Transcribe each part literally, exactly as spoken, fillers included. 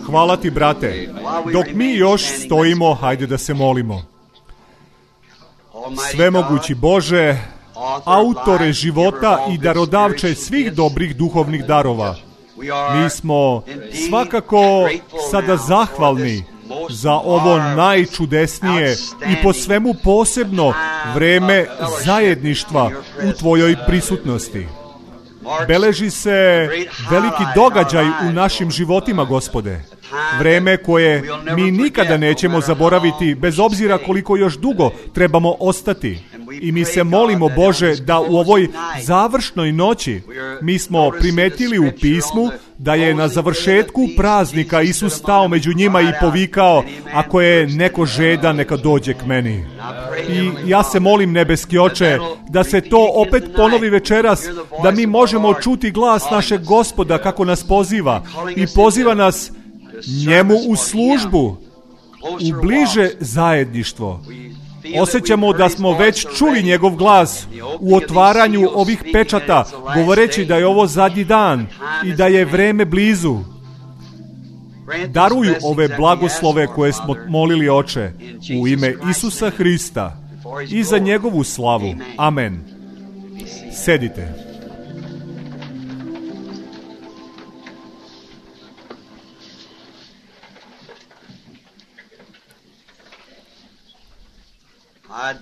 Hvala ti, brate. Dok mi još stojimo, hajde da se molimo. Svemogući Bože, autore života i darodavče svih dobrih duhovnih darova, mi smo svakako sada zahvalni za ovo najčudesnije i po svemu posebno vreme zajedništva u tvojoj prisutnosti. Beleži se veliki događaj u našim životima, Gospode. Vreme koje mi nikada nećemo zaboraviti, bez obzira koliko još dugo trebamo ostati. I mi se molimo, Bože, da u ovoj završnoj noći mi smo primetili u pismu da je na završetku praznika Isus stao među njima i povikao: ako je neko žedan, neka dođe k meni. I ja se molim, nebeski Oče, da se to opet ponovi večeras, da mi možemo čuti glas našeg Gospoda kako nas poziva i poziva nas njemu u službu, u bliže zajedništvo. Osjećamo da smo već čuli njegov glas u otvaranju ovih pečata, govoreći da je ovo zadnji dan i da je vreme blizu. Daruj ove blagoslove koje smo molili, Oče, u ime Isusa Hrista i za njegovu slavu. Amen. Sedite.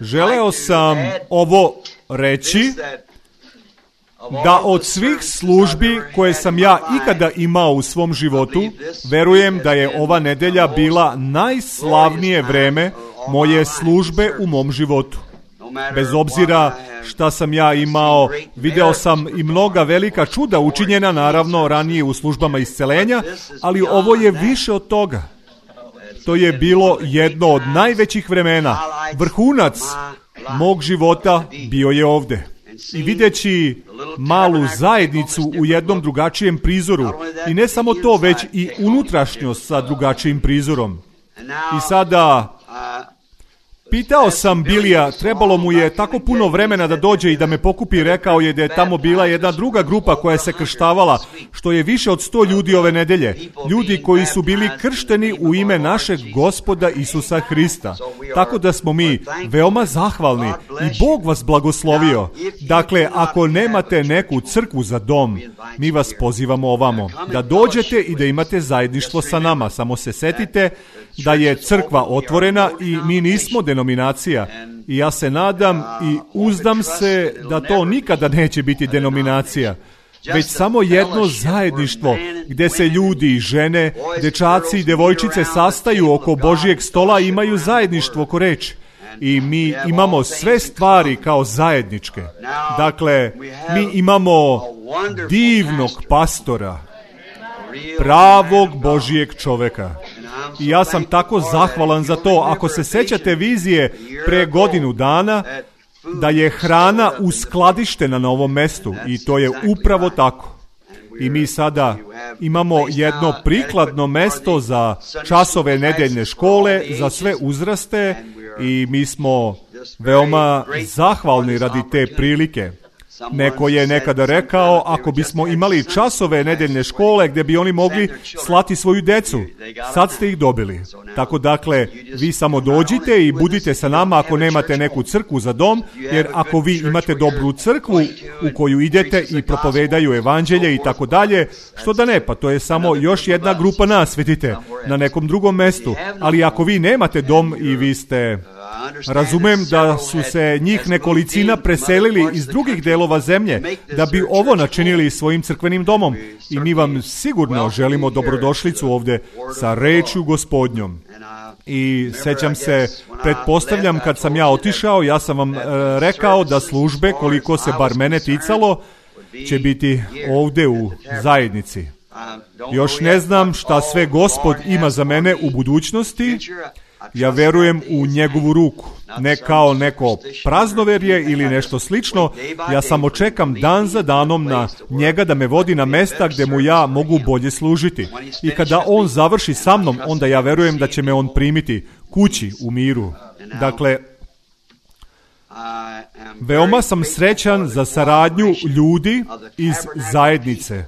Želeo sam ovo reći, da od svih službi koje sam ja ikada imao u svom životu, verujem da je ova nedelja bila najslavnije vreme moje službe u mom životu. Bez obzira šta sam ja imao, video sam i mnoga velika čuda učinjena, naravno, ranije u službama isceljenja, ali ovo je više od toga. To je bilo jedno od najvećih vremena. Vrhunac mog života bio je ovde. I videći malu zajednicu u jednom drugačijem prizoru. I ne samo to, već i unutrašnjost sa drugačijim prizorom. I sada pitao sam Bilija, trebalo mu je tako puno vremena da dođe i da me pokupi, rekao je da je tamo bila jedna druga grupa koja se krštavala, što je više od sto ljudi ove nedelje. Ljudi koji su bili kršteni u ime našeg Gospoda Isusa Hrista. Tako da smo mi veoma zahvalni i Bog vas blagoslovio. Dakle, ako nemate neku crkvu za dom, mi vas pozivamo ovamo, da dođete i da imate zajedništvo sa nama. Samo se setite da je crkva otvorena i mi nismo denominacija. I ja se nadam i uzdam se da to nikada neće biti denominacija, već samo jedno zajedništvo gdje se ljudi i žene, dečaci i devojčice sastaju oko Božijeg stola i imaju zajedništvo oko reči. I mi imamo sve stvari kao zajedničke. Dakle, mi imamo divnog pastora, pravog Božijeg čoveka. I ja sam tako zahvalan za to. Ako se sećate vizije pre godinu dana, da je hrana uskladištena na ovom mestu, i to je upravo tako. I mi sada imamo jedno prikladno mesto za časove nedeljne škole, za sve uzraste, i mi smo veoma zahvalni radi te prilike. Neko je nekada rekao, ako bismo imali časove nedeljne škole gdje bi oni mogli slati svoju decu, sad ste ih dobili. Tako dakle, vi samo dođite i budite sa nama ako nemate neku crkvu za dom, jer ako vi imate dobru crkvu u koju idete i propovedaju evanđelje i tako dalje, što da ne, pa to je samo još jedna grupa nas, vidite, na nekom drugom mestu. Ali ako vi nemate dom i vi ste... Razumem da su se njih nekolicina preselili iz drugih delova zemlje da bi ovo načinili svojim crkvenim domom. I mi vam sigurno želimo dobrodošlicu ovdje sa rečju Gospodnjom. I sećam se, pretpostavljam kad sam ja otišao, ja sam vam e, rekao da službe, koliko se bar mene ticalo, će biti ovdje u zajednici. Još ne znam šta sve Gospod ima za mene u budućnosti. Ja verujem u njegovu ruku, ne kao neko praznoverje ili nešto slično. Ja samo čekam dan za danom na njega da me vodi na mesta gdje mu ja mogu bolje služiti. I kada on završi sa mnom, onda ja verujem da će me on primiti kući u miru. Dakle, veoma sam srećan za saradnju ljudi iz zajednice.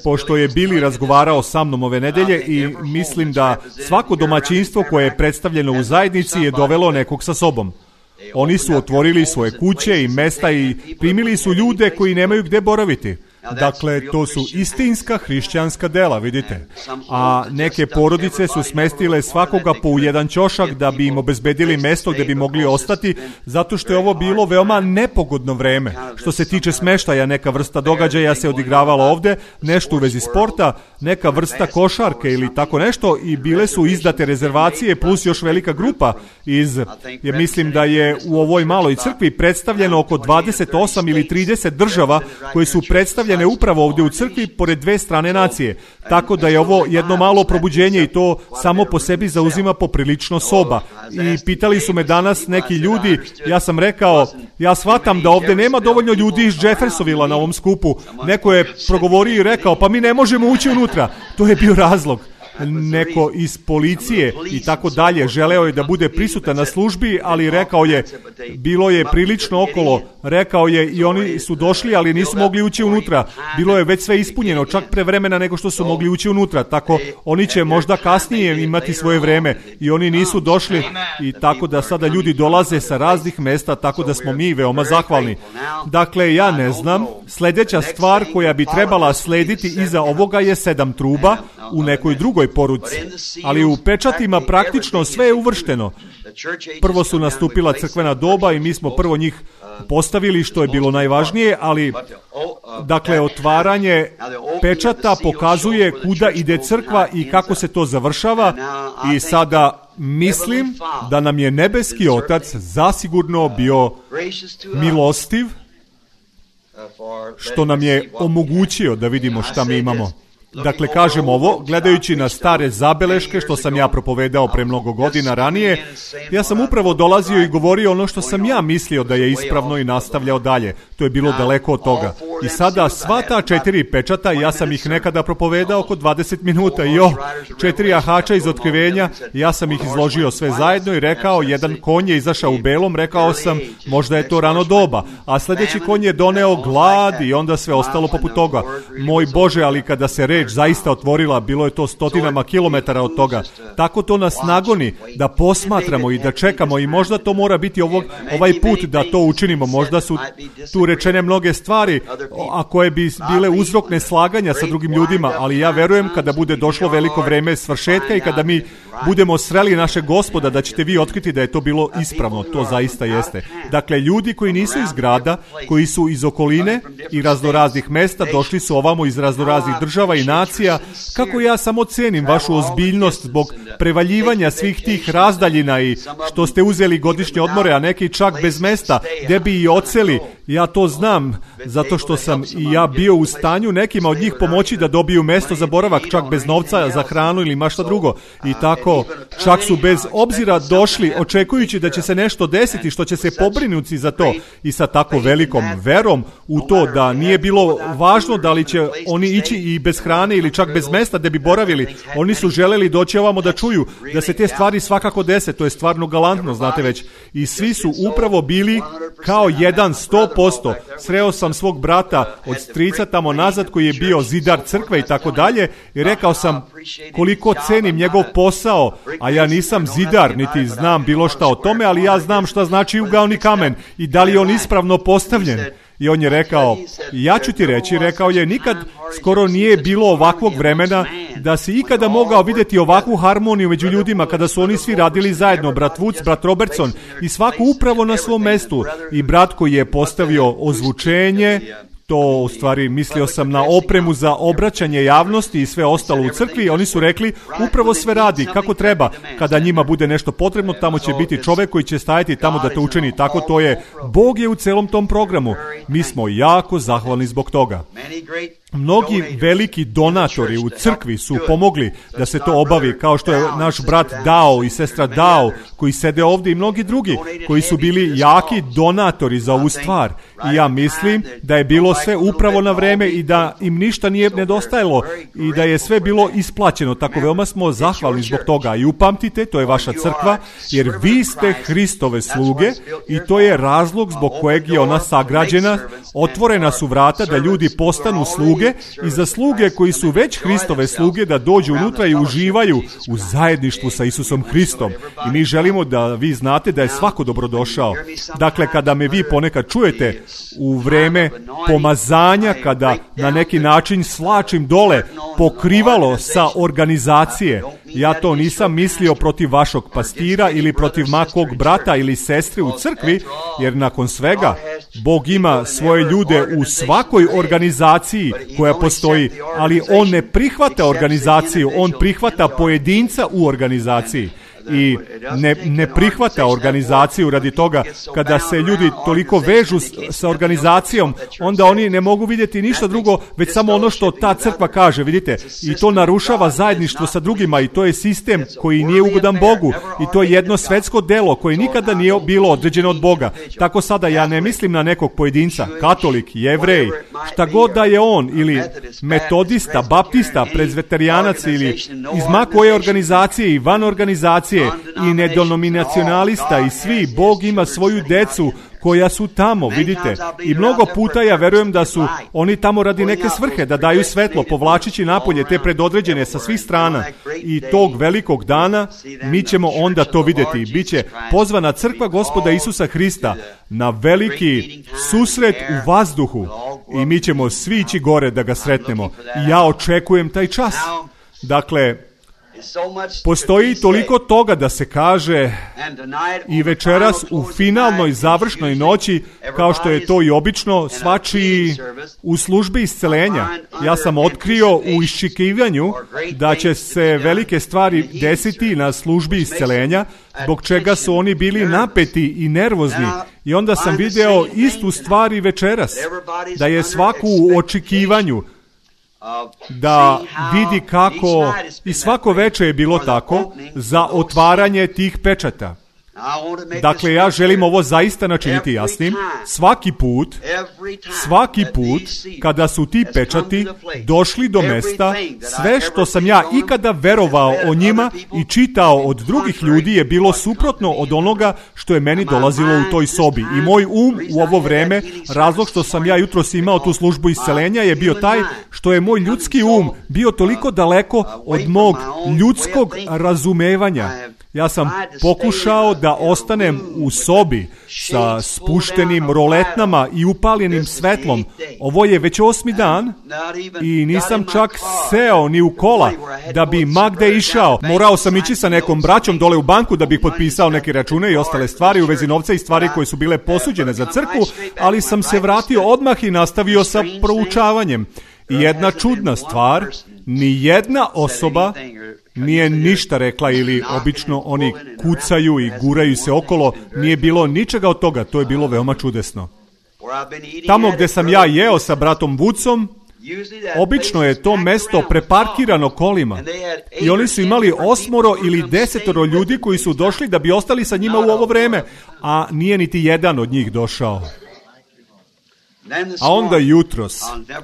pošto je Billy razgovarao sa mnom ove nedelje i mislim da svako domaćinstvo koje je predstavljeno u zajednici je dovelo nekog sa sobom. Oni su otvorili svoje kuće i mesta i primili su ljude koji nemaju gde boraviti. Dakle, to su istinska hrišćanska dela, vidite. A neke porodice su smestile svakoga po jedan ćošak da bi im obezbedili mesto gde bi mogli ostati, zato što je ovo bilo veoma nepogodno vreme. Što se tiče smeštaja, neka vrsta događaja se odigravala ovde, nešto u vezi sporta, neka vrsta košarke ili tako nešto, i bile su izdate rezervacije plus još velika grupa iz, ja mislim da je u ovoj maloj crkvi predstavljeno oko dvadeset osam ili trideset država koje su predstavljene upravo ovdje u crkvi pored dve strane nacije. Tako da je ovo jedno malo probuđenje i to samo po sebi zauzima poprilično soba. I pitali su me danas neki ljudi, ja sam rekao, ja shvatam da ovdje nema dovoljno ljudi iz Jeffersonvilla na ovom skupu. Neko je progovorio i rekao, pa mi ne možemo ući unutra. To je bio razlog. Neko iz policije i tako dalje želeo je da bude prisutan na službi, ali rekao je, bilo je prilično okolo, rekao je i oni su došli, ali nisu mogli ući unutra. Bilo je već sve ispunjeno, čak pre vremena nego što su mogli ući unutra, tako oni će možda kasnije imati svoje vreme i oni nisu došli, i tako da sada ljudi dolaze sa raznih mesta, tako da smo mi veoma zahvalni. Dakle, ja ne znam, sljedeća stvar koja bi trebala slediti iza ovoga je sedam truba u nekoj drugoj poruci, ali u pečatima praktično sve je uvršteno. Prvo su nastupila crkvena doba i mi smo prvo njih postavili, što je bilo najvažnije, ali dakle otvaranje pečata pokazuje kuda ide crkva i kako se to završava, i sada mislim da nam je nebeski Otac zasigurno bio milostiv što nam je omogućio da vidimo šta mi imamo. Dakle, kažem ovo, gledajući na stare zabeleške što sam ja propovedao pre mnogo godina ranije, ja sam upravo dolazio i govorio ono što sam ja mislio da je ispravno i nastavljao dalje. To je bilo daleko od toga. I sada sva ta četiri pečata, ja sam ih nekada propovedao oko dvadeset minuta i jo, četiri ahača iz otkrivenja, ja sam ih izložio sve zajedno i rekao, jedan konj je izašao u belom, rekao sam, možda je to rano doba, a sljedeći konj je doneo glad i onda sve ostalo poput toga. Moj Bože, ali kada se reč zaista otvorila, bilo je to stotinama kilometara od toga. Tako to nas nagoni da posmatramo i da čekamo, i možda to mora biti ovog, ovaj put da to učinimo. Možda su tu rečene mnoge stvari, a koje bi bile uzrok neslaganja sa drugim ljudima, ali ja verujem kada bude došlo veliko vreme svršetka i kada mi budemo sreli našeg Gospoda, da ćete vi otkriti da je to bilo ispravno. To zaista jeste. Dakle, ljudi koji nisu iz grada, koji su iz okoline i raznoraznih mesta, došli su ovamo iz raznoraznih država i nacija. Kako ja samo cenim vašu ozbiljnost zbog prevaljivanja svih tih razdaljina i što ste uzeli godišnje odmore, a neki čak bez mesta, gde bi i oceli. Ja to znam, zato što sam i ja bio u stanju nekima od njih pomoći da dobiju mesto za boravak, čak bez novca za hranu ili mašta drugo. I tako, čak su bez obzira došli, očekujući da će se nešto desiti, što će se pobrinuti za to, i sa tako velikom verom u to da nije bilo važno da li će oni ići i bez hrane ili čak bez mesta da bi boravili. Oni su želeli doći ovamo da čuju da se te stvari svakako dese. To je stvarno galantno, znate već. I svi su upravo bili kao jedan sto posto. Sreo sam svog brata od strica tamo nazad koji je bio zidar crkve i tako dalje, i rekao sam koliko cenim njegov posao, a ja nisam zidar niti znam bilo šta o tome, ali ja znam šta znači ugaoni kamen i da li je on ispravno postavljen. I on je rekao, ja ću ti reći, rekao je, nikad skoro nije bilo ovakvog vremena da si ikada mogao vidjeti ovakvu harmoniju među ljudima kada su oni svi radili zajedno, brat Woods, brat Robertson, i svako upravo na svom mestu, i brat koji je postavio ozvučenje, to u stvari mislio sam na opremu za obraćanje javnosti i sve ostalo u crkvi. Oni su rekli, upravo sve radi kako treba. Kada njima bude nešto potrebno, tamo će biti čovjek koji će stajati tamo da to učini. Tako to je. Bog je u celom tom programu. Mi smo jako zahvalni zbog toga. Mnogi veliki donatori u crkvi su pomogli da se to obavi, kao što je naš brat Dao i sestra Dao koji sede ovdje, i mnogi drugi koji su bili jaki donatori za ovu stvar. I ja mislim da je bilo sve upravo na vreme i da im ništa nije nedostajalo i da je sve bilo isplaćeno. Tako veoma smo zahvalni zbog toga. I upamtite, to je vaša crkva, jer vi ste Hristove sluge i to je razlog zbog kojeg je ona sagrađena. Otvorena su vrata da ljudi postanu sluge sluge i za sluge koji su već Hristove sluge da dođu unutra i uživaju u zajedništvu sa Isusom Hristom. I mi želimo da vi znate da je svako dobrodošao. Dakle, kada me vi ponekad čujete u vreme pomazanja, kada na neki način slačim dole pokrivalo sa organizacije, ja to nisam mislio protiv vašog pastira ili protiv makog brata ili sestre u crkvi, jer nakon svega Bog ima svoje ljude u svakoj organizaciji koja postoji, ali On ne prihvata organizaciju, On prihvata pojedinca u organizaciji. I ne, ne prihvata organizaciju radi toga kada se ljudi toliko vežu sa organizacijom, onda oni ne mogu vidjeti ništa drugo, već samo ono što ta crkva kaže, vidite, i to narušava zajedništvo sa drugima i to je sistem koji nije ugodan Bogu i to je jedno svetsko delo koje nikada nije bilo određeno od Boga. Tako sada ja ne mislim na nekog pojedinca, katolik, jevrej, šta god da je on, ili metodista, baptista, prezveterijanac ili iz ma koje organizacije i van organizacije i nedenominacionalista i svi, Bog ima svoju decu koja su tamo, vidite. I mnogo puta ja verujem da su oni tamo radi neke svrhe, da daju svetlo, povlačići napolje te predodređene sa svih strana. I tog velikog dana mi ćemo onda to vidjeti. Biće pozvana crkva Gospoda Isusa Hrista na veliki susret u vazduhu i mi ćemo svi ići gore da ga sretnemo. I ja očekujem taj čas. Dakle, postoji toliko toga da se kaže i večeras u finalnoj završnoj noći, kao što je to i obično, svačiji u službi iscelenja. Ja sam otkrio u iščekivanju da će se velike stvari desiti na službi iscelenja, zbog čega su oni bili napeti i nervozni. I onda sam video istu stvar i večeras, da je svaku u očekivanju, da vidi kako, i svako veče je bilo tako, za otvaranje tih pečata. Dakle, ja želim ovo zaista načiniti jasnim. Svaki put, svaki put, kada su ti pečati došli do mesta, sve što sam ja ikada verovao o njima i čitao od drugih ljudi je bilo suprotno od onoga što je meni dolazilo u toj sobi. I moj um u ovo vreme, razlog što sam ja jutros imao tu službu iscelenja je bio taj što je moj ljudski um bio toliko daleko od mog ljudskog razumevanja. Ja sam pokušao da ostanem u sobi sa spuštenim roletnama i upaljenim svetlom. Ovo je već osmi dan i nisam čak seo ni u kola da bi magde išao. Morao sam ići sa nekom braćom dole u banku da bih potpisao neke račune i ostale stvari u vezi novca i stvari koje su bile posuđene za crkvu, ali sam se vratio odmah i nastavio sa proučavanjem. I jedna čudna stvar, ni jedna osoba nije ništa rekla ili obično oni kucaju i guraju se okolo, nije bilo ničega od toga, to je bilo veoma čudesno. Tamo gdje sam ja jeo sa bratom Woodsom, obično je to mesto preparkirano kolima i oni su imali osmoro ili desetoro ljudi koji su došli da bi ostali sa njima u ovo vreme, a nije niti jedan od njih došao. A onda jutros,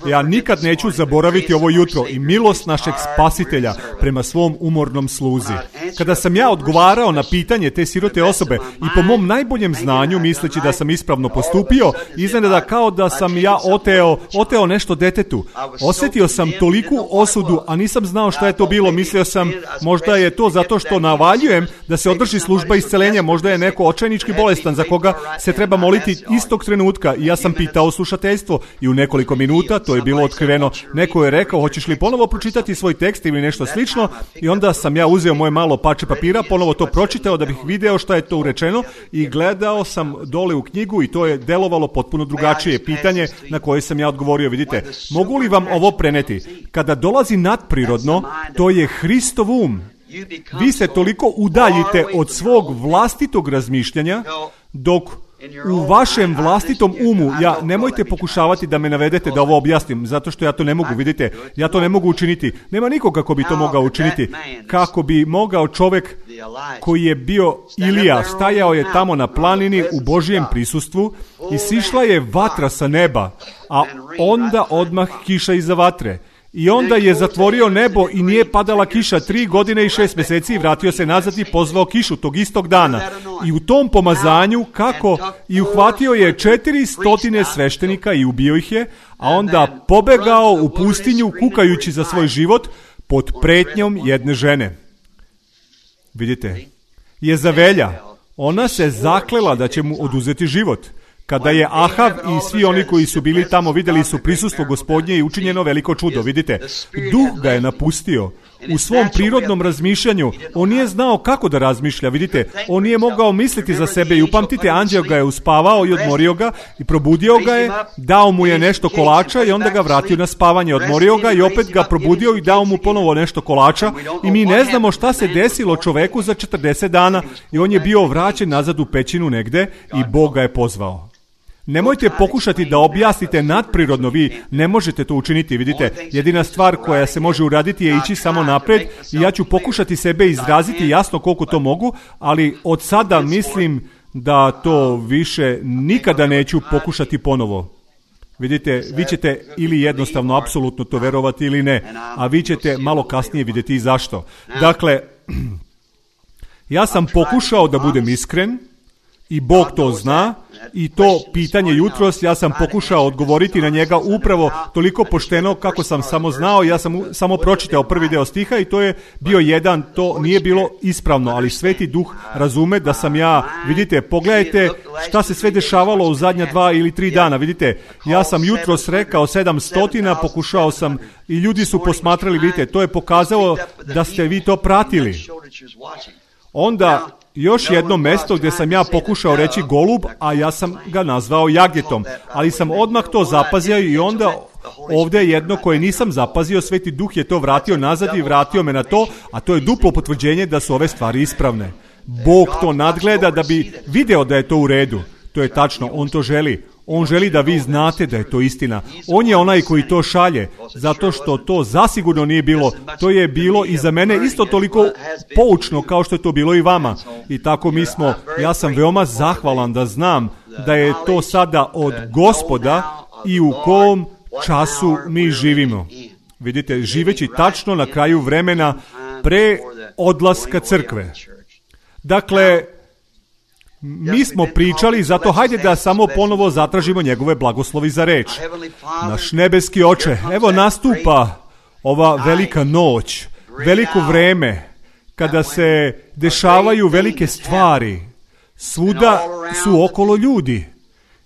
ja nikad neću zaboraviti ovo jutro i milost našeg Spasitelja prema svom umornom sluzi. Kada sam ja odgovarao na pitanje te sirote osobe i po mom najboljem znanju, misleći da sam ispravno postupio, iznenada kao da sam ja oteo, oteo nešto detetu. Osjetio sam toliku osudu, a nisam znao šta je to bilo. Mislio sam, možda je to zato što navaljujem da se održi služba iscelenja, možda je neko očajnički bolestan za koga se treba moliti istog trenutka. I ja sam pitao slušateljstvo i u nekoliko minuta to je bilo otkriveno. Neko je rekao, hoćeš li ponovo pročitati svoj tekst ili nešto slično, i onda sam ja uzeo moje malo parče papira, ponovo to pročitao da bih video šta je to urečeno i gledao sam dole u knjigu i to je delovalo potpuno drugačije. Pitanje na koje sam ja odgovorio, vidite, mogu li vam ovo preneti? Kada dolazi nadprirodno, to je Hristov um. Vi se toliko udaljite od svog vlastitog razmišljanja, dok u vašem vlastitom umu, ja nemojte pokušavati da me navedete da ovo objasnim, zato što ja to ne mogu, vidite, ja to ne mogu učiniti. Nema nikoga kako bi to mogao učiniti. Kako bi mogao čovjek koji je bio Ilija, stajao je tamo na planini u Božijem prisustvu i sišla je vatra sa neba, a onda odmah kiša iza vatre. I onda je zatvorio nebo i nije padala kiša tri godine i šest mjeseci i vratio se nazad i pozvao kišu tog istog dana. I u tom pomazanju kako i uhvatio je četiri stotine sveštenika i ubio ih je, a onda pobegao u pustinju kukajući za svoj život pod pretnjom jedne žene. Vidite, Jezavelja, ona se zaklela da će mu oduzeti život. Kada je Ahav i svi oni koji su bili tamo vidjeli su prisustvo Gospodnje i učinjeno veliko čudo. Vidite, duh ga je napustio. U svom prirodnom razmišljanju on nije znao kako da razmišlja. Vidite, on nije mogao misliti za sebe i upamtite, anđeo ga je uspavao i odmorio ga i probudio ga je, dao mu je nešto kolača i onda ga vratio na spavanje. Odmorio ga i opet ga probudio i dao mu ponovo nešto kolača i mi ne znamo šta se desilo čoveku za četrdeset dana i on je bio vraćen nazad u pećinu negde i Bog ga je pozvao. Nemojte pokušati da objasnite nadprirodno, vi ne možete to učiniti, vidite, jedina stvar koja se može uraditi je ići samo napred i ja ću pokušati sebe izraziti jasno koliko to mogu, ali od sada mislim da to više nikada neću pokušati ponovo. Vidite, vi ćete ili jednostavno apsolutno to verovati ili ne, a vi ćete malo kasnije vidjeti i zašto. Dakle, ja sam pokušao da budem iskren i Bog to zna. I to pitanje jutros, ja sam pokušao odgovoriti na njega upravo toliko pošteno kako sam samo znao. Ja sam samo pročitao prvi deo stiha i to je bio jedan, to nije bilo ispravno, ali Sveti Duh razume da sam ja, vidite, pogledajte šta se sve dešavalo u zadnja dva ili tri dana, vidite, ja sam jutros rekao sedam stotina, pokušao sam i ljudi su posmatrali, vidite, to je pokazalo da ste vi to pratili. Onda još jedno mesto gdje sam ja pokušao reći golub, a ja sam ga nazvao jagetom, ali sam odmah to zapazio i onda ovdje jedno koje nisam zapazio, Sveti Duh je to vratio nazad i vratio me na to, a to je duplo potvrđenje da su ove stvari ispravne. Bog to nadgleda da bi video da je to u redu. To je tačno, on to želi. On želi da vi znate da je to istina. On je onaj koji to šalje, zato što to zasigurno nije bilo. To je bilo i za mene isto toliko poučno kao što je to bilo i vama. I tako mi smo, ja sam veoma zahvalan da znam da je to sada od Gospoda i u kom času mi živimo. Vidite, živeći tačno na kraju vremena pre odlaska crkve. Dakle, mi smo pričali, zato hajde da samo ponovo zatražimo njegove blagoslovi za reč. Naš nebeski Oče, evo nastupa ova velika noć, veliko vreme, kada se dešavaju velike stvari. Svuda su okolo ljudi.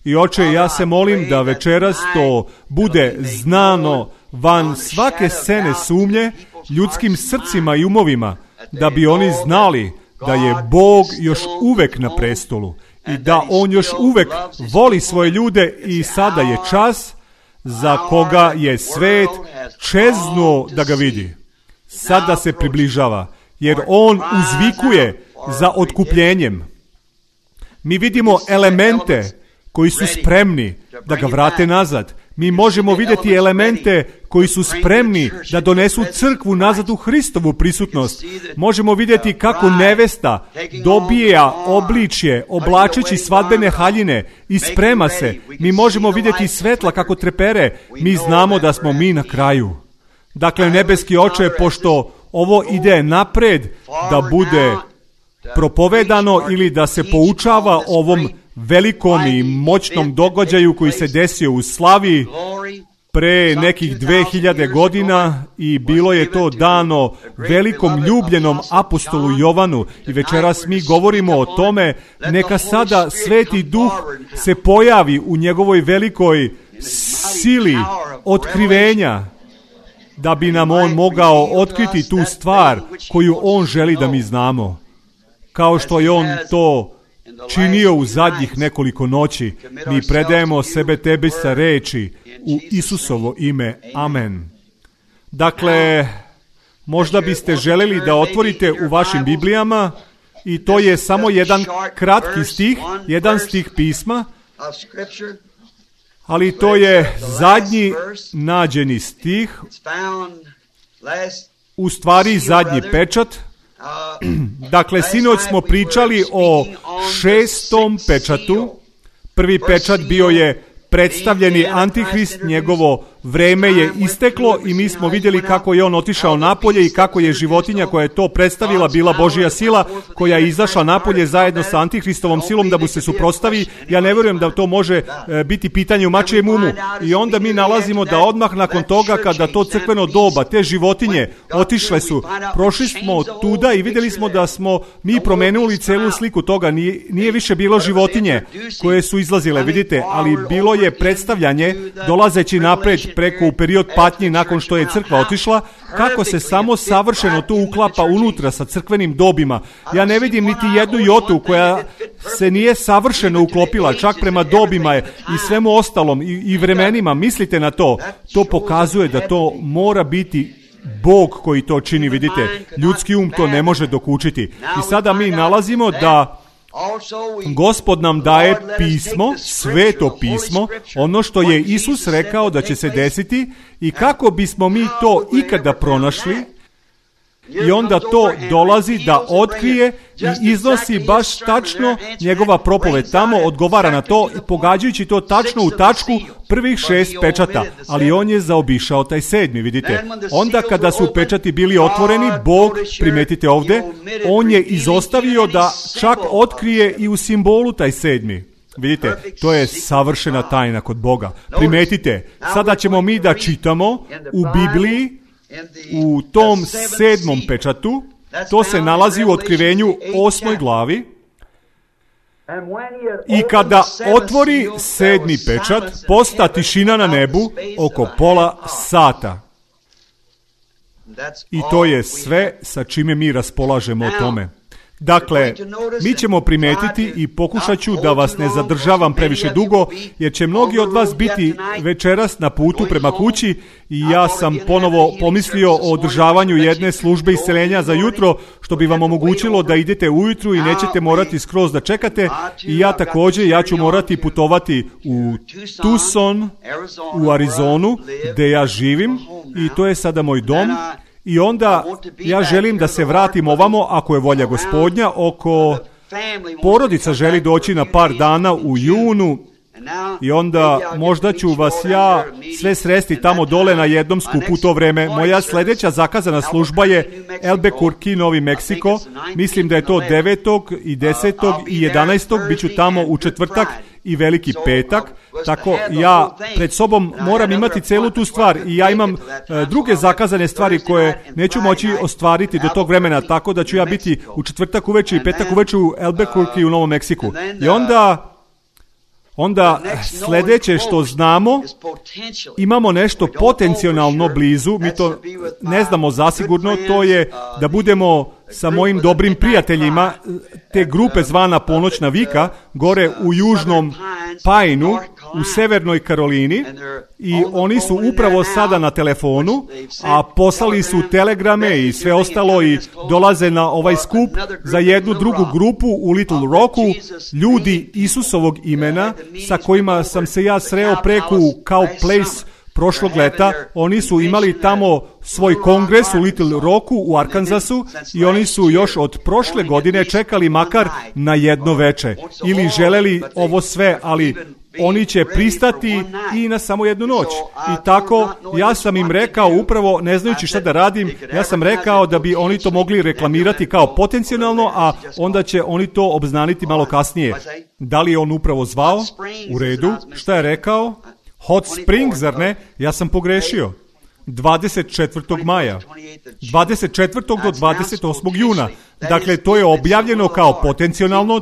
I Oče, ja se molim da večeras to bude znano van svake scene sumnje ljudskim srcima i umovima, da bi oni znali da je Bog još uvek na prestolu i da On još uvek voli svoje ljude i sada je čas za koga je svet čeznuo da ga vidi. Sada se približava, jer On uzvikuje za otkupljenjem. Mi vidimo elemente koji su spremni da ga vrate nazad. Mi možemo vidjeti elemente koji su spremni da donesu crkvu nazad u Hristovu prisutnost. Možemo vidjeti kako nevesta dobija obličje, oblačeći svadbene haljine i sprema se. Mi možemo vidjeti svetla kako trepere. Mi znamo da smo mi na kraju. Dakle, nebeski Oče, pošto ovo ide napred da bude propovedano ili da se poučava ovom velikom i moćnom događaju koji se desio u Slavi pre nekih dve hiljade godina i bilo je to dano velikom ljubljenom apostolu Jovanu i večeras mi govorimo o tome, neka sada Sveti Duh se pojavi u njegovoj velikoj sili otkrivenja, da bi nam On mogao otkriti tu stvar koju On želi da mi znamo, kao što je On to činio u zadnjih nekoliko noći. Mi predajemo sebe tebi sa reči u Isusovo ime. Amen. Dakle, možda biste želeli da otvorite u vašim Biblijama i to je samo jedan kratki stih, jedan stih pisma, ali to je zadnji nađeni stih, u stvari zadnji pečat. Dakle, sinoć smo pričali o šestom pečatu. Prvi pečat bio je predstavljeni Antihrist, njegovo vreme je isteklo i mi smo vidjeli kako je on otišao napolje i kako je životinja koja je to predstavila bila Božja sila koja je izašla napolje zajedno sa Antihristovom silom da mu se suprotstavi. Ja ne vjerujem da to može biti pitanje u mačijem umu. I onda mi nalazimo da odmah nakon toga kada to crkveno doba, te životinje otišle su, prošli smo tuda i vidjeli smo da smo mi promenuli celu sliku toga. Nije, nije više bilo životinje koje su izlazile, vidite, ali bilo je predstavljanje dolazeći napred preko u period patnji nakon što je crkva otišla, kako se samo savršeno to uklapa unutra sa crkvenim dobima. Ja ne vidim niti jednu jotu koja se nije savršeno uklopila, čak prema dobima je i svemu ostalom i, i vremenima. Mislite na to. To pokazuje da to mora biti Bog koji to čini, vidite. Ljudski um to ne može dokučiti. I sada mi nalazimo da Gospod nam daje pismo, sveto pismo, ono što je Isus rekao da će se desiti i kako bismo mi to ikada pronašli. I onda to dolazi da otkrije i iznosi baš tačno njegova propoved. Tamo odgovara na to, pogađajući to tačno u tačku prvih šest pečata. Ali on je zaobišao taj sedmi, vidite. Onda kada su pečati bili otvoreni, Bog, primetite ovdje, on je izostavio da čak otkrije i u simbolu taj sedmi. Vidite, to je savršena tajna kod Boga. Primetite, sada ćemo mi da čitamo u Bibliji, u tom sedmom pečatu, to se nalazi u Otkrivenju osmoj glavi. I kada otvori sedmi pečat, posta tišina na nebu oko pola sata. I to je sve sa čime mi raspolažemo o tome. Dakle, mi ćemo primetiti i pokušat ću da vas ne zadržavam previše dugo, jer će mnogi od vas biti večeras na putu prema kući i ja sam ponovo pomislio o održavanju jedne službe isceljenja za jutro, što bi vam omogućilo da idete ujutru i nećete morati skroz da čekate. I ja također, ja ću morati putovati u Tucson, u Arizonu, gdje ja živim i to je sada moj dom. I onda ja želim da se vratim ovamo, ako je volja Gospodnja, oko porodica želi doći na par dana u junu i onda možda ću vas ja sve sresti tamo dole na jednom skupu u to vreme. Moja sljedeća zakazana služba je Albuquerque, Novi Meksiko. Mislim da je to devetog i desetog i jedanaestog Bit ću tamo u četvrtak i veliki petak. Tako ja pred sobom moram imati celu tu stvar i ja imam uh, druge zakazane stvari koje neću moći ostvariti do tog vremena, tako da ću ja biti u četvrtak uveče i petak uveče u Albuquerque u Novom Meksiku. I onda Onda sljedeće što znamo, imamo nešto potencijalno blizu, mi to ne znamo zasigurno, to je da budemo sa mojim dobrim prijateljima te grupe zvana Ponoćna vika, gore u južnom Pineu, u severnoj Karolini, i oni su upravo sada na telefonu, a poslali su telegrame i sve ostalo i dolaze na ovaj skup za jednu drugu grupu u Little Rocku, ljudi Isusovog imena sa kojima sam se ja sreo preko u Cow Place prošlog leta. Oni su imali tamo svoj kongres u Little Rocku u Arkansasu i oni su još od prošle godine čekali makar na jedno veče ili želeli ovo sve, ali oni će pristati i na samo jednu noć. I tako ja sam im rekao, upravo ne znajući šta da radim, ja sam rekao da bi oni to mogli reklamirati kao potencijalno, a onda će oni to obznaniti malo kasnije. Da li je on upravo zvao? U redu. Šta je rekao? Hot Springs, zar ne? Ja sam pogrešio. dvadeset četvrtog maja. dvadeset četvrtog do dvadeset osmog juna. Dakle, to je objavljeno kao potencijalno,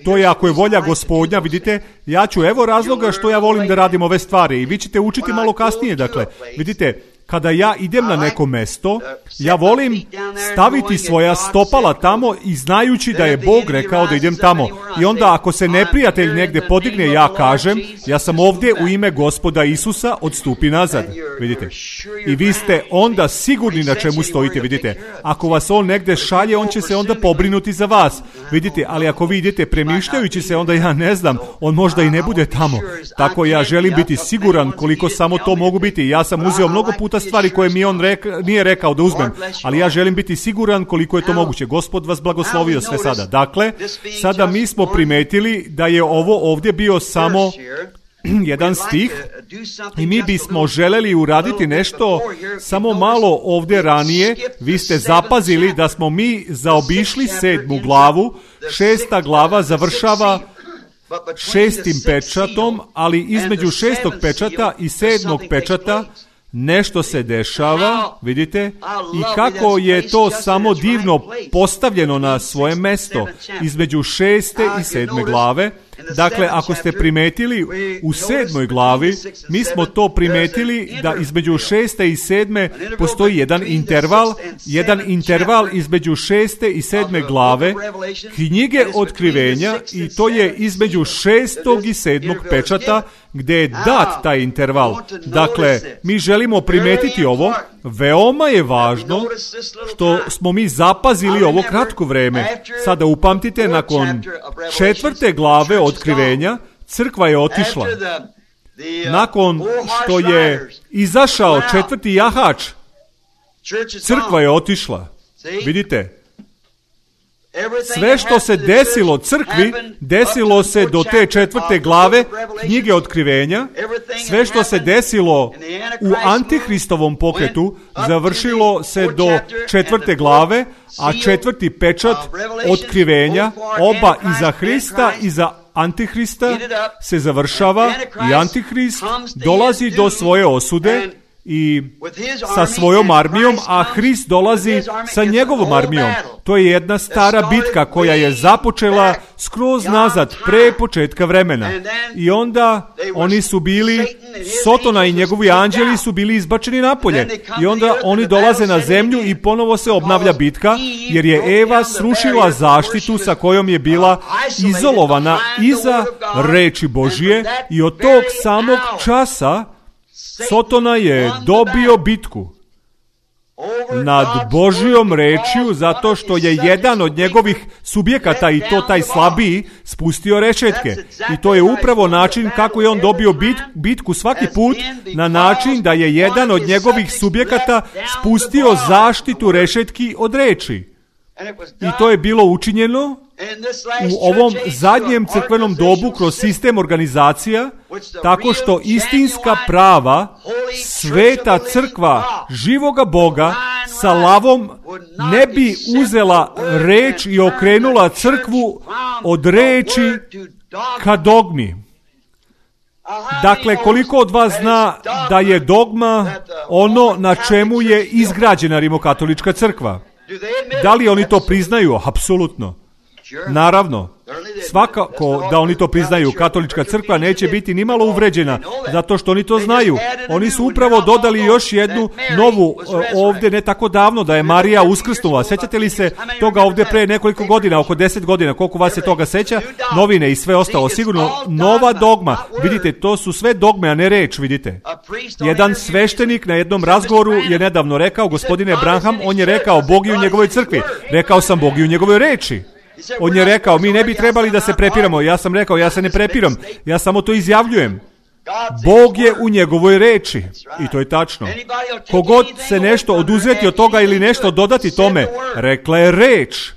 to je ako je volja Gospodnja, vidite, ja ću, evo razloga što ja volim da radim ove stvari i vi ćete učiti malo kasnije, dakle, vidite, kada ja idem na neko mesto, ja volim staviti svoja stopala tamo i znajući da je Bog rekao da idem tamo. I onda ako se neprijatelj negdje podigne, ja kažem, ja sam ovdje u ime Gospoda Isusa, odstupi nazad. Vidite. I vi ste onda sigurni na čemu stojite, vidite. Ako vas on negdje šalje, on će se onda pobrinuti za vas. Vidite, ali ako vi idete premišljajući se, onda ja ne znam, on možda i ne bude tamo. Tako ja želim biti siguran koliko samo to mogu biti. Ja sam uzeo mnogo puta stvari koje mi on reka, nije rekao da uzmem, ali ja želim biti siguran koliko je to moguće. Gospod vas blagoslovio sve sada. Dakle, sada mi smo primetili da je ovo ovdje bio samo jedan stih i mi bismo želeli uraditi nešto samo malo ovdje ranije. Vi ste zapazili da smo mi zaobišli sedmu glavu. Šesta glava završava šestim pečatom, ali između šestog pečata i sedmog pečata nešto se dešava, vidite, i kako je to samo divno postavljeno na svoje mesto između šeste i sedme glave. Dakle, ako ste primetili u sedmoj glavi, mi smo to primetili da između šeste i sedme postoji jedan interval, jedan interval između šeste i sedme glave knjige Otkrivenja, i to je između šestog i sedmog pečata gdje je dat taj interval. Dakle, mi želimo primetiti ovo. Veoma je važno što smo mi zapazili ovo kratko vreme. Sada upamtite, nakon četvrte glave Otkrivenja crkva je otišla. Nakon što je izašao četvrti jahač, crkva je otišla. Vidite? Sve što se desilo crkvi, desilo se do te četvrte glave knjige Otkrivenja. Sve što se desilo u Antihristovom pokretu, završilo se do četvrte glave, a četvrti pečat Otkrivenja, oba i za Hrista i za Antihrista, se završava i Antihrist dolazi do svoje osude i sa svojom armijom, a Hrist dolazi sa njegovom armijom. To je jedna stara bitka koja je započela skroz nazad, pre početka vremena. I onda oni su bili, Sotona i njegovi anđeli su bili izbačeni napolje. I onda oni dolaze na zemlju i ponovo se obnavlja bitka, jer je Eva srušila zaštitu sa kojom je bila izolovana iza reči Božije, i od tog samog časa Sotona je dobio bitku nad Božijom rečju, zato što je jedan od njegovih subjekata, i to taj slabiji, spustio rešetke. I to je upravo način kako je on dobio bit, bitku svaki put, na način da je jedan od njegovih subjekata spustio zaštitu rešetki od reči. I to je bilo učinjeno u ovom zadnjem crkvenom dobu kroz sistem organizacija, tako što istinska prava, sveta crkva živoga Boga sa lavom ne bi uzela reč i okrenula crkvu od reči ka dogmi. Dakle, koliko od vas zna da je dogma ono na čemu je izgrađena rimokatolička crkva? Da li oni to priznaju? Apsolutno. Naravno, svakako da oni to priznaju. Katolička crkva neće biti ni malo uvređena, zato što oni to znaju. Oni su upravo dodali još jednu novu ovdje ne tako davno, da je Marija uskrsnula. Sećate li se toga ovdje pre nekoliko godina, oko deset godina, koliko vas se toga seća? Novine i sve ostalo, sigurno nova dogma. Vidite, to su sve dogme, a ne reč, vidite. Jedan sveštenik na jednom razgovoru je nedavno rekao, gospodine Branham, on je rekao, Bog je u njegovoj crkvi. Rekao sam, Bog je u njegovoj reči. On je rekao, mi ne bi trebali da se prepiramo. Ja sam rekao, ja se ne prepiram, ja samo to izjavljujem. Bog je u njegovoj reči. I to je tačno. Kogod se nešto oduzeti od toga ili nešto dodati tome, rekla je reč.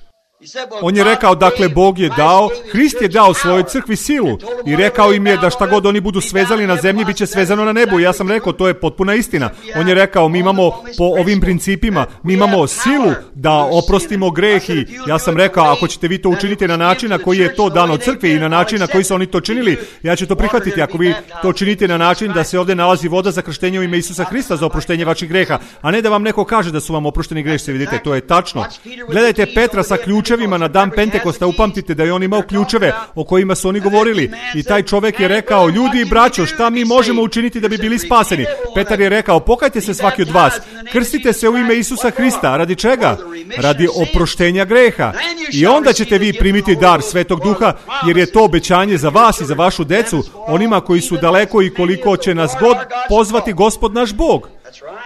On je rekao, dakle, Bog je dao, Hrist je dao svojoj crkvi silu i rekao im je da šta god oni budu svezali na zemlji, bit će svezano na nebu. Ja sam rekao, to je potpuna istina. On je rekao, mi imamo po ovim principima, mi imamo silu da oprostimo greh, i ja sam rekao, ako ćete vi to učiniti na način na koji je to dano crkvi i na način na koji su oni to činili, ja ću to prihvatiti. Ako vi to činite na način da se ovdje nalazi voda za krštenje u ime Isusa Hrista za oproštenje vaših greha, a ne da vam neko kaže da su vam oprošteni grešci, vidite, to je tačno. Gledajte Petra sa ključevima na dan Pentekosta, upamtite da je on imao ključeve o kojima su oni govorili, i taj čovjek je rekao, ljudi i braćo, šta mi možemo učiniti da bi bili spaseni? Petar je rekao, pokajte se svaki od vas, krstite se u ime Isusa Hrista. Radi čega? Radi oproštenja greha. I onda ćete vi primiti dar Svetog Duha, jer je to obećanje za vas i za vašu decu, onima koji su daleko i koliko će nas god pozvati Gospod naš Bog.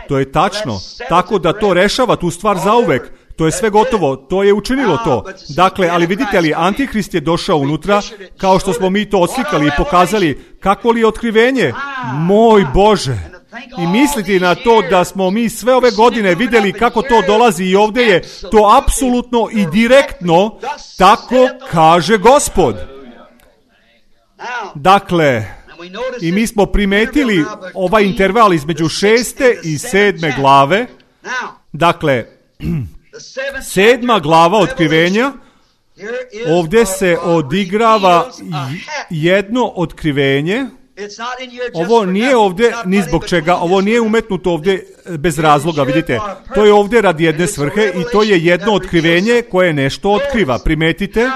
To je tačno, tako da to rešava tu stvar zauvek. To je sve gotovo, to je učinilo to. Dakle, ali vidite li, Antihrist je došao unutra, kao što smo mi to odslikali i pokazali, kako li je otkrivenje? Moj Bože! I misliti na to da smo mi sve ove godine vidjeli kako to dolazi, i ovdje je to apsolutno i direktno, tako kaže Gospod. Dakle, I mi smo primetili ovaj interval između šeste i sedme glave. Dakle, sedma glava otkrivenja, ovdje se odigrava jedno otkrivenje. Ovo nije ovdje ni zbog čega, ovo nije umetnuto ovdje bez razloga, vidite. To je ovdje radi jedne svrhe i to je jedno otkrivenje koje nešto otkriva. Primetite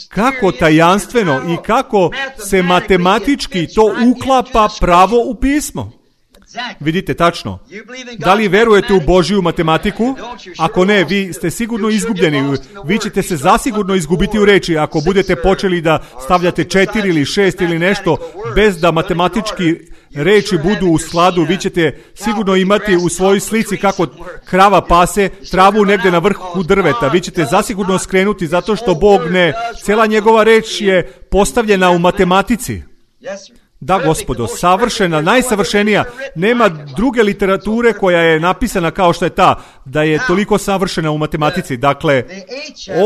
kako tajanstveno i kako se matematički to uklapa pravo u pismo. Vidite, tačno. Da li verujete u Božju matematiku? Ako ne, vi ste sigurno izgubljeni. Vi ćete se zasigurno izgubiti u reči ako budete počeli da stavljate četiri ili šest ili nešto bez da matematički reči budu u skladu. Vi ćete sigurno imati u svojoj slici kako krava pase travu negdje na vrhu drveta. Vi ćete zasigurno skrenuti zato što Bog ne, cijela njegova reč je postavljena u matematici. Da, gospodo, savršena, najsavršenija. Nema druge literature koja je napisana kao što je ta, da je toliko savršena u matematici. Dakle,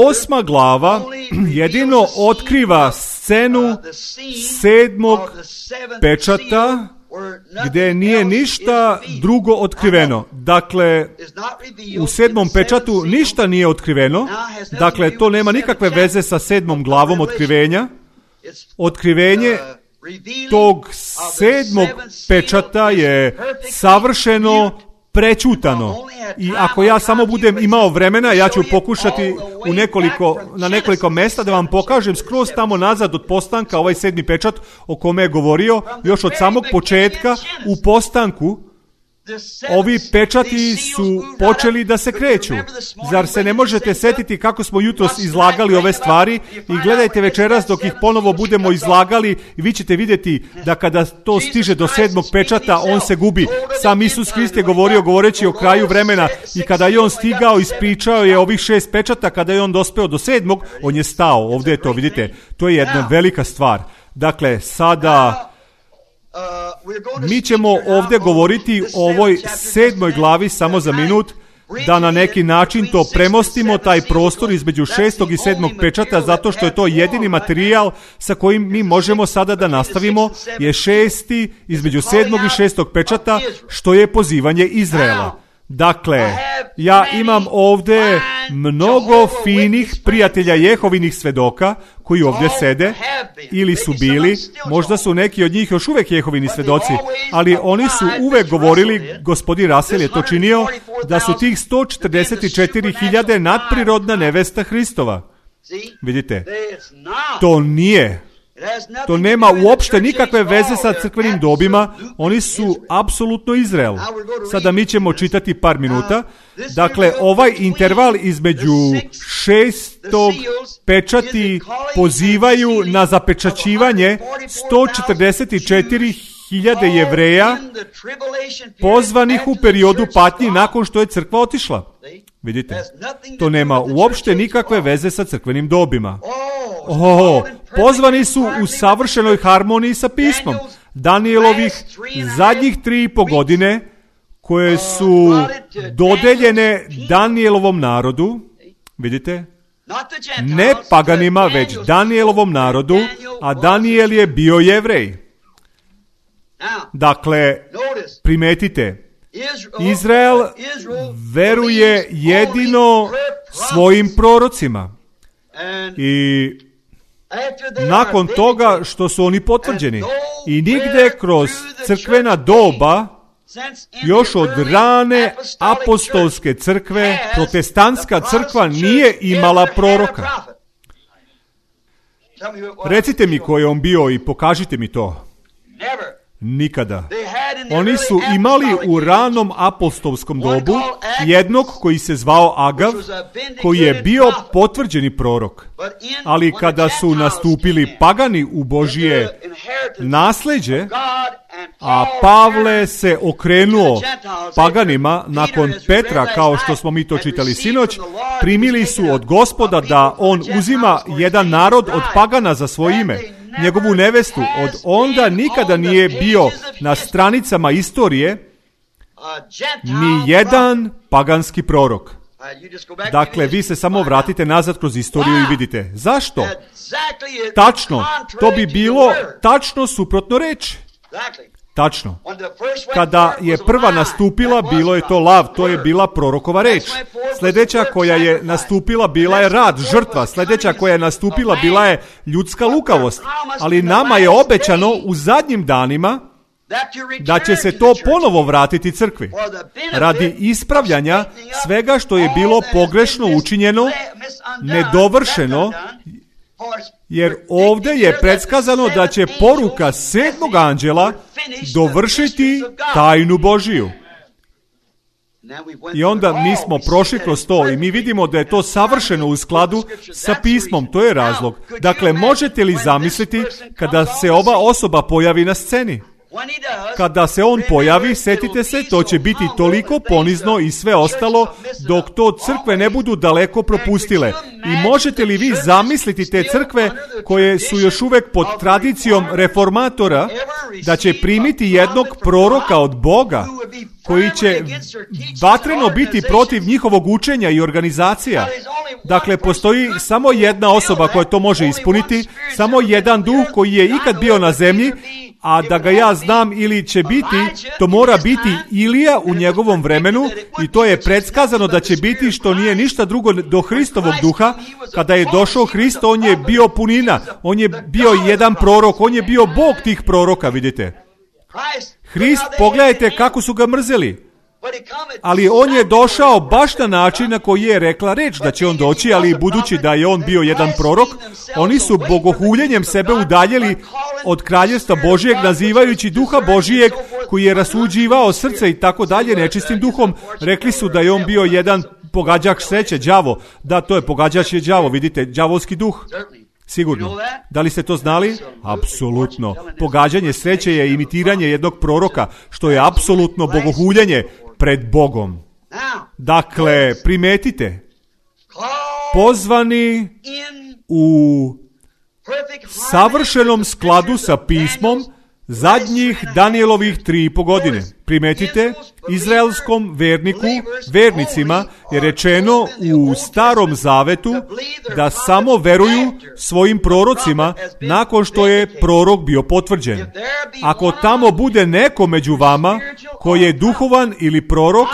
osma glava jedino otkriva scenu sedmog pečata, gdje nije ništa drugo otkriveno. Dakle, u sedmom pečatu ništa nije otkriveno. Dakle, to nema nikakve veze sa sedmom glavom otkrivenja. Otkrivenje tog sedmog pečata je savršeno prećutano. I ako ja samo budem imao vremena, ja ću pokušati u nekoliko, na nekoliko mjesta da vam pokažem skroz tamo nazad od postanka ovaj sedmi pečat o kome je govorio, još od samog početka u postanku. Ovi pečati su počeli da se kreću. Zar se ne možete setiti kako smo jutros izlagali ove stvari? I gledajte večeras dok ih ponovo budemo izlagali i vi ćete vidjeti da kada to stiže do sedmog pečata, on se gubi. Sam Isus Hrist je govorio govoreći o kraju vremena i kada je on stigao, ispričao je ovih šest pečata, kada je on dospeo do sedmog, on je stao. Ovdje je to, vidite, to je jedna velika stvar. Dakle, sada mi ćemo ovdje govoriti o ovoj sedmoj glavi samo za minut, da na neki način to premostimo, taj prostor između šestog i sedmog pečata, zato što je to jedini materijal sa kojim mi možemo sada da nastavimo, je šesti između sedmog i šestog pečata, što je pozivanje Izraela. Dakle, ja imam ovdje mnogo finih prijatelja Jehovinih svedoka koji ovdje sede ili su bili, možda su neki od njih još uvijek Jehovini svedoci, ali oni su uvijek govorili, gospodin Russell je to činio, da su tih sto četrdeset četiri hiljade nadprirodna nevesta Hristova. Vidite, to nije. To nema uopšte nikakve veze sa crkvenim dobima, oni su apsolutno Izrael. Sada mi ćemo čitati par minuta. Dakle, ovaj interval između šestog pečati pozivaju na zapečaćivanje sto četrdeset četiri hiljade Jevreja pozvanih u periodu patnji nakon što je crkva otišla. Vidite, to nema uopšte nikakve veze sa crkvenim dobima. Oh, pozvani su u savršenoj harmoniji sa pismom. Danijelovih zadnjih tri i po godine koje su dodeljene Danijelovom narodu, vidite, ne paganima, već Danijelovom narodu, a Danijel je bio Jevrej. Dakle, primetite, Izrael veruje jedino svojim prorocima. I nakon toga što su oni potvrđeni i nigde kroz crkvena doba, još od rane apostolske crkve, protestantska crkva nije imala proroka. Recite mi ko je on bio i pokažite mi to. Nikada. Oni su imali u ranom apostolskom dobu jednog koji se zvao Agav, koji je bio potvrđeni prorok. Ali kada su nastupili pagani u Božje nasleđe, a Pavle se okrenuo paganima nakon Petra, kao što smo mi to čitali sinoć, primili su od Gospoda da on uzima jedan narod od pagana za svoje ime, njegovu nevestu. Od onda nikada nije bio na stranicama istorije ni jedan paganski prorok. Dakle, vi se samo vratite nazad kroz istoriju i vidite. Zašto? Tačno, to bi bilo tačno suprotno reči. Tačno. Kada je prva nastupila, bilo je to lav, to je bila prorokova reč. Sljedeća koja je nastupila bila je rad, žrtva. Sljedeća koja je nastupila bila je ljudska lukavost. Ali nama je obećano u zadnjim danima da će se to ponovo vratiti crkvi. Radi ispravljanja svega što je bilo pogrešno učinjeno, nedovršeno, jer ovdje je predskazano da će poruka sedmog anđela dovršiti tajnu Božiju. I onda mi smo prošli kroz to i mi vidimo da je to savršeno u skladu sa pismom. To je razlog. Dakle, možete li zamisliti kada se ova osoba pojavi na sceni? Kada se on pojavi, setite se, to će biti toliko ponizno i sve ostalo, dok to crkve ne budu daleko propustile. I možete li vi zamisliti te crkve koje su još uvijek pod tradicijom reformatora, da će primiti jednog proroka od Boga, koji će vatreno biti protiv njihovog učenja i organizacija? Dakle, postoji samo jedna osoba koja to može ispuniti, samo jedan duh koji je ikad bio na zemlji, a da ga ja znam ili će biti, to mora biti Ilija u njegovom vremenu i to je predskazano da će biti što nije ništa drugo do Hristovog duha. Kada je došao Hrist, on je bio punina, on je bio jedan prorok, on je bio Bog tih proroka, vidite. Hrist, pogledajte kako su ga mrzeli. Ali on je došao baš na način na koji je rekla reč da će on doći, ali budući da je on bio jedan prorok, oni su bogohuljenjem sebe udaljili od kraljevstva Božijeg, nazivajući duha Božijeg koji je rasuđivao srce i tako dalje nečistim duhom. Rekli su da je on bio jedan pogađač sreće, đavo. Da, to je pogađač je đavo, vidite, đavolski duh. Sigurno. Da li ste to znali? Apsolutno. Pogađanje sreće je imitiranje jednog proroka, što je apsolutno bogohuljenje pred Bogom. Dakle, primetite, pozvani u savršenom skladu sa pismom zadnjih Danijelovih tri i po godine. Primetite, izraelskom verniku, vernicima je rečeno u Starom Zavetu da samo veruju svojim prorocima nakon što je prorok bio potvrđen. Ako tamo bude neko među vama koji je duhovan ili prorok,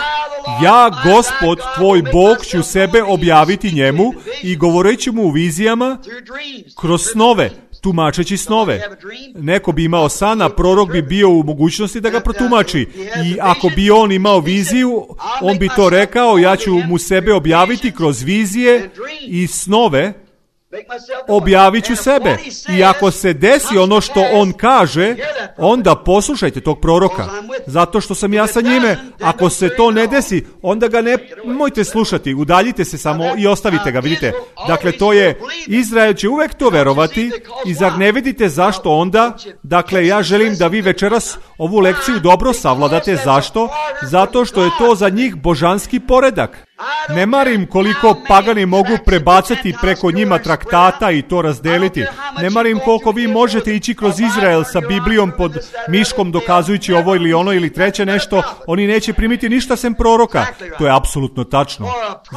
ja, Gospod, tvoj Bog, ću sebe objaviti njemu i govoreći mu u vizijama kroz snove, tumačeći snove. Neko bi imao sana, prorok bi bio u mogućnosti da ga protumači. I ako bi on imao viziju, on bi to rekao, ja ću mu sebe objaviti kroz vizije i snove, objavit ću sebe. I ako se desi ono što on kaže, onda poslušajte tog proroka, zato što sam ja sa njime. Ako se to ne desi, onda ga ne mojte slušati, udaljite se samo i ostavite ga, vidite. Dakle, to je, Izrael će uvek to verovati i zar ne vidite zašto onda? Dakle, ja želim da vi večeras ovu lekciju dobro savladate. Zašto? Zato što je to za njih božanski poredak. Ne marim koliko pagani mogu prebacati preko njima traktata i to razdeliti. Ne marim koliko vi možete ići kroz Izrael sa Biblijom pod miškom dokazujući ovo ili ono ili treće nešto. Oni neće primiti ništa sem proroka. To je apsolutno tačno.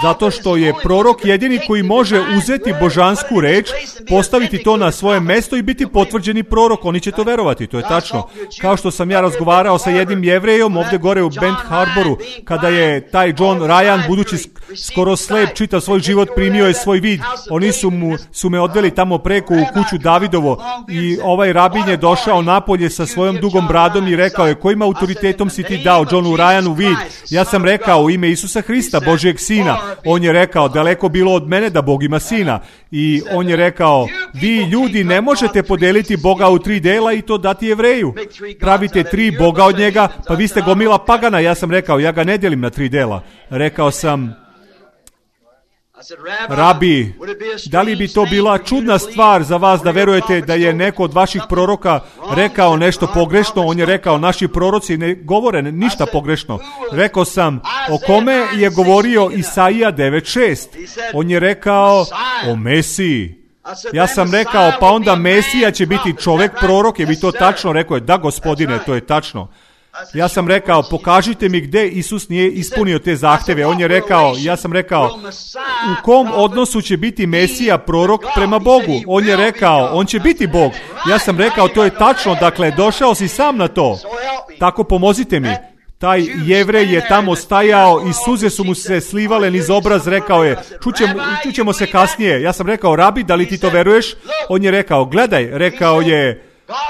Zato što je prorok jedini koji može uzeti božansku reč, postaviti to na svoje mesto i biti potvrđeni prorok. Oni će to verovati, to je tačno. Kao što sam ja razgovarao sa jednim Jevrejom ovdje gore u Bent Harboru, kada je taj John Ryan, budući skoro slep, čitav svoj život, primio je svoj vid. Oni su, mu, su me odveli tamo preko u kuću Davidovo i ovaj rabin je došao napolje sa svojom dugom bradom i rekao je, kojim autoritetom si ti dao Johnu Ryanu vid? Ja sam rekao, u ime Isusa Hrista, Božijeg sina. On je rekao, daleko bilo od mene da Bog ima sina. I on je rekao, vi ljudi ne možete podeliti Boga u tri dela i to dati Jevreju. Pravite tri Boga od njega, pa vi ste gomila pagana. Ja sam rekao, ja ga ne delim na tri dela. Rekao sam, Rabi, da li bi to bila čudna stvar za vas da verujete da je neko od vaših proroka rekao nešto pogrešno? On je rekao, naši proroci ne govore ništa pogrešno. Rekao sam, o kome je govorio Isaija devet šest? On je rekao, o Mesiji. Ja sam rekao, pa onda Mesija će biti čovjek prorok, je vi to tačno? Rekao je, da gospodine, to je tačno. Ja sam rekao, pokažite mi gdje Isus nije ispunio te zahtjeve. On je rekao, ja sam rekao, u kom odnosu će biti Mesija, prorok, prema Bogu? On je rekao, on će biti Bog. Ja sam rekao, to je tačno, dakle, došao si sam na to. Tako pomozite mi. Taj Jevrej je tamo stajao i suze su mu se slivale niz obraz, rekao je, čućemo, čućemo se kasnije. Ja sam rekao, rabi, da li ti to veruješ? On je rekao, gledaj, rekao je,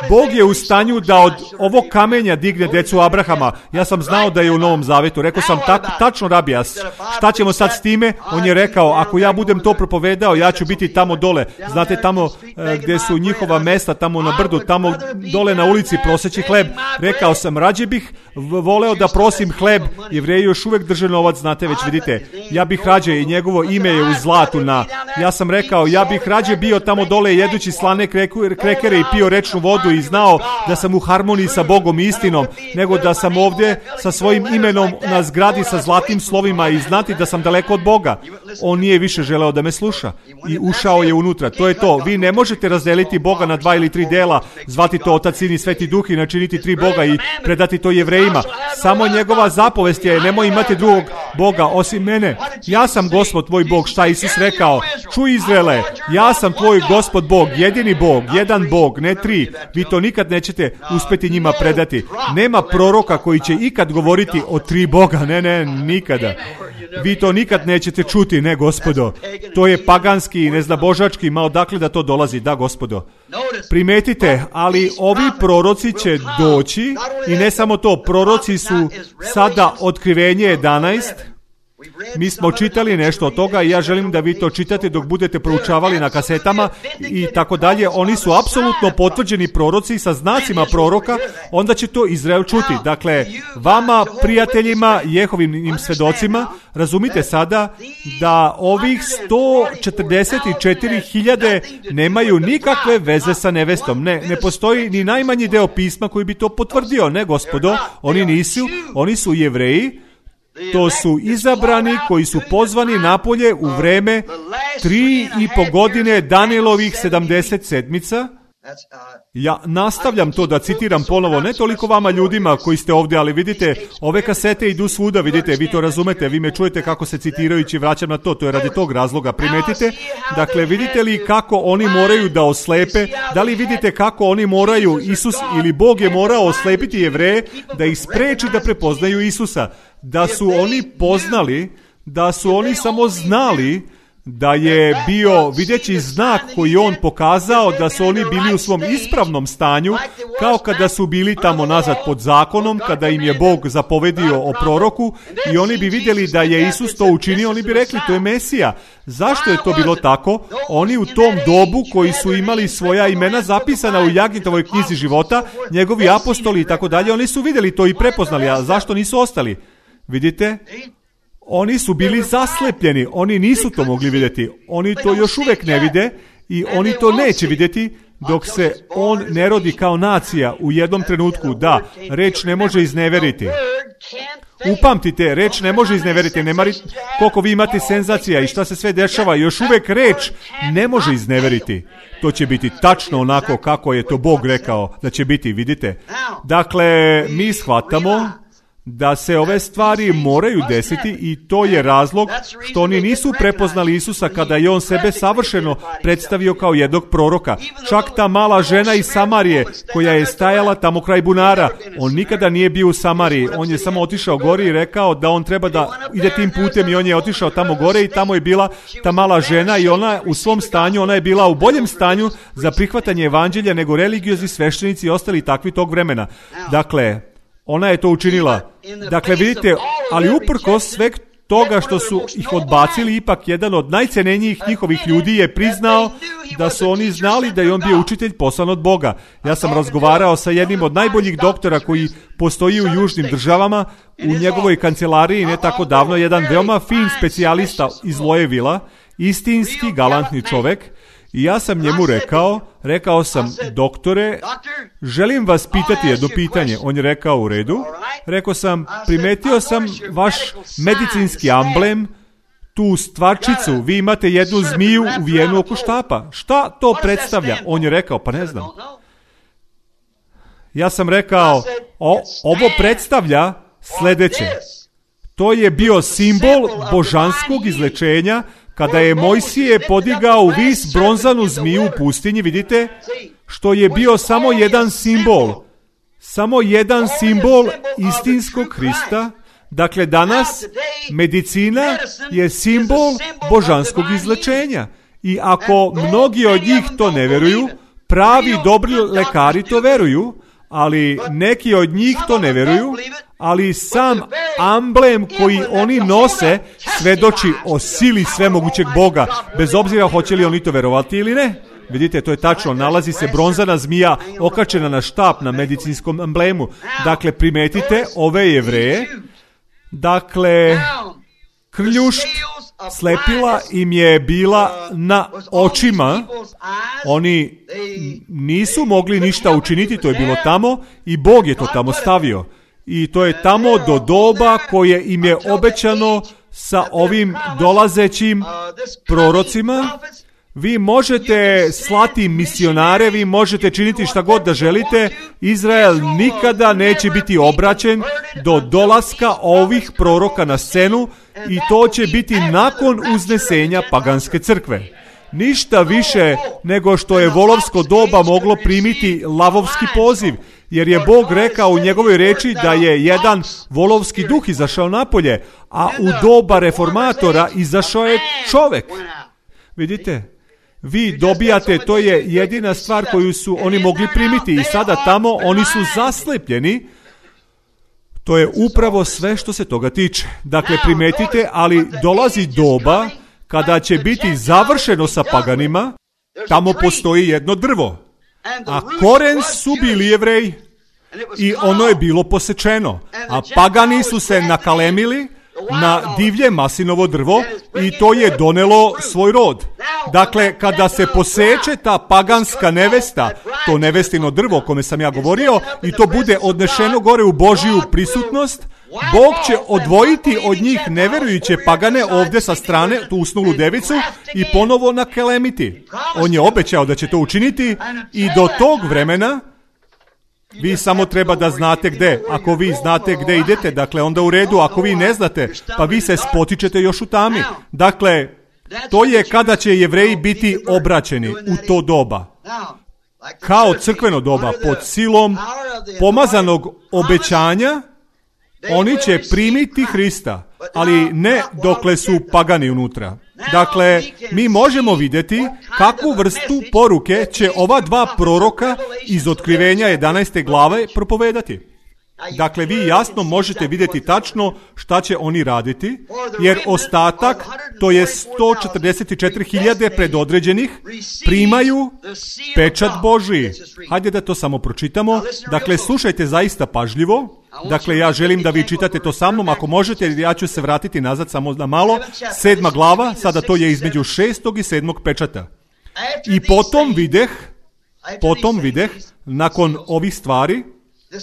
Bog je u stanju da od ovog kamenja digne djecu Abrahama. Ja sam znao da je u Novom Zavetu. Rekao sam, tako, tačno rabijas, šta ćemo sad s time? On je rekao, ako ja budem to propovedao, ja ću biti tamo dole. Znate, tamo e, gdje su njihova mesta, tamo na brdu, tamo dole na ulici proseći hleb. Rekao sam, rađe bih voleo da prosim hleb. Jevreji još uvijek drže novac, znate, već vidite. Ja bih rađe, i njegovo ime je u zlatu na... Ja sam rekao, ja bih rađe bio tamo dole jedući slane krekere i pio rečnu vodu i znao da sam u harmoniji sa Bogom i istinom, nego da sam ovdje sa svojim imenom na zgradi sa zlatnim slovima i znati da sam daleko od Boga. On nije više želeo da me sluša i ušao je unutra. To je to. Vi ne možete razdeliti Boga na dva ili tri dela, zvati to Otac, Sin i Sveti Duh i načiniti tri Boga i predati to Jevrejima. Samo njegova zapovest je, nemoj imati drugog Boga osim mene. Ja sam Gospod tvoj Bog. Šta Isus rekao? Čuj Izraele, ja sam tvoj Gospod Bog, jedini Bog, jedan Bog, ne tri. Vi to nikad nećete uspjeti njima predati. Nema proroka koji će ikad govoriti o tri Boga. Ne, ne, nikada. Vi to nikad nećete čuti, ne, gospodo. To je paganski, neznabožački, ma odakle da to dolazi, da, gospodo. Primetite, ali ovi proroci će doći i ne samo to, proroci su sada Otkrivenje jedanaest. Mi smo čitali nešto od toga i ja želim da vi to čitate dok budete proučavali na kasetama i tako dalje. Oni su apsolutno potvrđeni proroci sa znacima proroka, onda će to Izrael čuti. Dakle, vama, prijateljima, Jehovim svedocima, razumite sada da ovih sto četrdeset četiri hiljade nemaju nikakve veze sa nevestom. Ne, ne postoji ni najmanji deo pisma koji bi to potvrdio. Ne, gospodo, oni nisu, oni su Jevreji. To su izabrani koji su pozvani napolje u vreme tri i po godine Danielovih sedamdeset sedmica. Ja nastavljam to da citiram ponovo, ne toliko vama ljudima koji ste ovdje, ali vidite, ove kasete idu svuda, vidite, vi to razumete, vi me čujete kako se citirajući vraćam na to, to je radi tog razloga, primetite. Dakle, vidite li kako oni moraju da oslepe, da li vidite kako oni moraju, Isus ili Bog je morao oslepiti Jevreje da ih spreči da prepoznaju Isusa, da su oni poznali, da su oni samo znali da je bio videći znak koji on pokazao da su oni bili u svom ispravnom stanju, kao kada su bili tamo nazad pod zakonom, kada im je Bog zapovedio o proroku i oni bi vidjeli da je Isus to učinio, oni bi rekli to je Mesija. Zašto je to bilo tako? Oni u tom dobu koji su imali svoja imena zapisana u Jagnitovoj knjizi života, njegovi apostoli i tako dalje, oni su vidjeli to i prepoznali, a zašto nisu ostali? Vidite? Oni su bili zaslepljeni, oni nisu to mogli vidjeti, oni to još uvijek ne vide i oni to neće vidjeti dok se on ne rodi kao nacija u jednom trenutku. Da, reč ne može izneveriti. Upamtite, reč ne može izneveriti, ne mari koliko vi imate senzacija i šta se sve dešava, još uvijek reč ne može izneveriti. To će biti tačno onako kako je to Bog rekao da će biti, vidite. Dakle, mi shvatamo da se ove stvari moraju desiti i to je razlog što oni nisu prepoznali Isusa kada je on sebe savršeno predstavio kao jednog proroka. Čak ta mala žena iz Samarije koja je stajala tamo kraj bunara, on nikada nije bio u Samariji, on je samo otišao gore i rekao da on treba da ide tim putem i on je otišao tamo gore i tamo je bila ta mala žena i ona u svom stanju, ona je bila u boljem stanju za prihvatanje evanđelja nego religiozni sveštenici i ostali takvi tog vremena. Dakle, ona je to učinila. Dakle, vidite, ali uprkos sveg toga što su ih odbacili, ipak jedan od najcenenijih njihovih ljudi je priznao da su oni znali da je on bio učitelj poslan od Boga. Ja sam razgovarao sa jednim od najboljih doktora koji postoji u južnim državama, u njegovoj kancelariji ne tako davno, jedan veoma fin specijalista iz Lojevila, istinski galantni čovek. I ja sam njemu rekao, rekao sam, doktore, želim vas pitati jedno pitanje. On je rekao, u redu. Rekao sam, primetio sam vaš medicinski amblem, tu stvarčicu, vi imate jednu zmiju uvijenu oko štapa. Šta to predstavlja? On je rekao, pa ne znam. Ja sam rekao, O, ovo predstavlja sljedeće. To je bio simbol božanskog izlečenja kada je Mojsije podigao u vis bronzanu zmiju u pustinji, vidite, što je bio samo jedan simbol. Samo jedan simbol istinskog Hrista. Dakle, danas medicina je simbol božanskog izlečenja. I ako mnogi od njih to ne veruju, pravi dobri lekari to veruju, ali neki od njih to ne veruju, ali sam amblem koji oni nose svedoči o sili svemogućeg Boga, bez obzira hoće li oni to verovati ili ne. Vidite, to je tačno, nalazi se bronzana zmija okačena na štap na medicinskom amblemu. Dakle, primetite ove Jevreje, dakle, krljušt, slepila im je bila na očima, oni nisu mogli ništa učiniti, to je bilo tamo i Bog je to tamo stavio. I to je tamo do doba koje im je obećano sa ovim dolazećim prorocima. Vi možete slati misionare, vi možete činiti šta god da želite, Izrael nikada neće biti obraćen do dolaska ovih proroka na scenu i to će biti nakon uznesenja paganske crkve. Ništa više nego što je volovsko doba moglo primiti lavovski poziv, jer je Bog rekao u njegovoj reči da je jedan volovski duh izašao napolje, a u doba reformatora izašao je čovek. Vidite? Vi dobijate, to je jedina stvar koju su oni mogli primiti i sada tamo oni su zaslepljeni. To je upravo sve što se toga tiče. Dakle, primetite, ali dolazi doba kada će biti završeno sa paganima, tamo postoji jedno drvo, a koren su bili Jevreji i ono je bilo posečeno, a pagani su se nakalemili na divlje maslinovo drvo i to je donelo svoj rod. Dakle, kada se poseče ta paganska nevesta, to nevestino drvo o kome sam ja govorio, i to bude odnešeno gore u Božiju prisutnost, Bog će odvojiti od njih neverujuće pagane ovdje sa strane, tu usnulu devicu, i ponovo nakelemiti. On je obećao da će to učiniti i do tog vremena vi samo treba da znate gde. Ako vi znate gde idete, dakle onda u redu. Ako vi ne znate, pa vi se spotičete još u tami. Dakle, to je kada će Jevreji biti obraćeni u to doba. Kao crkveno doba, pod silom pomazanog obećanja, oni će primiti Hrista, ali ne dokle su pagani unutra. Dakle, mi možemo vidjeti kakvu vrstu poruke će ova dva proroka iz Otkrivenja jedanaeste glave propovedati. Dakle, vi jasno možete vidjeti tačno šta će oni raditi, jer ostatak, to je sto četrdeset četiri hiljade predodređenih, primaju pečat Božji. Hajde da to samo pročitamo. Dakle, slušajte zaista pažljivo. Dakle, ja želim da vi čitate to sa mnom, ako možete, ja ću se vratiti nazad samo na malo. Sedma glava, sada to je između šestog i sedmog pečata. I potom videh, potom videh, nakon ovih stvari,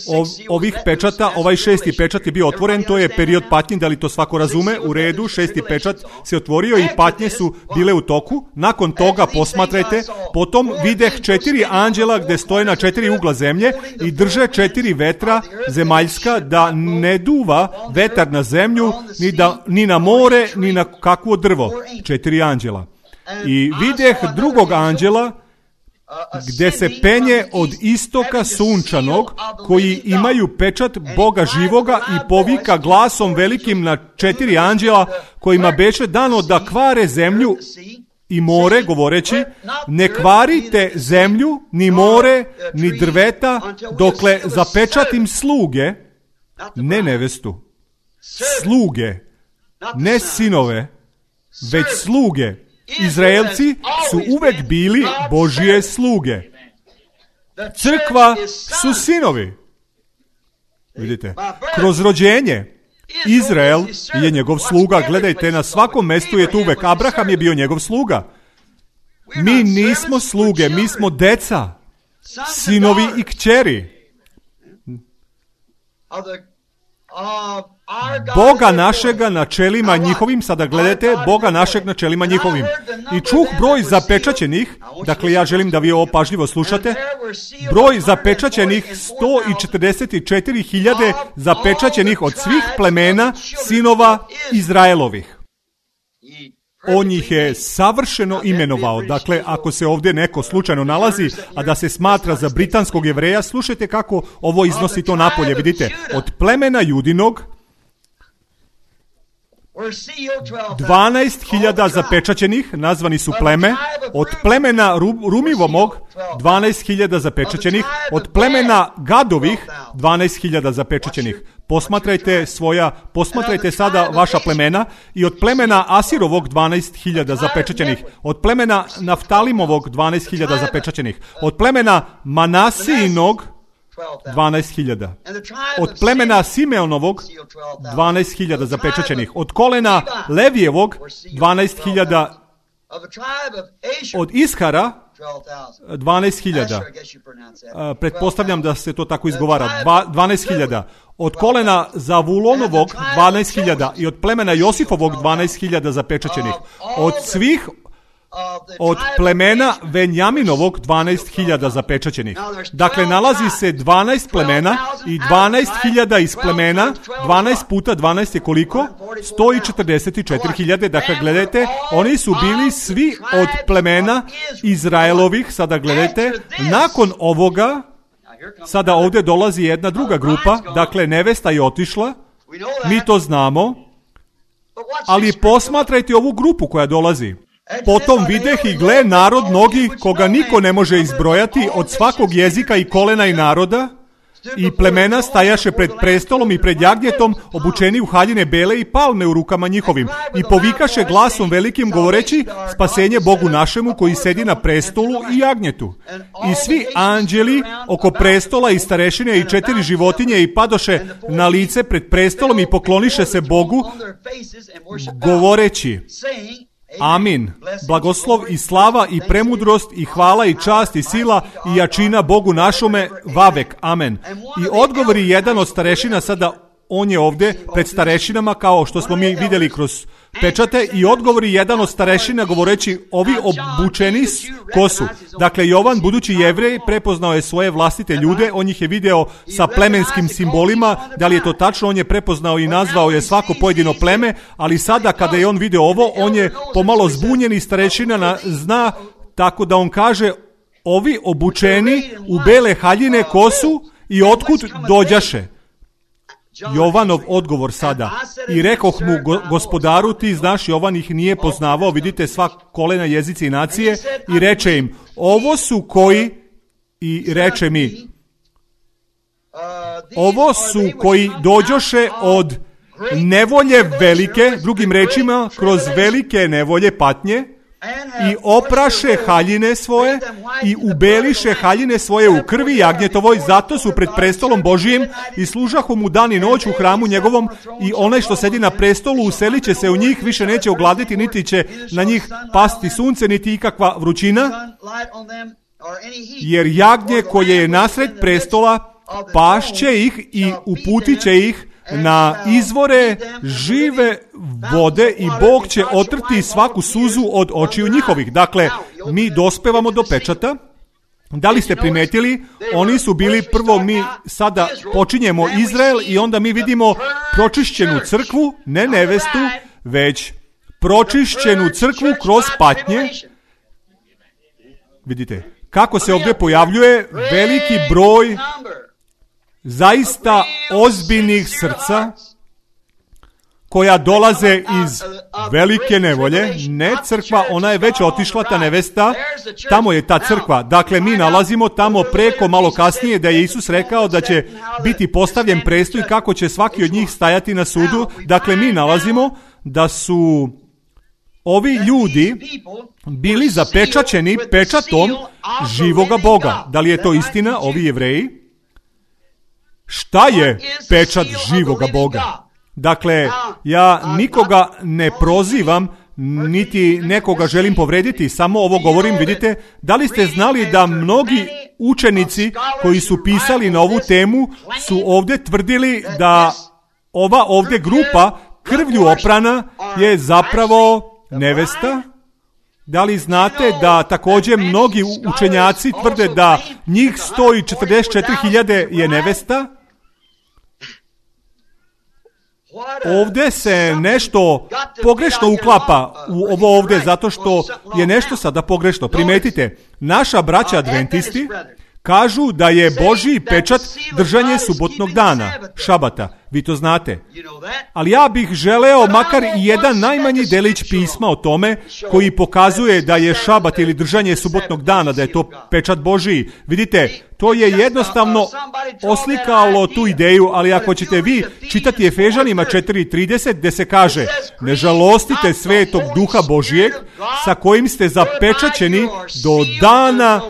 Ov, ovih pečata, ovaj šesti pečat je bio otvoren, to je period patnje, da li to svako razume, u redu, šesti pečat se otvorio i patnje su bile u toku. Nakon toga posmatrajte, potom videh četiri anđela gde stoje na četiri ugla zemlje i drže četiri vetra zemaljska, da ne duva vetar na zemlju, ni, da, ni na more, ni na kakvo drvo. Četiri anđela. I videh drugog anđela gde se penje od istoka sunčanog, koji imaju pečat Boga živoga, i povika glasom velikim na četiri anđela kojima beše dano da kvare zemlju i more, govoreći: ne kvarite zemlju, ni more, ni drveta, dokle zapečatim sluge, ne nevestu, sluge, ne sinove, već sluge. Izraelci su uvek bili Božije sluge. Crkva su sinovi. Vidite, kroz rođenje Izrael je njegov sluga. Gledajte, na svakom mestu je tu uvek. Abraham je bio njegov sluga. Mi nismo sluge, mi smo deca, sinovi i kćeri. Boga našega na čelima njihovim, sada gledajte, Boga našeg na čelima njihovim. I čuh broj zapečaćenih, dakle ja želim da vi ovo pažljivo slušate, broj zapečaćenih sto četrdeset četiri hiljade zapečaćenih od svih plemena sinova Izraelovih. On ih je savršeno imenovao. Dakle, ako se ovdje neko slučajno nalazi, a da se smatra za britanskog Jevreja, slušajte kako ovo iznosi to napolje. Vidite, od plemena Judinog dvanaest hiljada zapečaćenih, nazvani su pleme, od plemena Rumivomog dvanaest hiljada zapečaćenih, od plemena Gadovih dvanaest hiljada zapečaćenih. Posmatrajte svoja, posmatrajte sada vaša plemena, i od plemena Asirovog dvanaest hiljada zapečaćenih, od plemena Naftalimovog dvanaest hiljada zapečaćenih, od plemena Manasijinog dvanaest hiljada. Od plemena Simeonovog dvanaest hiljada zapečaćenih. Od kolena Levijevog dvanaest hiljada. Od Ishara dvanaest hiljada. Pretpostavljam da se to tako izgovara. dvanaest hiljada. Od kolena Zavulonovog dvanaest hiljada i od plemena Josifovog dvanaest hiljada zapečaćenih. Od svih od plemena Venjaminovog dvanaest hiljada zapečaćenih. Dakle, nalazi se dvanaest plemena i dvanaest hiljada iz plemena, dvanaest puta dvanaest je koliko? sto četrdeset četiri hiljade. Dakle, gledajte, oni su bili svi od plemena Izraelovih. Sada gledajte, nakon ovoga, sada ovdje dolazi jedna druga grupa, dakle, nevesta je otišla, mi to znamo, ali posmatrajte ovu grupu koja dolazi. Potom videh i gle narod mnogi koga niko ne može izbrojati od svakog jezika i kolena i naroda, i plemena stajaše pred prestolom i pred jagnjetom, obučeni u haljine bele i palme u rukama njihovim, i povikaše glasom velikim govoreći spasenje Bogu našemu koji sedi na prestolu i jagnjetu. I svi anđeli oko prestola i starešine i četiri životinje i padoše na lice pred prestolom i pokloniše se Bogu govoreći: Amin. Blagoslov i slava i premudrost i hvala i čast i sila i jačina Bogu našome vavek. Amen. I odgovori jedan od starešina, sada on je ovdje pred starešinama kao što smo mi vidjeli kroz pečate, i odgovori jedan od starešina govoreći: ovi obučeni ko su? Dakle, Jovan, budući Jevrej, prepoznao je svoje vlastite ljude, on ih je video sa plemenskim simbolima. Da li je to tačno? On je prepoznao i nazvao je svako pojedino pleme, ali sada kada je on video ovo, on je pomalo zbunjen i starešina zna, tako da on kaže: ovi obučeni u bele haljine ko su i otkud dođaše? Jovanov odgovor sada: i rekoh mu, go, gospodaru, ti znaš. Jovan ih nije poznavao, vidite, sva kolena, jezici i nacije, i reče im: ovo su koji, i reče mi, ovo su koji dođoše od nevolje velike, drugim rečima, kroz velike nevolje, patnje, i opraše haljine svoje i ubeliše haljine svoje u krvi jagnjetovoj, zato su pred prestolom Božijim i služahu mu dan i noć u hramu njegovom, i onaj što sedi na prestolu uselit će se u njih, više neće ogladiti, niti će na njih pasti sunce, niti ikakva vrućina, jer jagnje koje je nasred prestola pašće ih i uputit će ih na izvore žive vode, i Bog će otrti svaku suzu od očiju njihovih. Dakle, mi dospevamo do pečata. Da li ste primetili? Oni su bili, prvo mi sada počinjemo Izrael i onda mi vidimo pročišćenu crkvu, ne nevestu, već pročišćenu crkvu kroz patnje. Vidite, kako se ovdje pojavljuje veliki broj zaista ozbiljnih srca koja dolaze iz velike nevolje. Ne crkva, ona je već otišla, ta nevesta, tamo je ta crkva. Dakle, mi nalazimo tamo preko malo kasnije da je Isus rekao da će biti postavljen prestol i kako će svaki od njih stajati na sudu. Dakle, mi nalazimo da su ovi ljudi bili zapečaćeni pečatom živoga Boga. Da li je to istina, ovi Jevreji? Šta je pečat živoga Boga? Dakle, ja nikoga ne prozivam, niti nekoga želim povrediti, samo ovo govorim, vidite. Da li ste znali da mnogi učenici koji su pisali na ovu temu su ovdje tvrdili da ova ovdje grupa krvlju oprana je zapravo nevesta. Da li znate da također mnogi učenjaci tvrde da njih sto četrdeset četiri hiljade je nevesta? Ovdje se nešto pogrešno uklapa u ovo ovdje, zato što je nešto sada pogrešno. Primetite, naša braća adventisti kažu da je Božji pečat držanje subotnog dana, šabata. Vi to znate. Ali ja bih želeo makar i jedan najmanji delić pisma o tome koji pokazuje da je šabat ili držanje subotnog dana, da je to pečat Božji. Vidite, to je jednostavno oslikalo tu ideju, ali ako ćete vi čitati Efežanima četiri trideset gdje se kaže: ne žalostite svetog duha Božijeg sa kojim ste zapečaćeni do dana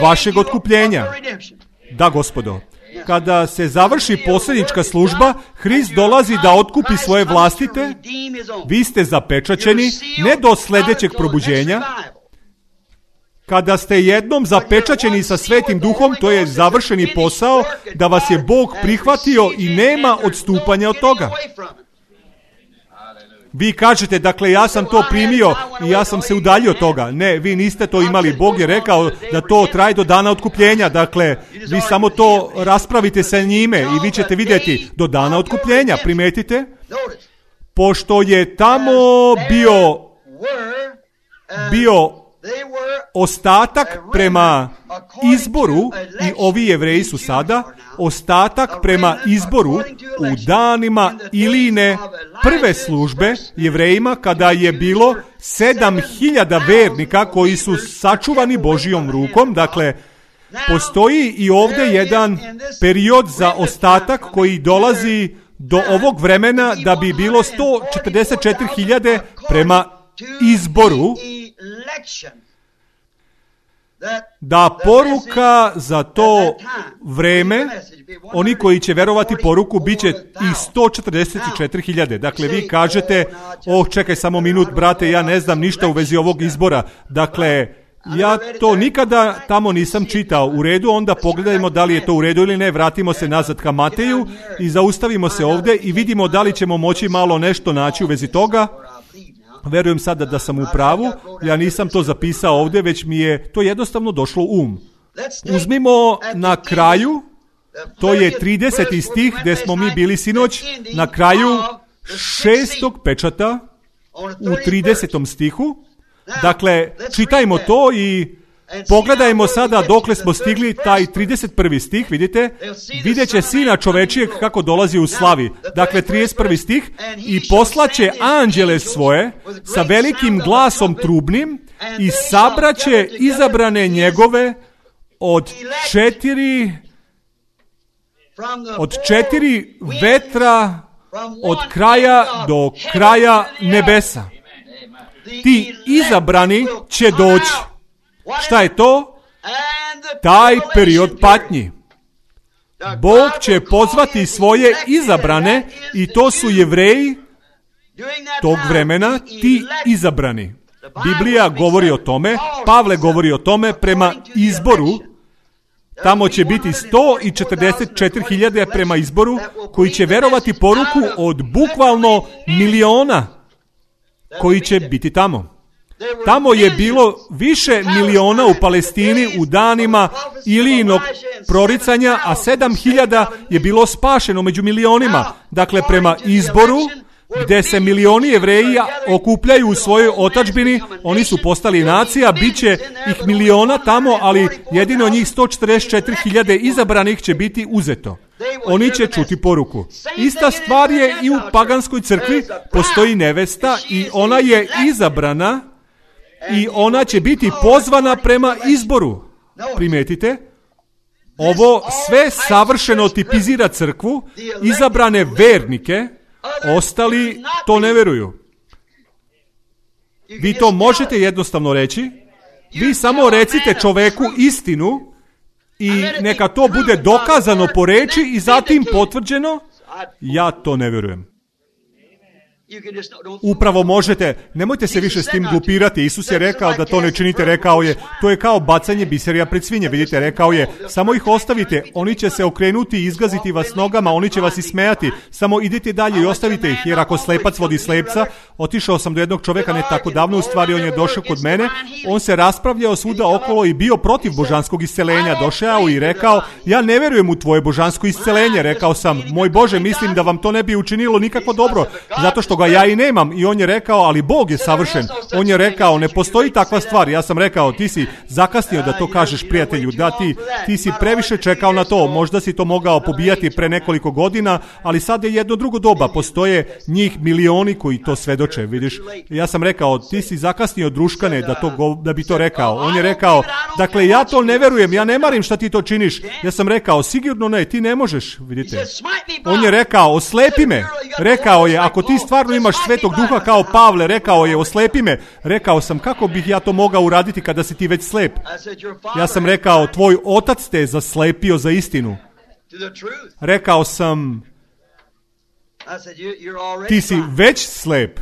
vašeg otkupljenja. Da, gospodo. Kada se završi posljednička služba, Hrist dolazi da otkupi svoje vlastite. Vi ste zapečaćeni ne do sljedećeg probuđenja. Kada ste jednom zapečaćeni sa Svetim Duhom, to je završeni posao, da vas je Bog prihvatio i nema odstupanja od toga. Vi kažete, dakle, ja sam to primio i ja sam se udaljio od toga. Ne, vi niste to imali. Bog je rekao da to traje do dana otkupljenja. Dakle, vi samo to raspravite sa njime i vi ćete vidjeti do dana otkupljenja. Primetite? Pošto je tamo bio, bio ostatak prema izboru, i ovi Jevreji su sada ostatak prema izboru u danima Iline prve službe Jevrejima, kada je bilo sedam hiljada vernika koji su sačuvani Božjom rukom. Dakle, postoji i ovdje jedan period za ostatak koji dolazi do ovog vremena da bi bilo sto četrdeset četiri hiljade prema izboru, da poruka za to vreme, oni koji će verovati poruku, bit će i sto četrdeset četiri hiljade. Dakle, vi kažete: oh, čekaj samo minut, brate, ja ne znam ništa u vezi ovog izbora. Dakle, ja to nikada tamo nisam čitao. U redu, onda pogledajmo da li je to u redu ili ne. Vratimo se nazad ka Mateju i zaustavimo se ovdje i vidimo da li ćemo moći malo nešto naći u vezi toga. Verujem sada da sam u pravu, ja nisam to zapisao ovdje, već mi je to jednostavno došlo u um. Uzmimo na kraju, to je trideseti stih gdje smo mi bili sinoć, na kraju šestog pečata u tridesetom stihu. Dakle, čitajmo to i pogledajmo sada dokle smo stigli, taj trideset prvi stih, vidite, vidjet će Sina čovečijeg kako dolazi u slavi. Dakle, trideset prvi stih: i poslaće anđele svoje sa velikim glasom trubnim i sabraće izabrane njegove od četiri od četiri vetra od kraja do kraja nebesa. Ti izabrani će doći. Šta je to? Taj period patnji. Bog će pozvati svoje izabrane, i to su Jevreji tog vremena, ti izabrani. Biblija govori o tome, Pavle govori o tome prema izboru. Tamo će biti sto četrdeset četiri hiljade prema izboru koji će verovati poruku od bukvalno miliona koji će biti tamo. Tamo je bilo više miliona u Palestini u danima Ilijinog proricanja, a sedam hiljada je bilo spašeno među milionima. Dakle, prema izboru, gdje se milioni Jevreja okupljaju u svojoj otadžbini, oni su postali nacija, bit će ih miliona tamo, ali jedino njih sto četrdeset četiri hiljade izabranih će biti uzeto. Oni će čuti poruku. Ista stvar je i u paganskoj crkvi, postoji nevesta i ona je izabrana i ona će biti pozvana prema izboru. Primetite? Ovo sve savršeno tipizira crkvu, izabrane vernike, ostali to ne veruju. Vi to možete jednostavno reći. Vi samo recite čoveku istinu i neka to bude dokazano po reči i zatim potvrđeno. Ja to ne vjerujem. Upravo možete, nemojte se više s tim glupirati. Isus je rekao da to ne činite, rekao je, to je kao bacanje biserija pred svinje, vidite, rekao je, samo ih ostavite, oni će se okrenuti i izgaziti vas nogama, oni će vas ismejati, samo idite dalje i ostavite ih, jer ako slepac vodi slepca, otišao sam do jednog čovjeka ne tako davno, u stvari on je došao kod mene, on se raspravljao svuda okolo i bio protiv božanskog isceljenja, došao i rekao, ja ne vjerujem u tvoje božansko isceljenje, rekao sam, moj Bože, mislim da vam to ne bi učinilo nikako dobro, zato što ga ja i nemam. I on je rekao, ali Bog je savršen. On je rekao, ne postoji takva stvar. Ja sam rekao, ti si zakasnio da to kažeš prijatelju, da ti, ti si previše čekao na to, možda si to mogao pobijati pre nekoliko godina, ali sad je jedno drugo doba, postoje njih milioni koji to svedoče, vidiš. Ja sam rekao, ti si zakasnio, druškane, da, to, da bi to rekao. On je rekao, dakle, ja to ne verujem, ja ne marim šta ti to činiš. Ja sam rekao, sigurno ne, ti ne možeš, vidite. On je rekao, oslepi me. Rekao je, ako ti stvarno imaš Svetog Duha kao Pavle, rekao je, oslepi me. Rekao sam, kako bih ja to mogao uraditi kada si ti već slep? Ja sam rekao, tvoj otac te je zaslepio za istinu. Rekao sam, ti si već slep.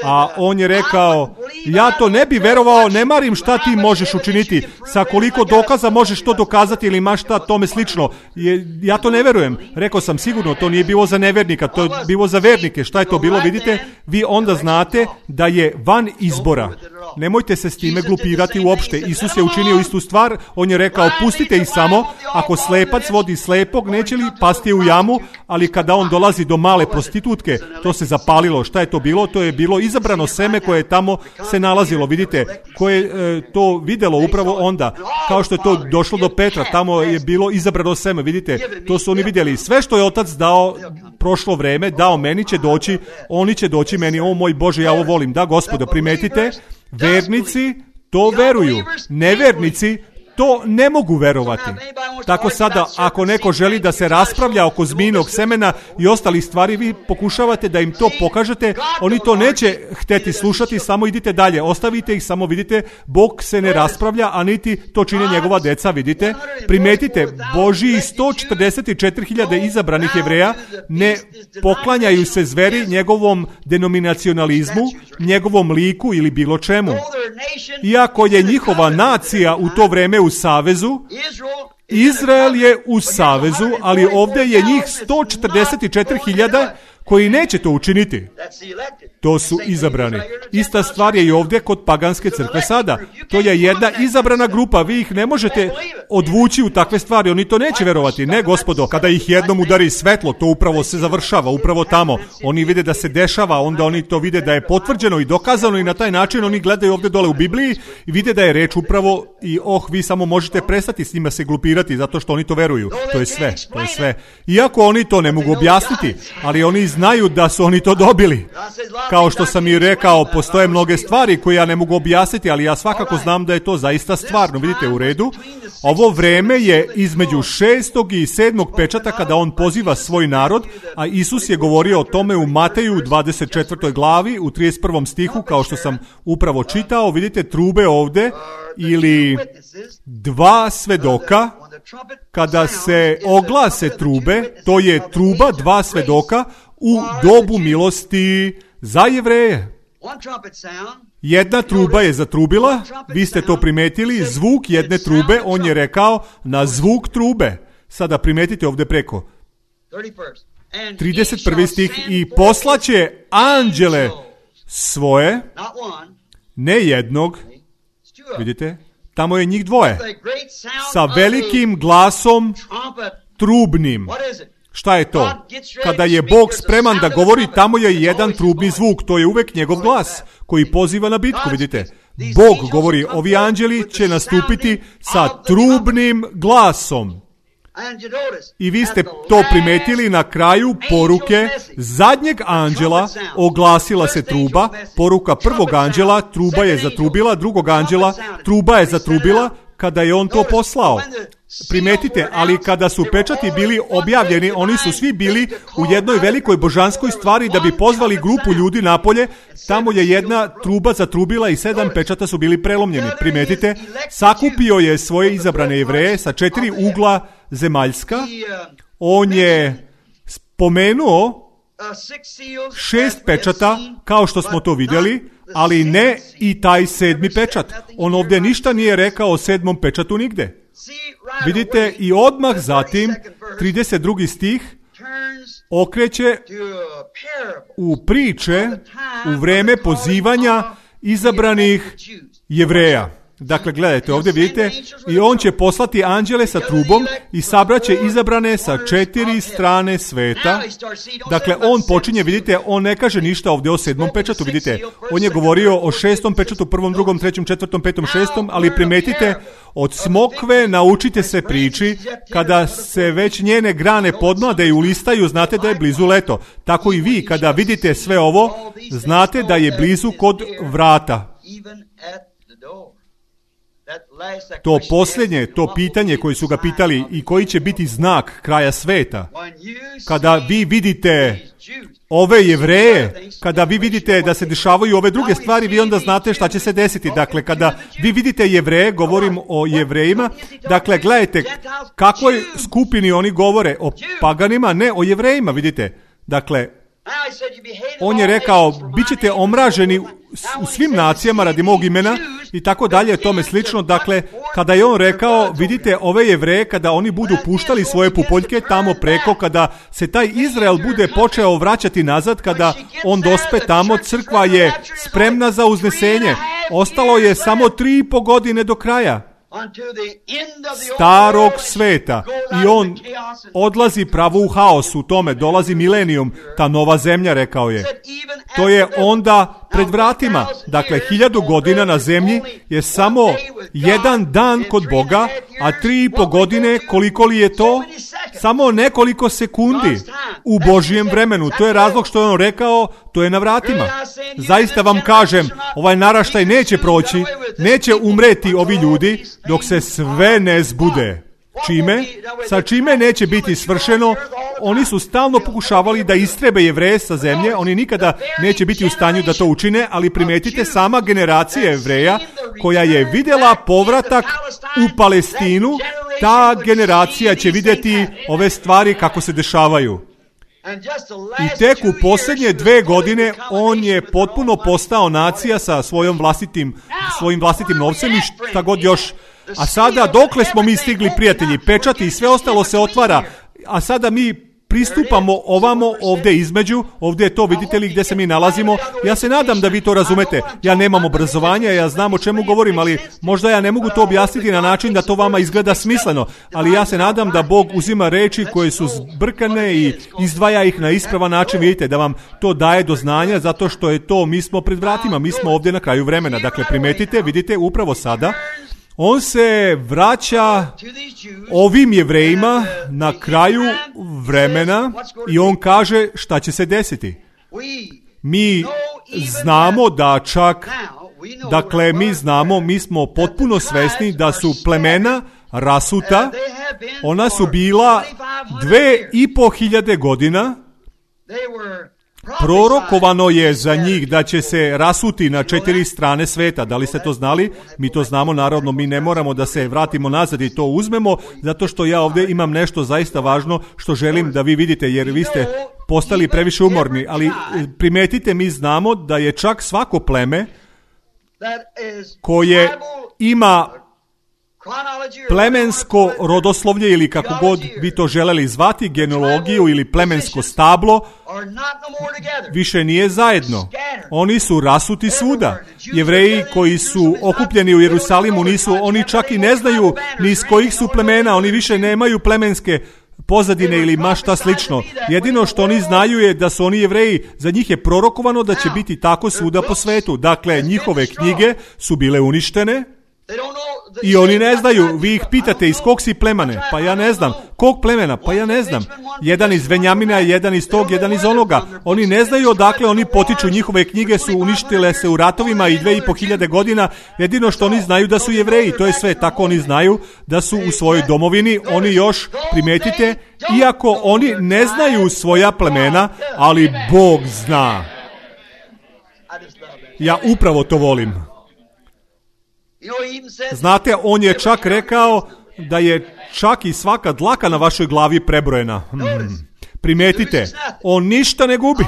A on je rekao, ja to ne bi verovao, ne marim šta ti možeš učiniti, sa koliko dokaza možeš to dokazati ili imaš šta tome slično. Je, ja to ne verujem. Rekao sam, sigurno to nije bilo za nevernika, to je bilo za vernike. Šta je to bilo, vidite? Vi onda znate da je van izbora. Nemojte se s time glupirati uopšte. Isus je učinio istu stvar, on je rekao, pustite ih samo, ako slepac vodi slepog, neće li pasti u jamu, ali kada on dolazi do male prostitutke, to se zapalilo. Šta je to bilo? To je bilo izabrano seme koje je tamo se nalazilo, vidite, koje je e, to videlo upravo onda, kao što je to došlo do Petra, tamo je bilo izabrano seme, vidite, to su oni vidjeli. Sve što je otac dao prošlo vreme, dao meni će doći, oni će doći meni, o moj Bože, ja ovo volim. Da, Gospodo, primetite, vernici to veruju, nevernici to ne mogu verovati. Tako sada, ako neko želi da se raspravlja oko zmijinog semena i ostalih stvari, vi pokušavate da im to pokažete, oni to neće hteti slušati, samo idite dalje, ostavite ih, samo vidite, Bog se ne raspravlja, a niti to čine njegova deca, vidite. Primetite, Božji sto četrdeset četiri hiljade izabranih Jevreja ne poklanjaju se zveri njegovom denominacionalizmu, njegovom liku ili bilo čemu. Iako je njihova nacija u to vreme u savezu, Izrael je u savezu, ali ovdje je njih sto četrdeset četiri hiljade koji neće to učiniti. To su izabrani. Ista stvar je i ovdje kod paganske crkve sada. To je jedna izabrana grupa, vi ih ne možete odvući u takve stvari, oni to neće verovati. Ne, Gospodo, kada ih jednom udari svetlo, to upravo se završava, upravo tamo. Oni vide da se dešava, onda oni to vide da je potvrđeno i dokazano i na taj način oni gledaju ovdje dole u Bibliji i vide da je reč upravo i oh, vi samo možete prestati s njima se glupirati zato što oni to veruju. To je sve, to je sve. Iako oni to ne mogu objasniti, ali oni znaju da su oni to dobili. Kao što sam i rekao, postoje mnoge stvari koje ja ne mogu objasniti, ali ja svakako znam da je to zaista stvarno. Vidite, u redu. Ovo vreme je između šestog i sedmog pečata kada on poziva svoj narod, a Isus je govorio o tome u Mateju u dvadeset četvrtoj glavi, u trideset prvom stihu, kao što sam upravo čitao. Vidite trube ovde ili dva svedoka. Kada se oglase trube, to je truba dva svedoka u dobu milosti za Jevreje. Jedna truba je zatrubila, vi ste to primetili, zvuk jedne trube, on je rekao na zvuk trube. Sada primetite ovdje preko. trideset prvi stih, i poslaće anđele svoje, ne jednog, vidite, tamo je njih dvoje, sa velikim glasom trubnim. Šta je to? Kada je Bog spreman da govori, tamo je jedan trubni zvuk, to je uvek njegov glas koji poziva na bitku, vidite. Bog govori, ovi anđeli će nastupiti sa trubnim glasom. I vi ste to primetili na kraju poruke zadnjeg anđela, oglasila se truba, poruka prvog anđela, truba je zatrubila, drugog anđela, truba je zatrubila, kada je on to poslao. Primetite, ali kada su pečati bili objavljeni, oni su svi bili u jednoj velikoj božanskoj stvari da bi pozvali grupu ljudi napolje. Tamo je jedna truba zatrubila i sedam pečata su bili prelomljeni. Primetite, sakupio je svoje izabrane Jevreje sa četiri ugla zemaljska. On je spomenuo šest pečata, kao što smo to vidjeli, ali ne i taj sedmi pečat. On ovdje ništa nije rekao o sedmom pečatu nigde. Vidite, i odmah zatim, trideset drugi stih, okreće u priče u vreme pozivanja izabranih Jevreja. Dakle, gledajte, ovdje vidite, i on će poslati anđele sa trubom i sabraće izabrane sa četiri strane sveta. Dakle, on počinje, vidite, on ne kaže ništa ovdje o sedmom pečatu, vidite. On je govorio o šestom pečatu, prvom, drugom, trećem, četvrtom, petom, šestom, ali primetite, od smokve naučite se priči, kada se već njene grane podmlade i ulistaju, znate da je blizu leto. Tako i vi, kada vidite sve ovo, znate da je blizu kod vrata. To posljednje, to pitanje koje su ga pitali i koji će biti znak kraja sveta. Kada vi vidite ove Jevreje, kada vi vidite da se dešavaju ove druge stvari, vi onda znate šta će se desiti. Dakle, kada vi vidite Jevreje, govorim o Jevrejima, dakle, gledajte kakvoj skupini oni govore, o paganima, ne o Jevrejima, vidite. Dakle, on je rekao, bit ćete omraženi u svim nacijama radi mog imena i tako dalje, tome slično. Dakle, kada je on rekao, vidite ove Jevreje, kada oni budu puštali svoje pupoljke tamo preko, kada se taj Izrael bude počeo vraćati nazad, kada on dospe tamo, crkva je spremna za uznesenje. Ostalo je samo tri i po godine do kraja starog sveta i on odlazi pravo u haos u tome, dolazi milenijum, ta nova zemlja, rekao je. To je onda pred vratima. Dakle, hiljadu godina na zemlji je samo jedan dan kod Boga, a tri i po godine, koliko li je to? Samo nekoliko sekundi u Božijem vremenu. To je razlog što je on rekao, to je na vratima. Zaista vam kažem, ovaj naraštaj neće proći, neće umreti ovi ljudi dok se sve ne zbude. Čime? Sa čime neće biti svršeno? Oni su stalno pokušavali da istrebe Jevreje sa zemlje, oni nikada neće biti u stanju da to učine, ali primetite, sama generacija Jevreja koja je vidjela povratak u Palestinu, ta generacija će vidjeti ove stvari kako se dešavaju. I tek u posljednje dve godine on je potpuno postao nacija sa svojom vlastitim, svojim vlastitim novcem i šta god još. A sada, dokle smo mi stigli, prijatelji, pečati i sve ostalo se otvara, a sada mi pristupamo ovamo ovdje između, ovdje je to, vidite li gdje se mi nalazimo. Ja se nadam da vi to razumete. Ja nemam obrazovanja, ja znam o čemu govorim, ali možda ja ne mogu to objasniti na način da to vama izgleda smisleno, ali ja se nadam da Bog uzima reči koje su zbrkane i izdvaja ih na ispravan način, vidite, da vam to daje do znanja, zato što je to, mi smo pred vratima, mi smo ovdje na kraju vremena. Dakle, primetite, vidite, upravo sada on se vraća ovim Jevrejima na kraju vremena i on kaže šta će se desiti. Mi znamo da čak, dakle mi znamo, mi smo potpuno svesni da su plemena rasuta, ona su bila dve i po hiljade godina. Prorokovano je za njih da će se rasuti na četiri strane sveta. Da li ste to znali? Mi to znamo, naravno, mi ne moramo da se vratimo nazad i to uzmemo, zato što ja ovdje imam nešto zaista važno što želim da vi vidite, jer vi ste postali previše umorni, ali primetite, mi znamo da je čak svako pleme koje ima plemensko rodoslovlje ili kako god vi to želeli zvati, genealogiju ili plemensko stablo, više nije zajedno. Oni su rasuti svuda. Jevreji koji su okupljeni u Jerusalimu nisu, oni čak i ne znaju ni iz kojih su plemena, oni više nemaju plemenske pozadine ili ma šta slično. Jedino što oni znaju je da su oni Jevreji, za njih je prorokovano da će biti tako svuda po svetu. Dakle, njihove knjige su bile uništene. I oni ne znaju, vi ih pitate iz kog si plemene, pa ja ne znam. Kog plemena, pa ja ne znam. Jedan iz Venjamina, jedan iz tog, jedan iz onoga. Oni ne znaju odakle oni potiču, njihove knjige su uništile se u ratovima i dve i po hiljade godina. Jedino što oni znaju da su Jevreji, to je sve, tako oni znaju da su u svojoj domovini. Oni još, primetite, iako oni ne znaju svoja plemena, ali Bog zna. Ja upravo to volim. Znate, on je čak rekao da je čak i svaka dlaka na vašoj glavi prebrojena. Hmm. Primetite, on ništa ne gubi.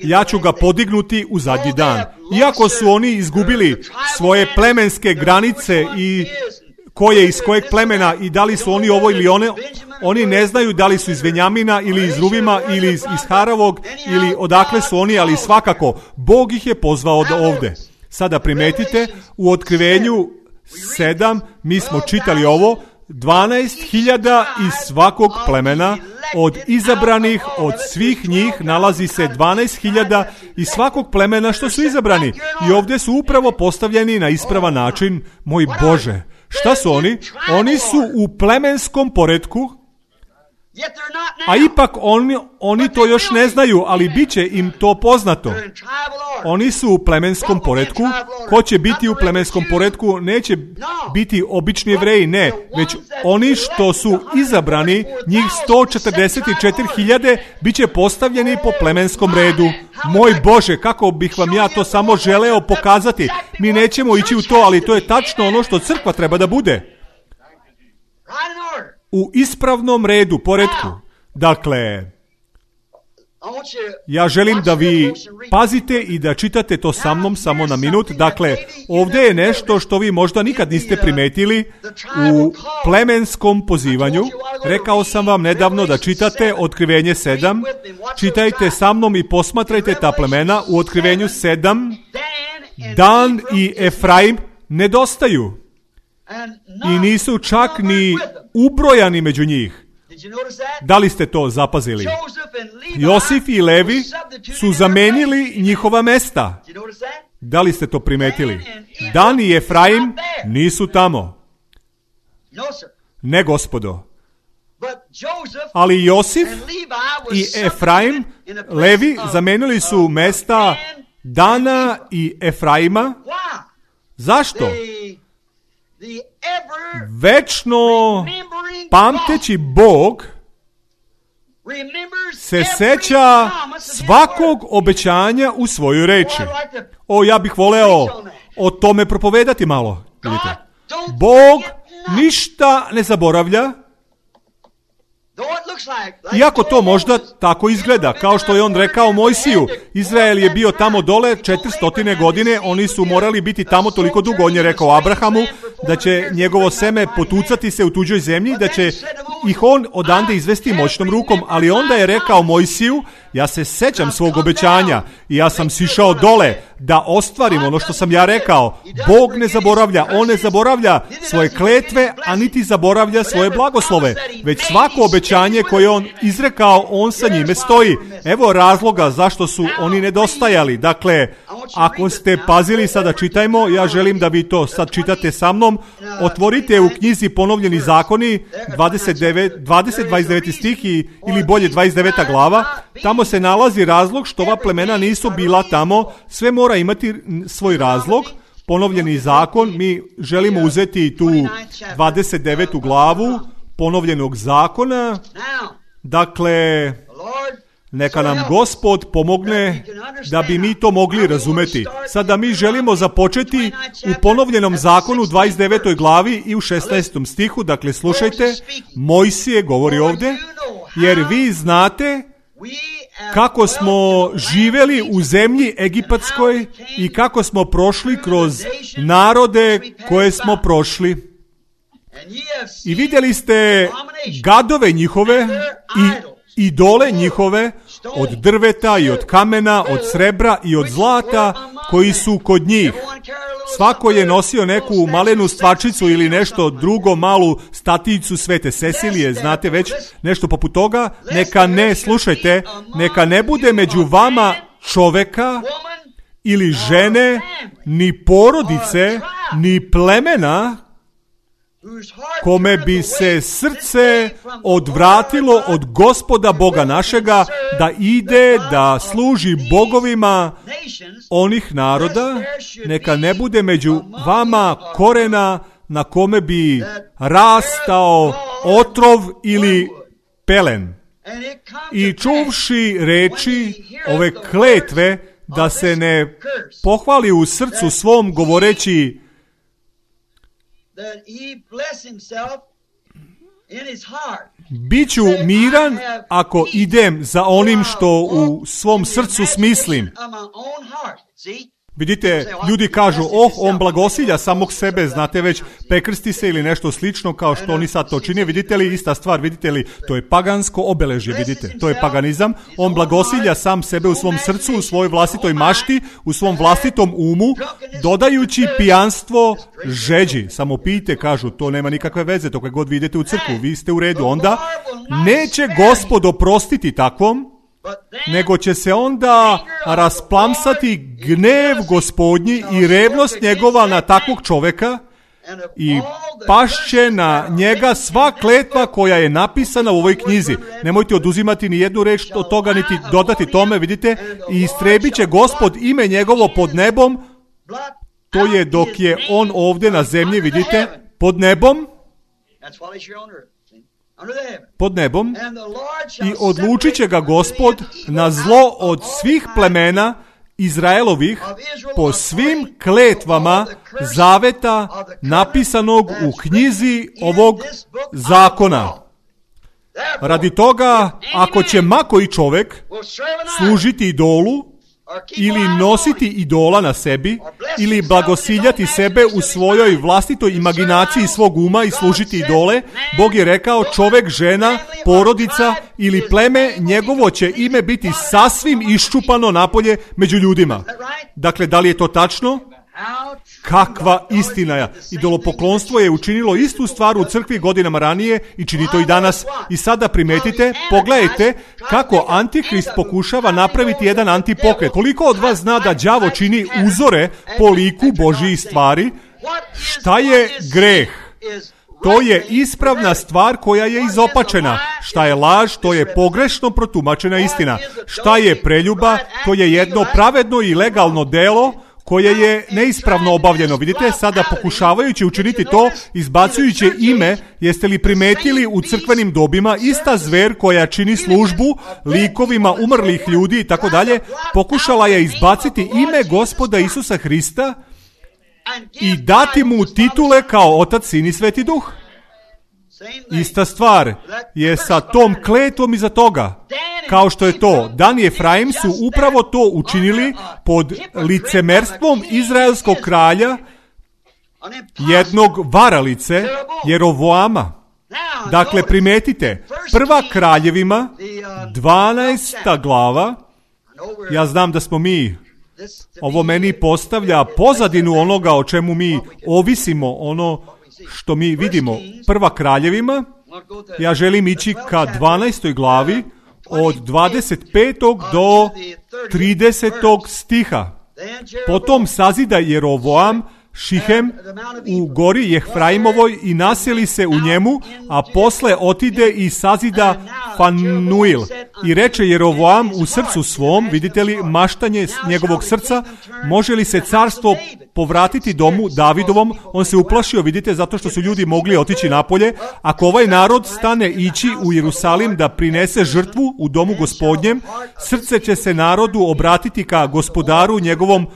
Ja ću ga podignuti u zadnji dan. Iako su oni izgubili svoje plemenske granice i ko je iz kojeg plemena i da li su oni ovo ili one, oni ne znaju da li su iz Venjamina ili iz Ruvima ili iz, iz Haravog ili odakle su oni, ali svakako Bog ih je pozvao od ovde. Sada primetite, u Otkrivenju sedam mi smo čitali ovo, dvanaest hiljada iz svakog plemena, od izabranih, od svih njih nalazi se dvanaest hiljada iz svakog plemena što su izabrani. I ovdje su upravo postavljeni na ispravan način. Moj Bože, šta su oni? Oni su u plemenskom poretku, a ipak oni, oni to još ne znaju, ali bit će im to poznato. Oni su u plemenskom poretku. Ko će biti u plemenskom poretku? Neće biti obični Jevreji, ne, već oni što su izabrani, njih sto četrdeset četiri hiljade, bit će postavljeni po plemenskom redu. Moj Bože, kako bih vam ja to samo želeo pokazati. Mi nećemo ići u to, ali to je tačno ono što crkva treba da bude. U ispravnom redu, poretku. Dakle, ja želim da vi pazite i da čitate to sa mnom samo na minut. Dakle, ovdje je nešto što vi možda nikad niste primetili u plemenskom pozivanju. Rekao sam vam nedavno da čitate Otkrivenje sedam. Čitajte sa mnom i posmatrajte ta plemena. U Otkrivenju sedam Dan i Efraim nedostaju. I nisu čak ni ubrojani među njih. Da li ste to zapazili? Josif i Levi su zamenili njihova mesta. Da li ste to primetili? Dan i Efraim nisu tamo. Ne, gospodo. Ali Josif i Efraim, Levi, zamenili su mesta Dana i Efraima. Zašto? Večno pamteći Bog se seća svakog obećanja u svojoj reči. O, ja bih voleo o tome propovedati malo. Vidite. Bog ništa ne zaboravlja, iako to možda tako izgleda, kao što je on rekao Mojsiju. Izrael je bio tamo dole četiristo godine, oni su morali biti tamo toliko dugo. On je rekao Abrahamu da će njegovo seme potucati se u tuđoj zemlji, da će ih on odande izvesti moćnom rukom, ali onda je rekao Mojsiju, ja se sećam svog obećanja i ja sam sišao dole da ostvarim ono što sam ja rekao. Bog ne zaboravlja, on ne zaboravlja svoje kletve, a niti zaboravlja svoje blagoslove, već svako obećanje koje on izrekao, on sa njime stoji. Evo razloga zašto su oni nedostajali. Dakle, ako ste pazili, sada čitajmo, ja želim da vi to sad čitate sa mnom. Otvorite u knjizi Ponovljeni zakoni, dvadeset devet, dvadeset, dvadeset deveti stih i, ili bolje dvadeset deveta glava. Tamo se nalazi razlog što ova plemena nisu bila tamo. Sve mora imati svoj razlog. Ponovljeni zakon, mi želimo uzeti tu dvadeset devetu glavu ponovljenog zakona. Dakle, neka nam Gospod pomogne da bi mi to mogli razumeti. Sada mi želimo započeti u ponovljenom zakonu dvadeset devetoj glavi i u šesnaestom stihu. Dakle, slušajte, Mojsije govori ovdje, jer vi znate kako smo živeli u zemlji egipatskoj i kako smo prošli kroz narode koje smo prošli. I vidjeli ste gadove njihove i idole njihove od drveta i od kamena, od srebra i od zlata koji su kod njih. Svako je nosio neku malenu stvačicu ili nešto drugo, malu staticu Svete Cecilije, znate već, nešto poput toga. Neka ne, slušajte, neka ne bude među vama čoveka ili žene, ni porodice, ni plemena, kome bi se srce odvratilo od Gospoda Boga našega, da ide da služi bogovima onih naroda. Neka ne bude među vama korena na kome bi rastao otrov ili pelen. I čuvši reči ove kletve, da se ne pohvali u srcu svom govoreći Biću miran ako idem za onim što u svom srcu smislim. Vidite, ljudi kažu, oh, on blagosilja samog sebe, znate već, prekrsti se ili nešto slično kao što oni sad to čine. Vidite li, ista stvar, vidite li, to je pagansko obeležje, vidite, to je paganizam. On blagosilja sam sebe u svom srcu, u svojoj vlastitoj mašti, u svom vlastitom umu, dodajući pijanstvo žeđi. Samo pijte, kažu, to nema nikakve veze, dok god vi idete u crkvu, vi ste u redu. Onda neće Gospod oprostiti takvom, nego će se onda rasplamsati gnev Gospodnji i revnost njegova na takvog čoveka i pašće na njega sva kletva koja je napisana u ovoj knjizi. Nemojte oduzimati ni jednu reč od toga, niti dodati tome, vidite, i istrebit će Gospod ime njegovo pod nebom, to je dok je on ovdje na zemlji, vidite, pod nebom, pod nebom, i odlučit će ga Gospod na zlo od svih plemena Izraelovih po svim kletvama zaveta napisanog u knjizi ovog zakona. Radi toga, ako će ma koji čovjek služiti idolu, ili nositi idola na sebi, ili blagosiljati sebe u svojoj vlastitoj imaginaciji svog uma i služiti idole, Bog je rekao, čovjek, žena, porodica ili pleme, njegovo će ime biti sasvim iščupano napolje među ljudima. Dakle, da li je to tačno? Kakva istina je. Idolopoklonstvo je učinilo istu stvar u crkvi godinama ranije i čini to i danas. I sada primetite, pogledajte kako Antikrist pokušava napraviti jedan antipokret. Koliko od vas zna da đavo čini uzore po liku Božjih stvari? Šta je greh? To je ispravna stvar koja je izopačena. Šta je laž? To je pogrešno protumačena istina. Šta je preljuba? To je jedno pravedno i legalno delo koje je neispravno obavljeno. Vidite, sada pokušavajući učiniti to, izbacujući ime, jeste li primetili u crkvenim dobima, ista zver koja čini službu likovima umrlih ljudi i tako dalje, pokušala je izbaciti ime Gospoda Isusa Hrista i dati mu titule kao Otac, Sin i Sveti Duh. Ista stvar je sa tom kletvom iza toga. Kao što je to, Dan i Efraim su upravo to učinili pod licemerstvom izraelskog kralja, jednog varalice, Jerovoama. Dakle, primetite, prva Kraljevima, dvanaesta glava, ja znam da smo mi, ovo meni postavlja pozadinu onoga o čemu mi ovisimo, ono što mi vidimo. Prva Kraljevima, ja želim ići ka dvanaestoj glavi, od dvadeset petog do tridesetog stiha. Potom sazida Jerovoam Šihem u gori Jefraimovoj i naseli se u njemu, a posle otide i sazida Fanuil. I reče Jerovoam u srcu svom, vidite li maštanje njegovog srca, može li se carstvo povratiti domu Davidovom? On se uplašio, vidite, zato što su ljudi mogli otići napolje. Ako ovaj narod stane ići u Jerusalim da prinese žrtvu u domu Gospodnjem, srce će se narodu obratiti ka gospodaru njegovom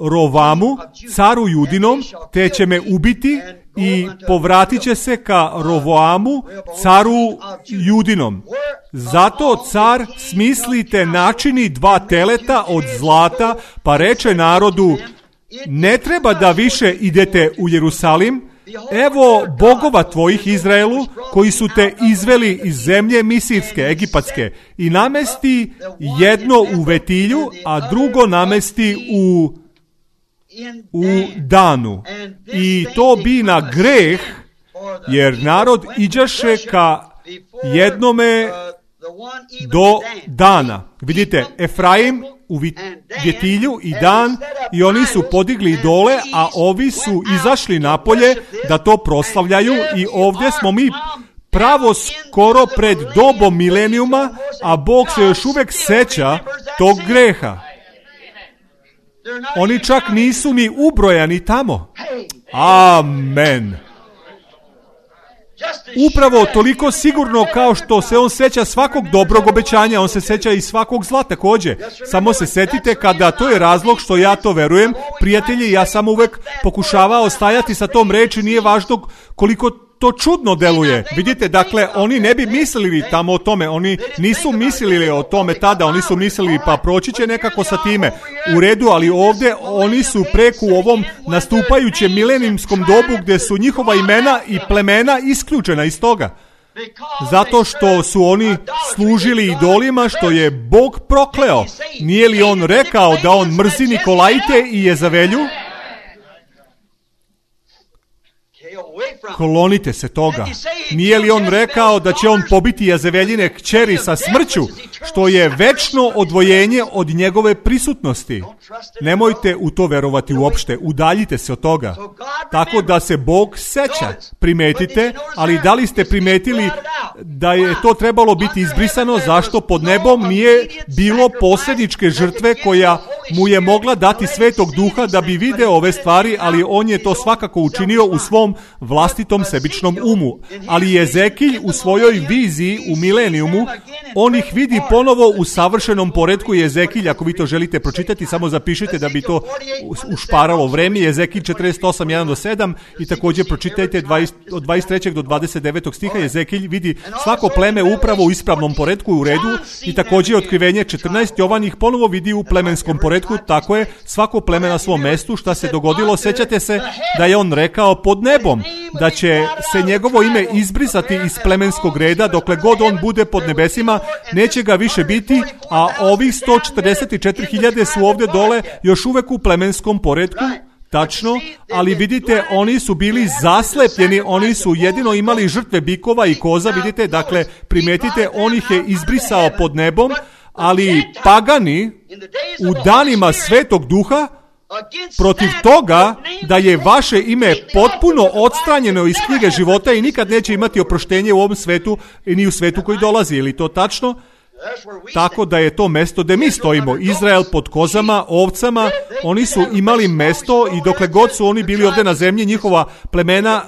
Rovamu, caru Judinom, te će me ubiti i povratit će se ka Rovoamu, caru Judinom. Zato car smislite načini dva teleta od zlata, pa reče narodu, ne treba da više idete u Jerusalim, evo bogova tvojih Izraelu, koji su te izveli iz zemlje misirske, egipatske, i namesti jedno u Vetilju, a drugo namesti u u Danu. I to bi na greh, jer narod iđaše ka jednome do Dana. Vidite, Efraim u Vjetilju i Dan, i oni su podigli dole, a ovi su izašli napolje da to proslavljaju, i ovdje smo mi pravo skoro pred dobom milenijuma, a Bog se još uvijek seća tog greha. Oni čak nisu ni ubrojani tamo. Amen. Upravo toliko sigurno kao što se on seća svakog dobrog obećanja, on se seća i svakog zla također. Samo se setite kada, to je razlog što ja to verujem, prijatelji, ja sam uvek pokušavao stajati sa tom reči, nije važno koliko to čudno deluje. Vidite, dakle, oni ne bi mislili tamo o tome, oni nisu mislili o tome tada, oni su mislili pa proći će nekako sa time. U redu, ali ovdje oni su preko u ovom nastupajućem milenijskom dobu gdje su njihova imena i plemena isključena iz toga. Zato što su oni služili idolima što je Bog prokleo. Nije li on rekao da on mrzi Nikolajte i Jezavelju? Klonite se toga. Nije li on rekao da će on pobiti Jezaveljine kćeri sa smrću, što je večno odvojenje od njegove prisutnosti? Nemojte u to verovati uopšte, udaljite se od toga. Tako da se Bog seća. Primetite, ali da li ste primetili da je to trebalo biti izbrisano? Zašto pod nebom nije bilo posredničke žrtve koja mu je mogla dati Svetog Duha da bi video ove stvari, ali on je to svakako učinio u svom vlastitom sebičnom umu. Ali Jezekilj u svojoj viziji u milenijumu, on ih vidi ponovo u savršenom poretku. Jezekilj, ako vi to želite pročitati, samo zapišite da bi to ušparalo vreme. Jezekilj četrdeset osam, jedan do sedam i također pročitajte dvadeset, od dvadeset trećeg do dvadeset devetog stiha. Jezekilj vidi svako pleme upravo u ispravnom poretku u redu i također otkrivenje četrnaest. Jovan ih ponovo vidi u plemenskom poretku. Tako je, svako pleme na svom mestu. Šta se dogodilo? Sećate se da je on rekao pod nebom da će se njegovo ime izbrisati iz plemenskog reda, dokle god on bude pod nebesima, neće ga više biti, a ovih sto četrdeset četiri hiljade su ovdje dole još uvek u plemenskom poretku. Tačno, ali vidite, oni su bili zaslepljeni, oni su jedino imali žrtve bikova i koza, vidite, dakle, primetite, on ih je izbrisao pod nebom, ali pagani u danima Svetog Duha protiv toga da je vaše ime potpuno odstranjeno iz knjige života i nikad neće imati oproštenje u ovom svetu i ni u svetu koji dolazi. Je li to tačno? Tako da je to mesto gdje mi stojimo. Izrael pod kozama, ovcama, oni su imali mesto i dokle god su oni bili ovdje na zemlji, njihova plemena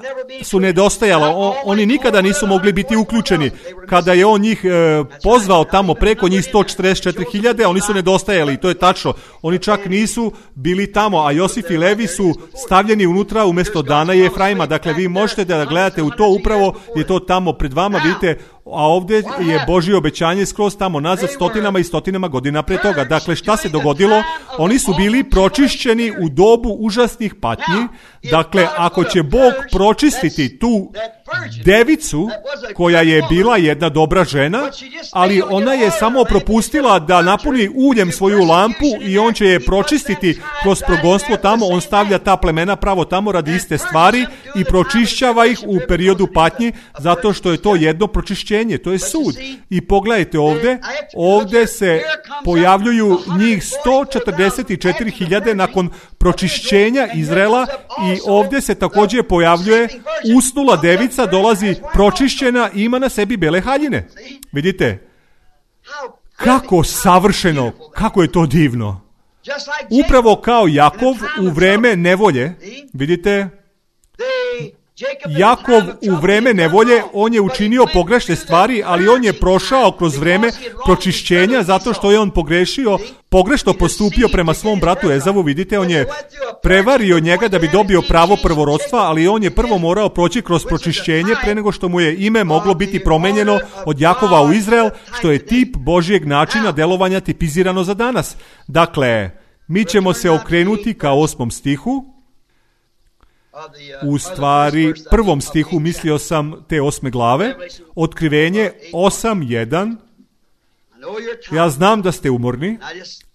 su nedostajala. O, oni nikada nisu mogli biti uključeni. Kada je on njih e, pozvao tamo preko njih sto četrdeset četiri hiljade, oni su nedostajali i to je tačno. Oni čak nisu bili tamo, a Josif i Levi su stavljeni unutra umjesto Dana i Efraima. Dakle, vi možete da gledate u to, upravo je to tamo pred vama, vidite, a ovdje je Božje obećanje skroz tamo nazad stotinama i stotinama godina pre toga. Dakle, šta se dogodilo? Oni su bili pročišćeni u dobu užasnih patnji. Dakle, ako će Bog pročistiti tu devicu, koja je bila jedna dobra žena, ali ona je samo propustila da napuni uljem svoju lampu i on će je pročistiti kroz progonstvo tamo, on stavlja ta plemena pravo tamo radi iste stvari i pročišćava ih u periodu patnji, zato što je to jedno pročišćenje, to je sud. I pogledajte ovdje, ovdje se pojavljuju njih sto četrdeset četiri hiljade nakon pročišćenja Izraela i ovdje se također pojavljuje usnula devica, dolazi pročišćena i ima na sebi bele haljine. Vidite? Kako savršeno, kako je to divno. Upravo kao Jakov u vreme nevolje, vidite? Jakov u vreme nevolje, on je učinio pogrešne stvari, ali on je prošao kroz vreme pročišćenja zato što je on pogrešio, pogrešno postupio prema svom bratu Ezavu, vidite, on je prevario njega da bi dobio pravo prvorodstva, ali on je prvo morao proći kroz pročišćenje pre nego što mu je ime moglo biti promenjeno od Jakova u Izrael, što je tip Božjeg načina delovanja tipizirano za danas. Dakle, mi ćemo se okrenuti ka osmom stihu. U stvari, prvom stihu mislio sam te osme glave, Otkrivenje osam jedan. Ja znam da ste umorni,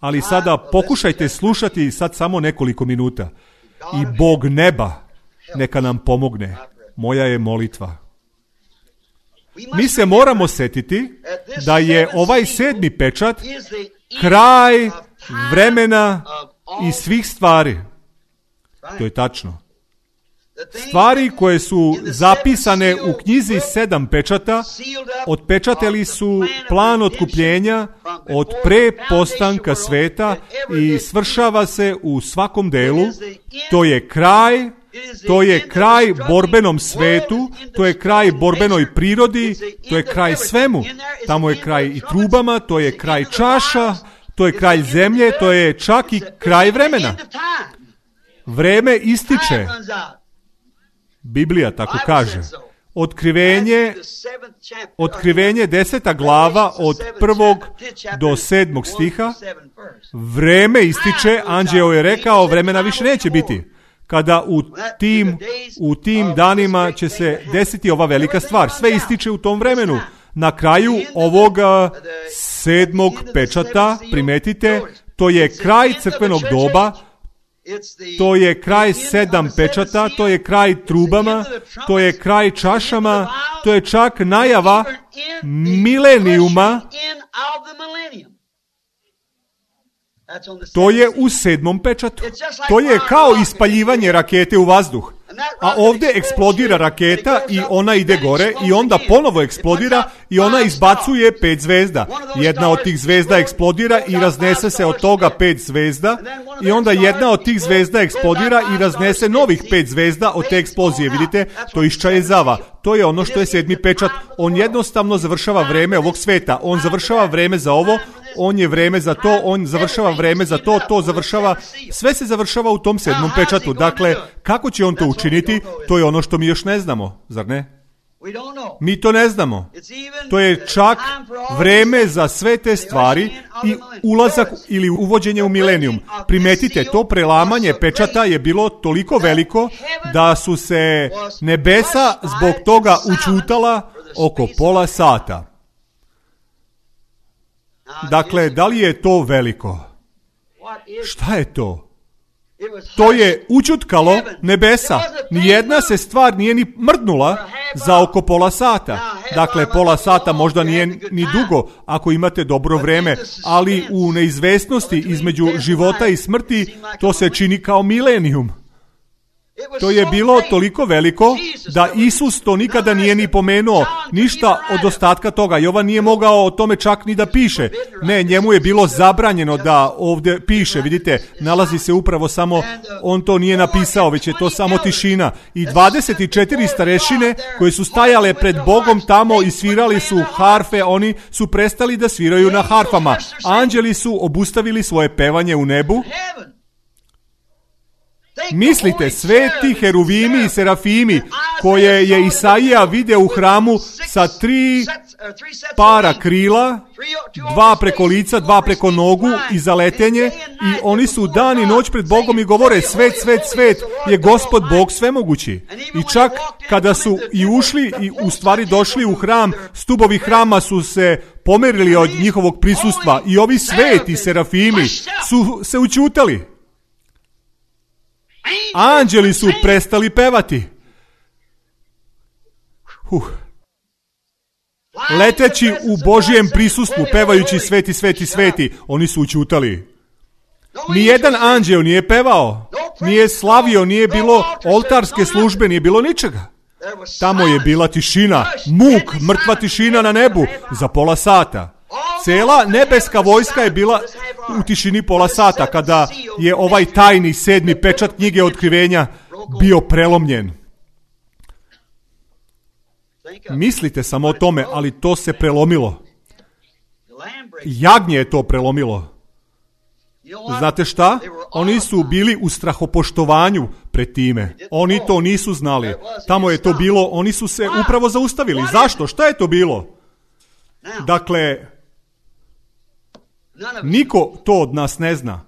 ali sada pokušajte slušati sad samo nekoliko minuta. I Bog neba neka nam pomogne. Moja je molitva. Mi se moramo setiti da je ovaj sedmi pečat kraj vremena i svih stvari. To je tačno. Stvari koje su zapisane u knjizi sedam pečata otpečateli su plan otkupljenja od pre postanka sveta i svršava se u svakom delu. To je kraj, to je kraj borbenom svetu, to je kraj borbenoj prirodi, to je kraj svemu. Tamo je kraj i trubama, to je kraj čaša, to je kraj zemlje, to je čak i kraj vremena. Vreme ističe. Biblija tako kaže. Otkrivenje, otkrivenje deseta glava od prvog do sedmog stiha. Vreme ističe, anđeo je rekao, vremena više neće biti. Kada u tim, u tim danima će se desiti ova velika stvar. Sve ističe u tom vremenu. Na kraju ovoga sedmog pečata, primetite, to je kraj crkvenog doba, to je kraj sedam pečata, to je kraj trubama, to je kraj čašama, to je čak najava milenijuma. To je u sedmom pečatu. To je kao ispaljivanje rakete u vazduh. A ovdje eksplodira raketa i ona ide gore i onda ponovo eksplodira i ona izbacuje pet zvezda. Jedna od tih zvezda eksplodira i raznese se od toga pet zvezda i onda jedna od tih zvezda eksplodira i raznese novih pet zvezda od te eksplozije. Vidite, to iščajezava. To je ono što je sedmi pečat. On jednostavno završava vreme ovog sveta. On završava vreme za ovo, on je vreme za to, on završava vreme za to, to završava, sve se završava u tom sedmom pečatu. Dakle, kako će on to učiniti, to je ono što mi još ne znamo, zar ne? Mi to ne znamo. To je čak vreme za sve te stvari i ulazak ili uvođenje u milenijum. Primetite, to prelamanje pečata je bilo toliko veliko da su se nebesa zbog toga učutala oko pola sata. Dakle, da li je to veliko? Šta je to? To je učutkalo nebesa. Nijedna se stvar nije ni mrdnula za oko pola sata. Dakle, pola sata možda nije ni dugo ako imate dobro vreme, ali u neizvesnosti između života i smrti to se čini kao milenijum. To je bilo toliko veliko da Isus to nikada nije ni pomenuo, ništa od ostatka toga. Jovan nije mogao o tome čak ni da piše. Ne, njemu je bilo zabranjeno da ovdje piše, vidite, nalazi se upravo samo, on to nije napisao, već je to samo tišina. I dvadeset četiri starešine koje su stajale pred Bogom tamo i svirali su harfe, oni su prestali da sviraju na harfama. Anđeli su obustavili svoje pevanje u nebu. Mislite, sveti heruvimi i serafimi koje je Isaija video u hramu sa tri para krila, dva preko lica, dva preko nogu i za letenje, i oni su dan i noć pred Bogom i govore svet, svet, svet je Gospod Bog svemogući. I čak kada su i ušli i u stvari došli u hram, stubovi hrama su se pomerili od njihovog prisustva i ovi sveti serafimi su se učutali. Anđeli su prestali pevati. Uh. Leteći u Božijem prisustvu, pevajući sveti, sveti, sveti, oni su učutali. Nijedan anđeo nije pevao, nije slavio, nije bilo oltarske službe, nije bilo ničega. Tamo je bila tišina, muk, mrtva tišina na nebu za pola sata. Cela nebeska vojska je bila u tišini pola sata kada je ovaj tajni sedmi pečat knjige otkrivenja bio prelomljen. Mislite samo o tome, ali to se prelomilo. Jagnje je to prelomilo. Znate šta? Oni su bili u strahopoštovanju pred time. Oni to nisu znali. Tamo je to bilo, oni su se upravo zaustavili. Zašto? Šta je to bilo? Dakle, niko to od nas ne zna,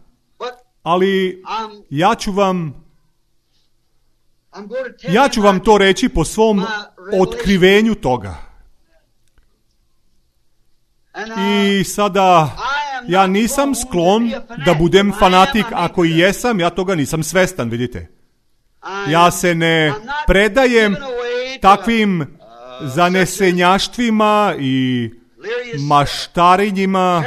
ali ja ću vam ja ću vam to reći po svom otkrivenju toga. I sada ja nisam sklon da budem fanatik, ako i jesam, ja toga nisam svestan, vidite. Ja se ne predajem takvim zanesenjaštvima i maštarinjima.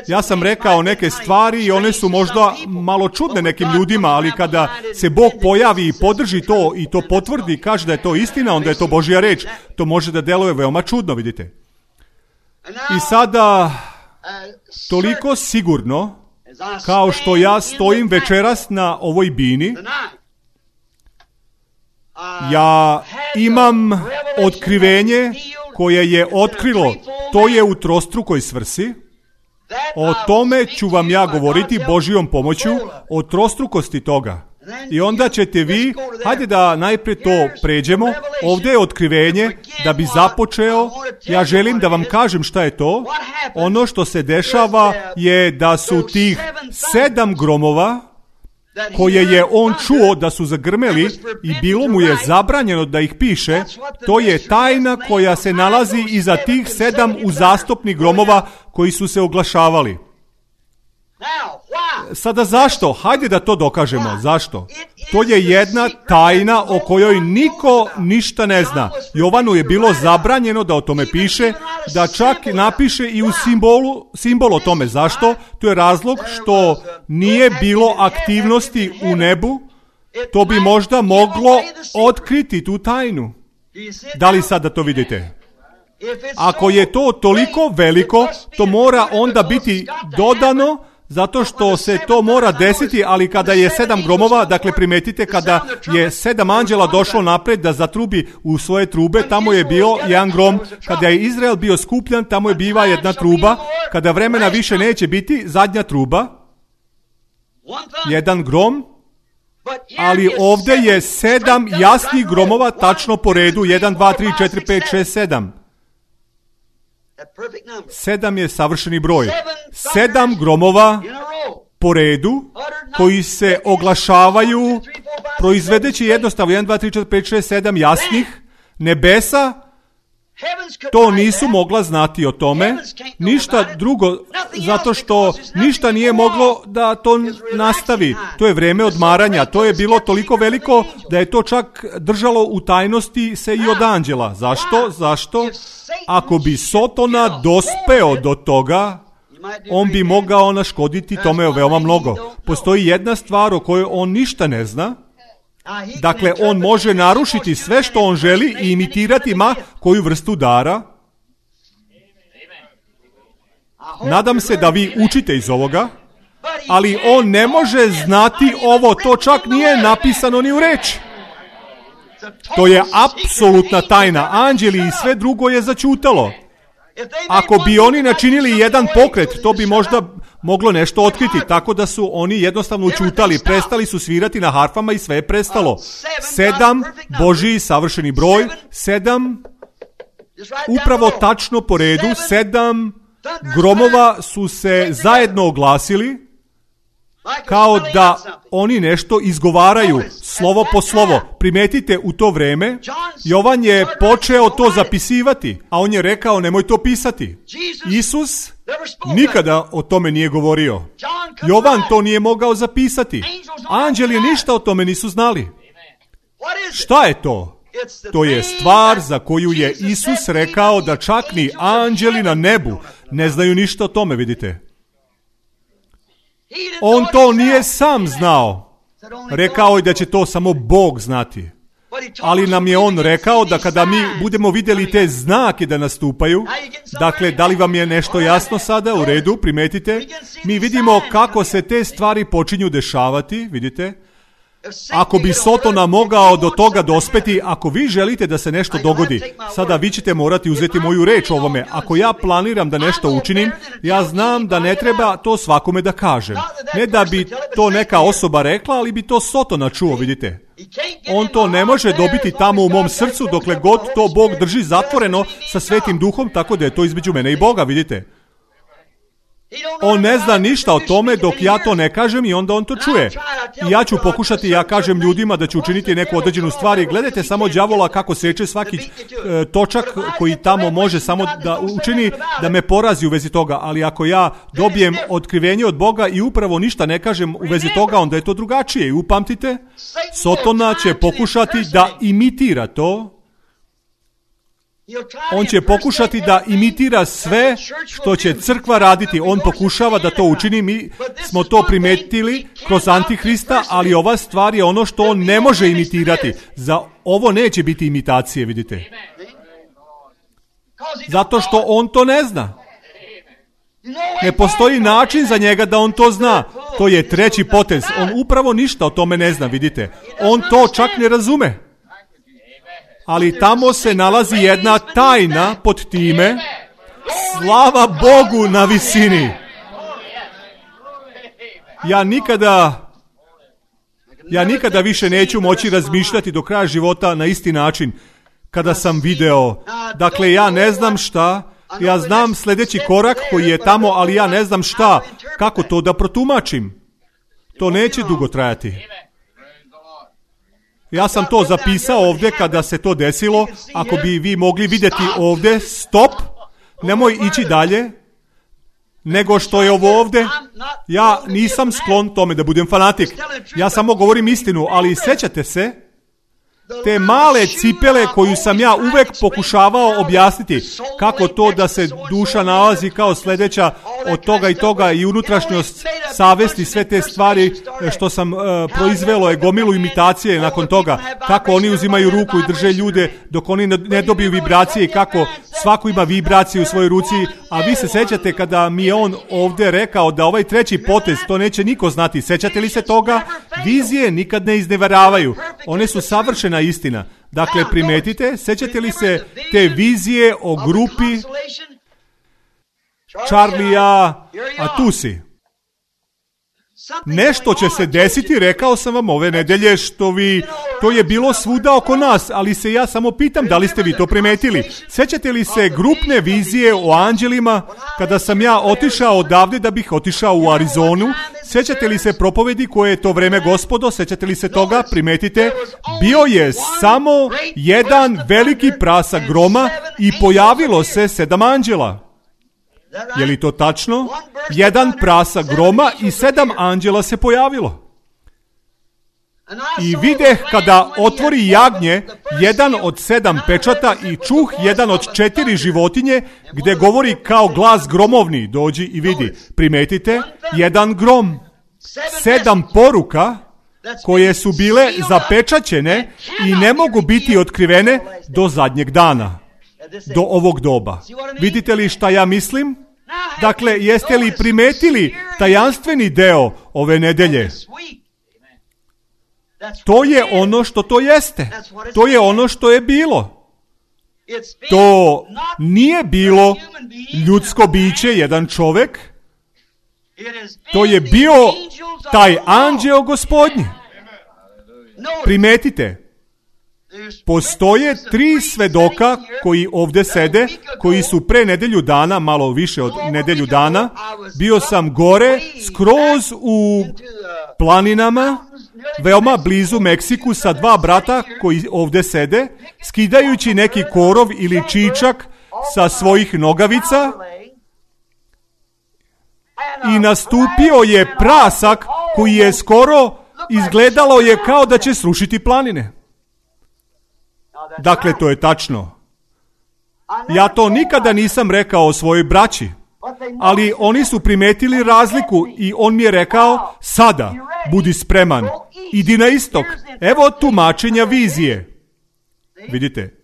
Ja sam rekao neke stvari i one su možda malo čudne nekim ljudima, ali kada se Bog pojavi i podrži to i to potvrdi i kaže da je to istina, onda je to Božja reč. To može da deluje veoma čudno, vidite. I sada, toliko sigurno, kao što ja stojim večeras na ovoj bini, ja imam otkrivenje koje je otkrilo, to je u trostrukoj svrsi. O tome ću vam ja govoriti Božjom pomoću, o trostrukosti toga. I onda ćete vi, hajde da najprije to pređemo, ovdje je otkrivenje, da bi započeo, ja želim da vam kažem šta je to. Ono što se dešava je da su tih sedam gromova, koje je on čuo da su zagrmeli i bilo mu je zabranjeno da ih piše, to je tajna koja se nalazi iza tih sedam uzastopnih gromova koji su se oglašavali. Sada zašto? Hajde da to dokažemo. Zašto? To je jedna tajna o kojoj niko ništa ne zna. Jovanu je bilo zabranjeno da o tome piše, da čak napiše i u simbolu, simbol o tome. Zašto? To je razlog što nije bilo aktivnosti u nebu. To bi možda moglo otkriti tu tajnu. Da li sada to vidite? Ako je to toliko veliko, to mora onda biti dodano, zato što se to mora desiti, ali kada je sedam gromova, dakle primetite, kada je sedam anđela došlo napred da zatrubi u svoje trube, tamo je bio jedan grom. Kada je Izrael bio skupljan, tamo je biva jedna truba. Kada vremena više neće biti, zadnja truba, jedan grom. Ali ovdje je sedam jasnih gromova tačno po redu, jedan, dva, tri, četiri, pet, šest, sedam. Sedam je savršeni broj. Sedam gromova po redu koji se oglašavaju proizvedeći jednostavno jedan, dva, tri, četiri, pet, šest, sedam jasnih. Nebesa to nisu mogla znati o tome, ništa drugo, zato što ništa nije moglo da to nastavi. To je vreme odmaranja, to je bilo toliko veliko da je to čak držalo u tajnosti se i od anđela. Zašto? Zašto? Ako bi Sotona dospeo do toga, on bi mogao naškoditi tome veoma mnogo. Postoji jedna stvar o kojoj on ništa ne zna. Dakle, on može narušiti sve što on želi i imitirati ma koju vrstu dara. Nadam se da vi učite iz ovoga, ali on ne može znati ovo, to čak nije napisano ni u reči. To je apsolutna tajna. Anđeli i sve drugo je začutalo. Ako bi oni načinili jedan pokret, to bi možda moglo nešto otkriti, tako da su oni jednostavno učutali, prestali su svirati na harfama i sve je prestalo. Sedam, Božji savršeni broj, sedam, upravo tačno po redu, sedam gromova su se zajedno oglasili, kao da oni nešto izgovaraju, slovo po slovo. Primetite, u to vreme Jovan je počeo to zapisivati, a on je rekao nemoj to pisati. Isus nikada o tome nije govorio. Jovan to nije mogao zapisati. Anđeli ništa o tome nisu znali. Šta je to? To je stvar za koju je Isus rekao da čak ni anđeli na nebu ne znaju ništa o tome, vidite. On to nije sam znao. Rekao je da će to samo Bog znati. Ali nam je on rekao da kada mi budemo vidjeli te znake da nastupaju, dakle, da li vam je nešto jasno sada? U redu, primetite. Mi vidimo kako se te stvari počinju dešavati, vidite. Ako bi Sotona mogao do toga dospeti, ako vi želite da se nešto dogodi, sada vi ćete morati uzeti moju reč o ovome. Ako ja planiram da nešto učinim, ja znam da ne treba to svakome da kažem. Ne da bi to neka osoba rekla, ali bi to Sotona čuo, vidite. On to ne može dobiti tamo u mom srcu dokle god to Bog drži zatvoreno sa Svetim Duhom, tako da je to između mene i Boga, vidite. On ne zna ništa o tome dok ja to ne kažem i onda on to čuje. I ja ću pokušati, ja kažem ljudima da ću učiniti neku određenu stvar i gledajte samo đavola kako seče svaki e, točak koji tamo može samo da učini da me porazi u vezi toga. Ali ako ja dobijem otkrivenje od Boga i upravo ništa ne kažem u vezi toga, onda je to drugačije. I upamtite, Sotona će pokušati da imitira to. On će pokušati da imitira sve što će crkva raditi. On pokušava da to učini. Mi smo to primetili kroz Antihrista, ali ova stvar je ono što on ne može imitirati. Za ovo neće biti imitacije, vidite. Zato što on to ne zna. Ne postoji način za njega da on to zna. To je treći potez. On upravo ništa o tome ne zna, vidite. On to čak ne razume. Ali tamo se nalazi jedna tajna pod time. Slava Bogu na visini. Ja nikada Ja nikada više neću moći razmišljati do kraja života na isti način kada sam video. Dakle, ja ne znam šta, ja znam sljedeći korak koji je tamo, ali ja ne znam šta, kako to da protumačim. To neće dugo trajati. Ja sam to zapisao ovdje kada se to desilo. Ako bi vi mogli vidjeti ovdje, stop, nemoj ići dalje, nego što je ovo ovdje. Ja nisam sklon tome da budem fanatik. Ja samo govorim istinu, ali sjećate se te male cipele koju sam ja uvek pokušavao objasniti. Kako to da se duša nalazi kao sljedeća od toga i toga i unutrašnjost, savesti, sve te stvari što sam uh, proizvelo je gomilu imitacije nakon toga. Kako oni uzimaju ruku i drže ljude dok oni ne dobiju vibracije i kako svako ima vibracije u svojoj ruci. A vi se sjećate kada mi je on ovdje rekao da ovaj treći potez, to neće niko znati. Sjećate li se toga? Vizije nikad ne izneveravaju. One su savršena istina. Dakle, primetite, sjećate li se te vizije o grupi Charlija, a tu si. Nešto će se desiti, rekao sam vam ove nedelje, što vi, to je bilo svuda oko nas, ali se ja samo pitam da li ste vi to primetili. Sjećate li se grupne vizije o anđelima kada sam ja otišao odavde da bih otišao u Arizonu? Sjećate li se propovedi koje je to vreme gospodo? Sjećate li se toga? Primetite, bio je samo jedan veliki prasak groma i pojavilo se sedam anđela. Je li to tačno? Jedan prasak groma i sedam anđela se pojavilo. I videh kada otvori jagnje jedan od sedam pečata i čuh jedan od četiri životinje gdje govori kao glas gromovni. Dođi i vidi. Primetite, jedan grom. Sedam poruka koje su bile zapečaćene i ne mogu biti otkrivene do zadnjeg dana. Do ovog doba. Vidite li šta ja mislim? Dakle, jeste li primetili tajanstveni deo ove nedelje? To je ono što to jeste. To je ono što je bilo. To nije bilo ljudsko biće, jedan čovjek. To je bio taj anđeo gospodnji. Primetite. Postoje tri svedoka koji ovdje sede, koji su pre nedelju dana, malo više od nedelju dana, bio sam gore, skroz u planinama, veoma blizu Meksiku sa dva brata koji ovdje sede, skidajući neki korov ili čičak sa svojih nogavica i nastupio je prasak koji je skoro izgledalo je kao da će srušiti planine. Dakle, to je tačno. Ja to nikada nisam rekao o svojoj braći, ali oni su primetili razliku i on mi je rekao, sada, budi spreman, idi na istok, evo tumačenja vizije. Vidite?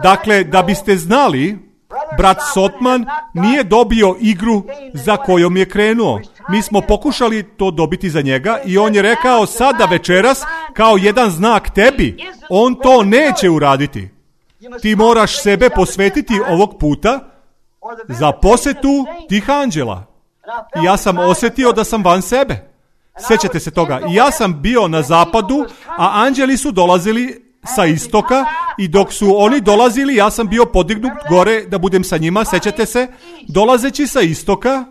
Dakle, da biste znali, brat Sotman nije dobio igru za kojom je krenuo. Mi smo pokušali to dobiti za njega i on je rekao sada večeras kao jedan znak tebi. On to neće uraditi. Ti moraš sebe posvetiti ovog puta za posjetu tih anđela. I ja sam osjetio da sam van sebe. Sjećate se toga. I ja sam bio na zapadu, a anđeli su dolazili sa istoka i dok su oni dolazili, ja sam bio podignut gore da budem sa njima, sećate se, dolazeći sa istoka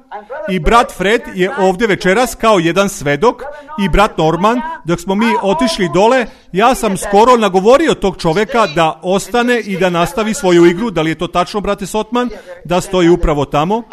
i brat Fred je ovdje večeras kao jedan svedok i brat Norman, dok smo mi otišli dole, ja sam skoro nagovorio tog čovjeka da ostane i da nastavi svoju igru, da li je to tačno, brate Sotman, da stoji upravo tamo.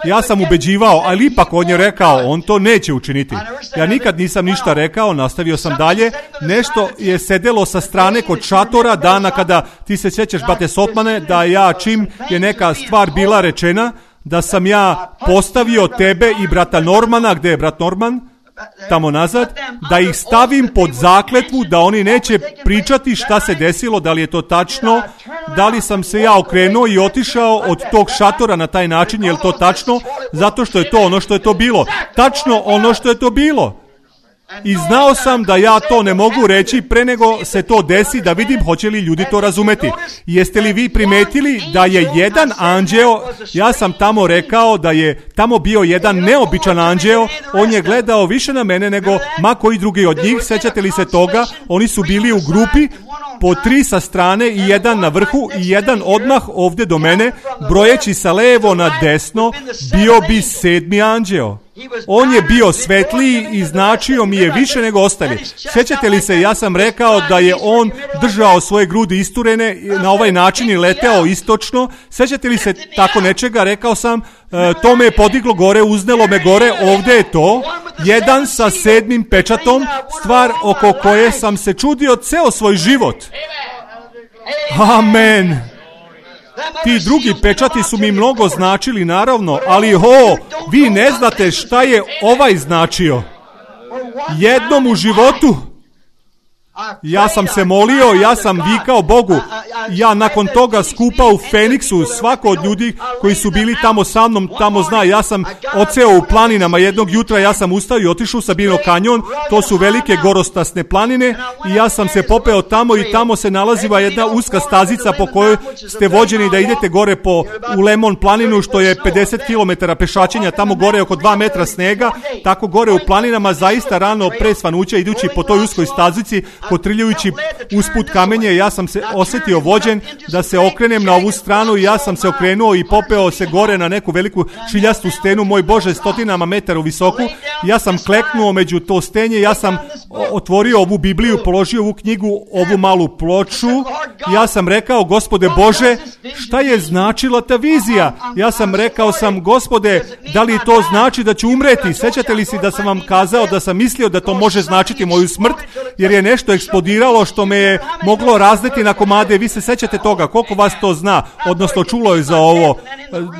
Ja sam ubeđivao, ali ipak on je rekao, on to neće učiniti. Ja nikad nisam ništa rekao, nastavio sam dalje, nešto je sedelo sa strane kod šatora dana kada ti se sjećaš, brate Sotmane, da ja čim je neka stvar bila rečena, da sam ja postavio tebe i brata Normana, gdje je brat Norman, tamo nazad, da ih stavim pod zakletvu, da oni neće pričati šta se desilo, da li je to tačno, da li sam se ja okrenuo i otišao od tog šatora na taj način, je li to tačno, zato što je to ono što je to bilo. Tačno ono što je to bilo. I znao sam da ja to ne mogu reći pre nego se to desi, da vidim hoće li ljudi to razumeti. Jeste li vi primetili da je jedan anđeo, ja sam tamo rekao da je tamo bio jedan neobičan anđeo, on je gledao više na mene nego ma koji drugi od njih, sećate li se toga? Oni su bili u grupi, po tri sa strane i jedan na vrhu i jedan odmah ovdje do mene, brojeći sa levo na desno, bio bi sedmi anđeo. On je bio svetliji i značio mi je više nego ostali. Sjećate li se, ja sam rekao da je on držao svoje grudi isturene na ovaj način i leteo istočno. Sjećate li se tako nečega? Rekao sam, e, to me je podiglo gore, uznelo me gore, ovdje je to. Jedan sa sedmim pečatom, stvar oko koje sam se čudio ceo svoj život. Amen. Ti drugi pečati su mi mnogo značili, naravno, ali ho, vi ne znate šta je ovaj značio. Jednom u životu ja sam se molio, ja sam vikao Bogu. Ja nakon toga skupa u Feniksu, svako od ljudi koji su bili tamo sa mnom, tamo zna, ja sam odseo u planinama jednog jutra, ja sam ustao i otišao u Sabino kanjon, to su velike gorostasne planine i ja sam se popeo tamo i tamo se nalaziva jedna uska stazica po kojoj ste vođeni da idete gore po, u Lemon planinu, što je pedeset kilometara pešačenja, tamo gore oko dva metra snega, tako gore u planinama zaista rano pre svanuća idući po toj uskoj stazici, kotrljajući usput kamenje, ja sam se osjetio vođen da se okrenem na ovu stranu i ja sam se okrenuo i popeo se gore na neku veliku šiljastu stenu, moj Bože, stotinama metara visoku. Ja sam kleknuo među to stenje, ja sam otvorio ovu Bibliju, položio ovu knjigu, ovu malu ploču. Ja sam rekao, Gospode Bože, šta je značila ta vizija? Ja sam rekao sam, Gospode, da li to znači da ću umreti? Sećate li si da sam vam kazao da sam mislio da to može značiti moju smrt, jer je nešto eksplodiralo što me je moglo razneti na komade. Vi se sećate toga, koliko vas to zna, odnosno čulo je za ovo?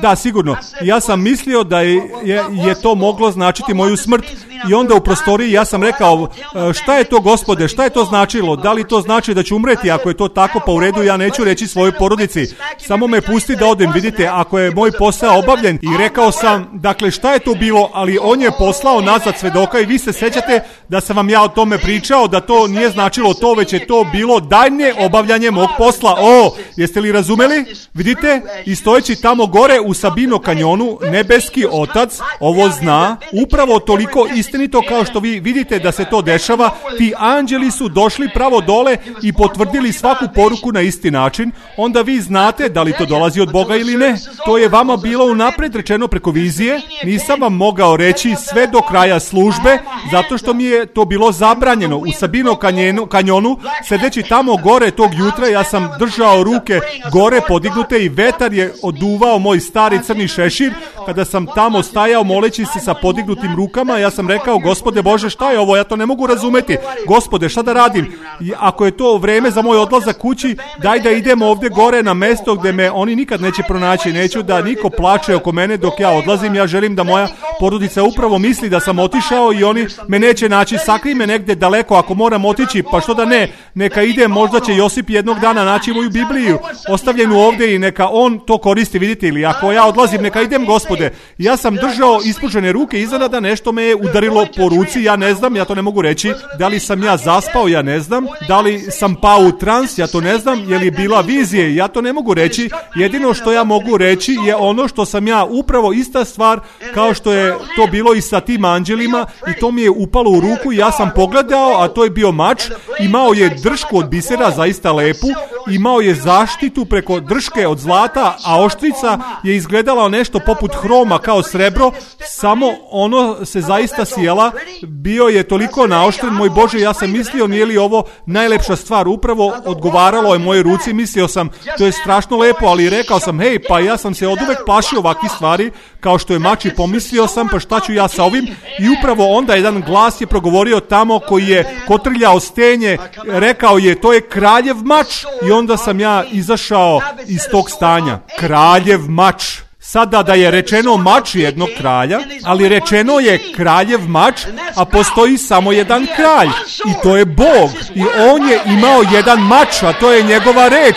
Da, sigurno. Ja sam mislio da je, je, je to moglo značiti moju smrt i onda u prostoriji ja sam rekao, šta je to, Gospode, šta je to značilo? Da li to znači da ću umreti? Ako je to tako, pa u redu, ja neću reći svojoj porodici. Samo me pusti da odem, vidite, ako je moj posao obavljen. I rekao sam, dakle, šta je to bilo, ali on je poslao nazad svedoka i vi se sećate da sam vam ja o tome pričao, da to nije značilo to, već je to bilo daljnje obavljanje mog posla. O, jeste li razumeli? Vidite, i stojeći tamo gore u Sabino kanjonu, nebeski Otac ovo zna, upravo toliko istinito kao što vi vidite da se to dešava. Ti anđeli su došli pravo dole i potvrdili svaku poruku na isti način. Onda vi znate da li to dolazi od Boga ili ne. To je vama bilo unapred rečeno preko vizije. Nisam vam mogao reći sve do kraja službe, zato što mi je to bilo zabranjeno. U Sabino kanjonu, kanjonu sedeći tamo gore tog jutra, ja sam držao ruke gore podignute i vetar je oduvao moj stari crni šešir. Kada sam tamo stajao moleći se sa podignutim rukama, ja sam rekao, Gospode Bože, šta je ovo? Ja to ne mogu razumeti. Gospode, šta da radim? I ako je to vreme za moj odlazak kući, daj da idemo ovdje gore na mesto gdje me oni nikad neće pronaći. Neću da niko plače oko mene dok ja odlazim. Ja želim da moja porodica upravo misli da sam otišao i oni me neće naći. Sakri me negdje daleko ako moram otići, pa što da ne, neka ide, možda će Josip jednog dana naći moju Bibliju ostavljenu ovdje i neka on to koristi, vidite, ili ako ja odlazim, neka idem, Gospode. Ja sam držao ispužene ruke, iznenada nešto me je udarilo po ruci, ja ne znam, ja to ne mogu reći, da li sam ja zaspao, ja ne znam, da li sam pao u trans, ja to ne znam, je li bila vizije, ja to ne mogu reći. Jedino što ja mogu reći je ono što sam ja, upravo ista stvar kao što je to bilo i sa tim anđelima, i to mi je upalo u ruku i ja sam pogledao, a to je bio mač, imao je dršku od bisera, zaista lepu, imao je zaštitu preko drške od zlata, a oštrica je izgledala nešto poput hroma kao srebro, samo ono se zaista sjela, bio je toliko naoštren, moj Bože, ja sam mislio, nije li ovo najlepša stvar, upravo odgovaralo je moje ruci, mislio sam, to je strašno lepo, ali rekao sam, hej, pa ja sam se oduvek plašio ovakvih stvari, kao što je mač, i pomislio sam, pa šta ću ja sa ovim, i upravo onda jedan glas je progovorio tamo koji je kotrljao stenje, rekao je, to je kraljev mač, i onda sam ja izašao iz tog stanja. Kraljev mač. Sada da je rečeno mač jednog kralja, ali rečeno je kraljev mač, a postoji samo jedan kralj, i to je Bog, i on je imao jedan mač, a to je njegova reč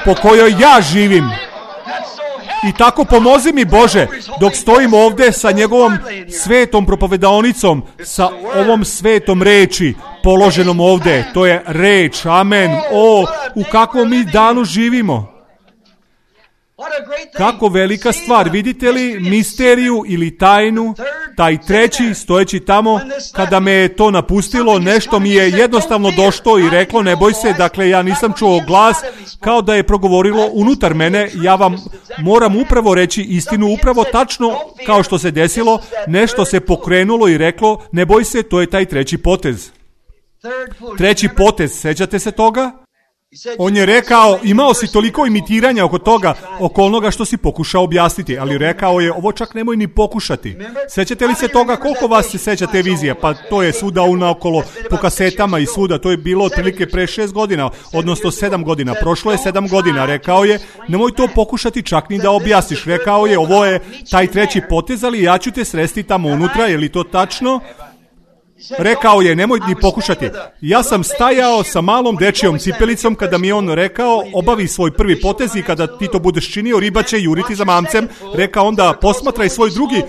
po kojoj ja živim. I tako pomozi mi Bože, dok stojim ovdje sa njegovom svetom propovedaonicom, sa ovom svetom reči položenom ovdje. To je reč, amen. O, u kakvom mi danu živimo. Kako velika stvar, vidite li misteriju ili tajnu, taj treći stojeći tamo, kada me je to napustilo, nešto mi je jednostavno došlo i reklo ne boj se, dakle ja nisam čuo glas kao da je progovorilo unutar mene, ja vam moram upravo reći istinu, upravo tačno kao što se desilo, nešto se pokrenulo i reklo ne boj se, to je taj treći potez. Treći potez, sećate se toga? On je rekao, imao si toliko imitiranja oko toga, oko onoga što si pokušao objasniti, ali rekao je, ovo čak nemoj ni pokušati. Sećate li se toga, koliko vas se seća te vizije? Pa to je svuda unaokolo po kasetama i svuda, to je bilo otprilike pre šest godina, odnosno sedam godina, prošlo je sedam godina, rekao je, nemoj to pokušati čak ni da objasniš, rekao je, ovo je taj treći potez, ali ja ću te sresti tamo unutra, je li to tačno? Rekao je, nemoj ni pokušati. Ja sam stajao sa malom dečijom cipelicom kada mi on rekao, obavi svoj prvi potez i kada ti to budeš činio, riba će juriti za mamcem. Rekao onda, posmatraj svoj drugi e,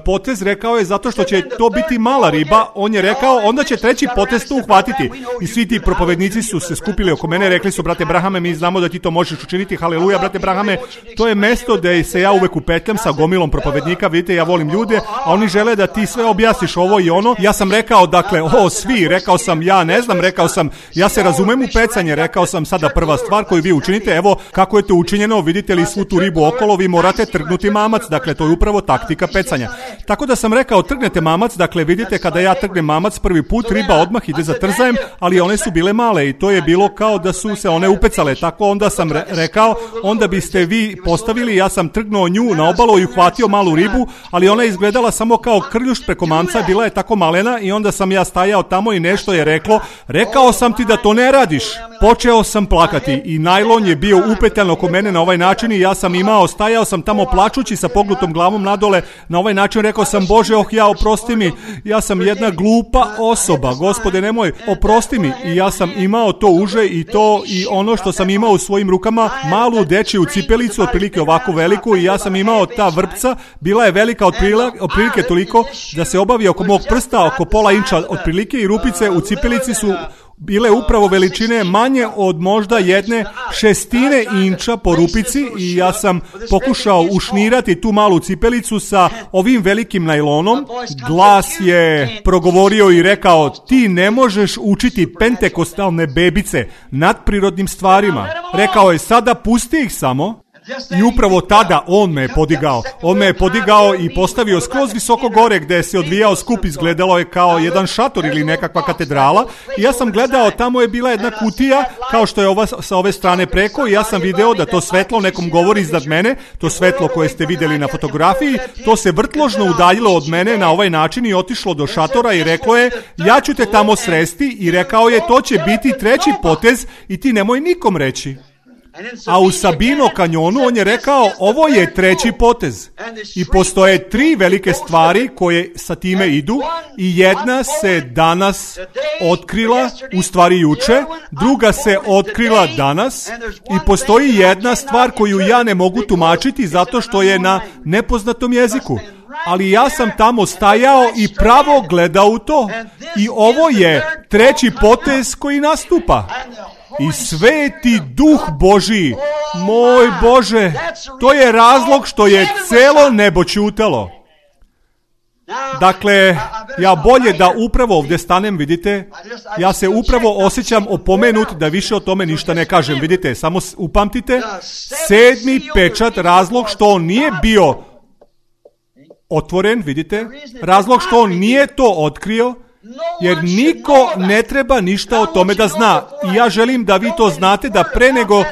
potez, rekao je, zato što će to biti mala riba. On je rekao, onda će treći potez to uhvatiti. I svi ti propovednici su se skupili oko mene, rekli su, brate Brahame, mi znamo da ti to možeš učiniti, haleluja, brate Brahame, to je mesto gde se ja uvek upetljam sa gomilom propovednika, vidite, ja volim ljude, a oni žele da ti sve objasniš ovo i ono. Ja sam rekao, dakle, o, svi, rekao sam, ja ne znam, rekao sam, ja se razumem u pecanje, rekao sam sada prva stvar koju vi učinite, evo kako je to učinjeno, vidite li svu tu ribu okolo, vi morate trgnuti mamac, dakle, to je upravo taktika pecanja. Tako da sam rekao, trgnete mamac, dakle, vidite kada ja trgnem mamac prvi put, riba odmah ide za trzajem, ali one su bile male i to je bilo kao da su se one upecale, tako onda sam re- rekao, onda biste vi postavili, ja sam trgnuo nju na obalu i uhvatio malu ribu, ali ona je izgledala samo kao krljušt preko mamca, bila je tako malena i onda sam ja stajao tamo i nešto je reklo, rekao sam ti da to ne radiš. Počeo sam plakati i najlon je bio upetan oko mene na ovaj način i ja sam imao, stajao sam tamo plačući sa pognutom glavom nadole, na ovaj način rekao sam, Bože, oh ja, oprosti mi, ja sam jedna glupa osoba, Gospode, nemoj, oprosti mi. I ja sam imao to uže i to i ono što sam imao u svojim rukama, malu dečiju cipelicu, otprilike ovako veliku, i ja sam imao ta vrpca, bila je velika otprilike toliko da se obavi oko mog prsta, oko pola inča otprilike, i rupice u cipelici su bile upravo veličine manje od možda jedne šestine inča po rupici, i ja sam pokušao ušnirati tu malu cipelicu sa ovim velikim najlonom. Glas je progovorio i rekao, ti ne možeš učiti pentekostalne bebice nadprirodnim stvarima. Rekao je, sada pusti ih samo. I upravo tada on me je podigao. On me je podigao i postavio skroz visoko gore gdje se odvijao skup, izgledalo je kao jedan šator ili nekakva katedrala. I ja sam gledao, tamo je bila jedna kutija, kao što je ova sa ove strane preko, i ja sam video da to svetlo nekom govori iznad mene, to svetlo koje ste vidjeli na fotografiji, to se vrtložno udaljilo od mene na ovaj način i otišlo do šatora i reklo je, ja ću te tamo sresti, i rekao je, to će biti treći potez i ti nemoj nikom reći. A u Sabino kanjonu on je rekao, ovo je treći potez. I postoje tri velike stvari koje sa time idu, i jedna se danas otkrila, u stvari juče, druga se otkrila danas, i postoji jedna stvar koju ja ne mogu tumačiti zato što je na nepoznatom jeziku. Ali ja sam tamo stajao i pravo gledao u to. I ovo je treći potez koji nastupa. I sveti duh Božiji, moj Bože, to je razlog što je celo nebo ćutalo. Dakle, ja bolje da upravo ovdje stanem, vidite, ja se upravo osjećam opomenut da više o tome ništa ne kažem, vidite, samo upamtite, sedmi pečat, razlog što on nije bio otvoren, vidite, razlog što on nije to otkrio, jer niko ne treba ništa o tome da zna. I ja želim da vi to znate, da pre nego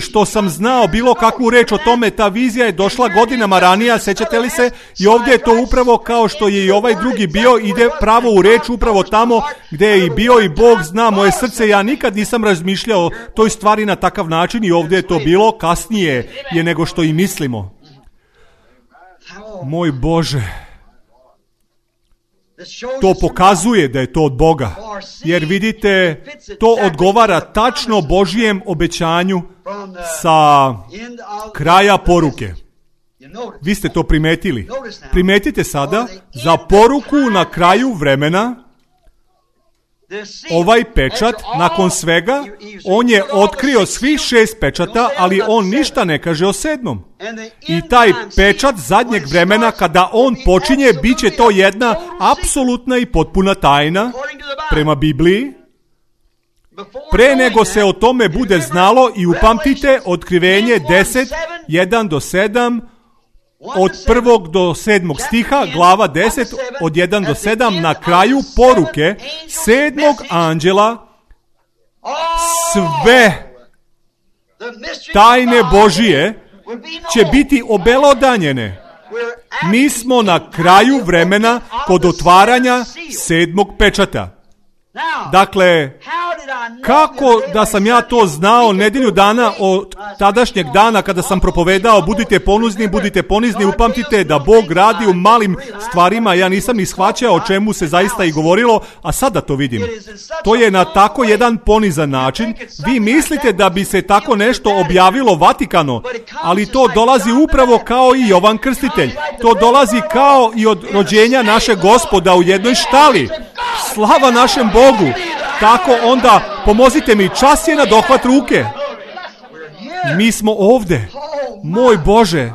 što sam znao bilo kakvu reč o tome, ta vizija je došla godinama ranije, sećate li se? I ovdje je to upravo kao što je i ovaj drugi bio, ide pravo u reč, upravo tamo gdje je i bio, i Bog zna moje srce, ja nikad nisam razmišljao toj stvari na takav način, i ovdje je to bilo, kasnije je nego što i mislimo. Moj Bože, to pokazuje da je to od Boga, jer vidite, to odgovara tačno Božijem obećanju sa kraja poruke. Vi ste to primetili. Primetite sada, za poruku na kraju vremena, ovaj pečat, nakon svega, on je otkrio svih šest pečata, ali on ništa ne kaže o sedmom. I taj pečat zadnjeg vremena, kada on počinje, bit će to jedna apsolutna i potpuna tajna prema Bibliji. Pre nego se o tome bude znalo, i upamtite Otkrivenje deset, jedan do sedam, od prvog do sedmog stiha, glava deset, od jedan do sedam, na kraju poruke sedmog anđela, sve tajne Božije će biti obelodanjene. Mi smo na kraju vremena kod otvaranja sedmog pečata. Dakle, kako da sam ja to znao nedelju dana od tadašnjeg dana kada sam propovedao budite ponuzni, budite ponizni, upamtite da Bog radi u malim stvarima, ja nisam ni shvaćao o čemu se zaista i govorilo, a sada to vidim. To je na tako jedan ponizan način. Vi mislite da bi se tako nešto objavilo Vatikanu, ali to dolazi upravo kao i Jovan Krstitelj. To dolazi kao i od rođenja našeg Gospoda u jednoj štali. Slava našem Bogu. Tako onda pomozite mi, čas je na dohvat ruke. Mi smo ovde. Moj Bože.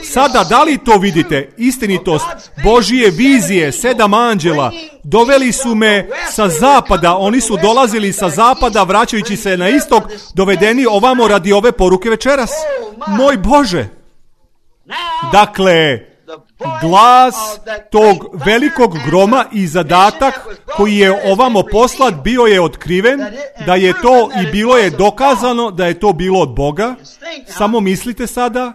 Sada da li to vidite? Istinitost Božije vizije, sedam anđela. Doveli su me sa zapada. Oni su dolazili sa zapada, vraćajući se na istok, dovedeni ovamo radi ove poruke večeras. Moj Bože. Dakle, glas tog velikog groma i zadatak koji je ovamo poslat bio je otkriven, da je to i bilo je dokazano da je to bilo od Boga. Samo mislite sada,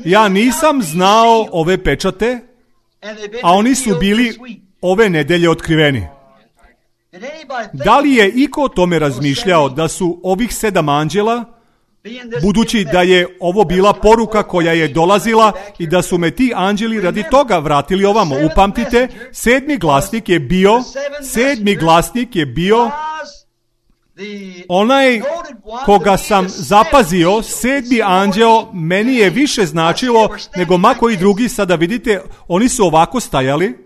ja nisam znao ove pečate, a oni su bili ove nedelje otkriveni. Da li je iko o tome razmišljao da su ovih sedam anđela, budući da je ovo bila poruka koja je dolazila i da su me ti anđeli radi toga vratili ovamo. Upamtite, sedmi glasnik je bio, sedmi glasnik je bio onaj koga sam zapazio, sedmi anđeo, meni je više značilo nego ma koji drugi. Sada vidite, oni su ovako stajali.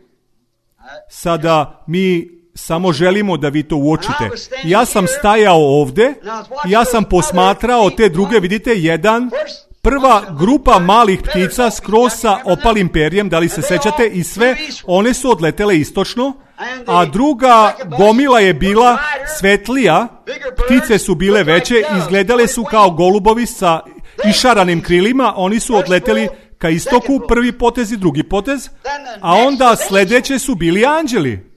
Sada mi samo želimo da vi to uočite. Ja sam stajao ovde, ja sam posmatrao te druge, vidite, jedan, prva grupa malih ptica skroz sa opalim perjem, da li se sećate, i sve one su odletele istočno, a druga gomila je bila svetlija, ptice su bile veće, izgledale su kao golubovi sa išaranim krilima, oni su odleteli ka istoku, prvi potez i drugi potez, a onda sledeće su bili anđeli.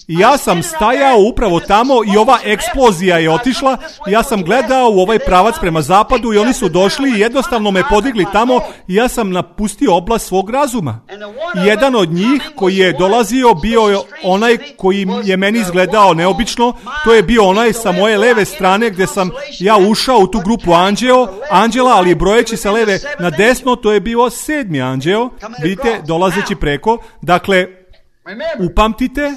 I ja sam stajao upravo tamo i ova eksplozija je otišla. Ja sam gledao u ovaj pravac prema zapadu i oni su došli i jednostavno me podigli tamo i ja sam napustio oblast svog razuma. I jedan od njih koji je dolazio bio je onaj koji je meni izgledao neobično. To je bio onaj sa moje leve strane gdje sam ja ušao u tu grupu anđeo, anđela, ali brojeći sa leve na desno, to je bio sedmi anđeo. Vidite, dolazeći preko. Dakle, upamtite,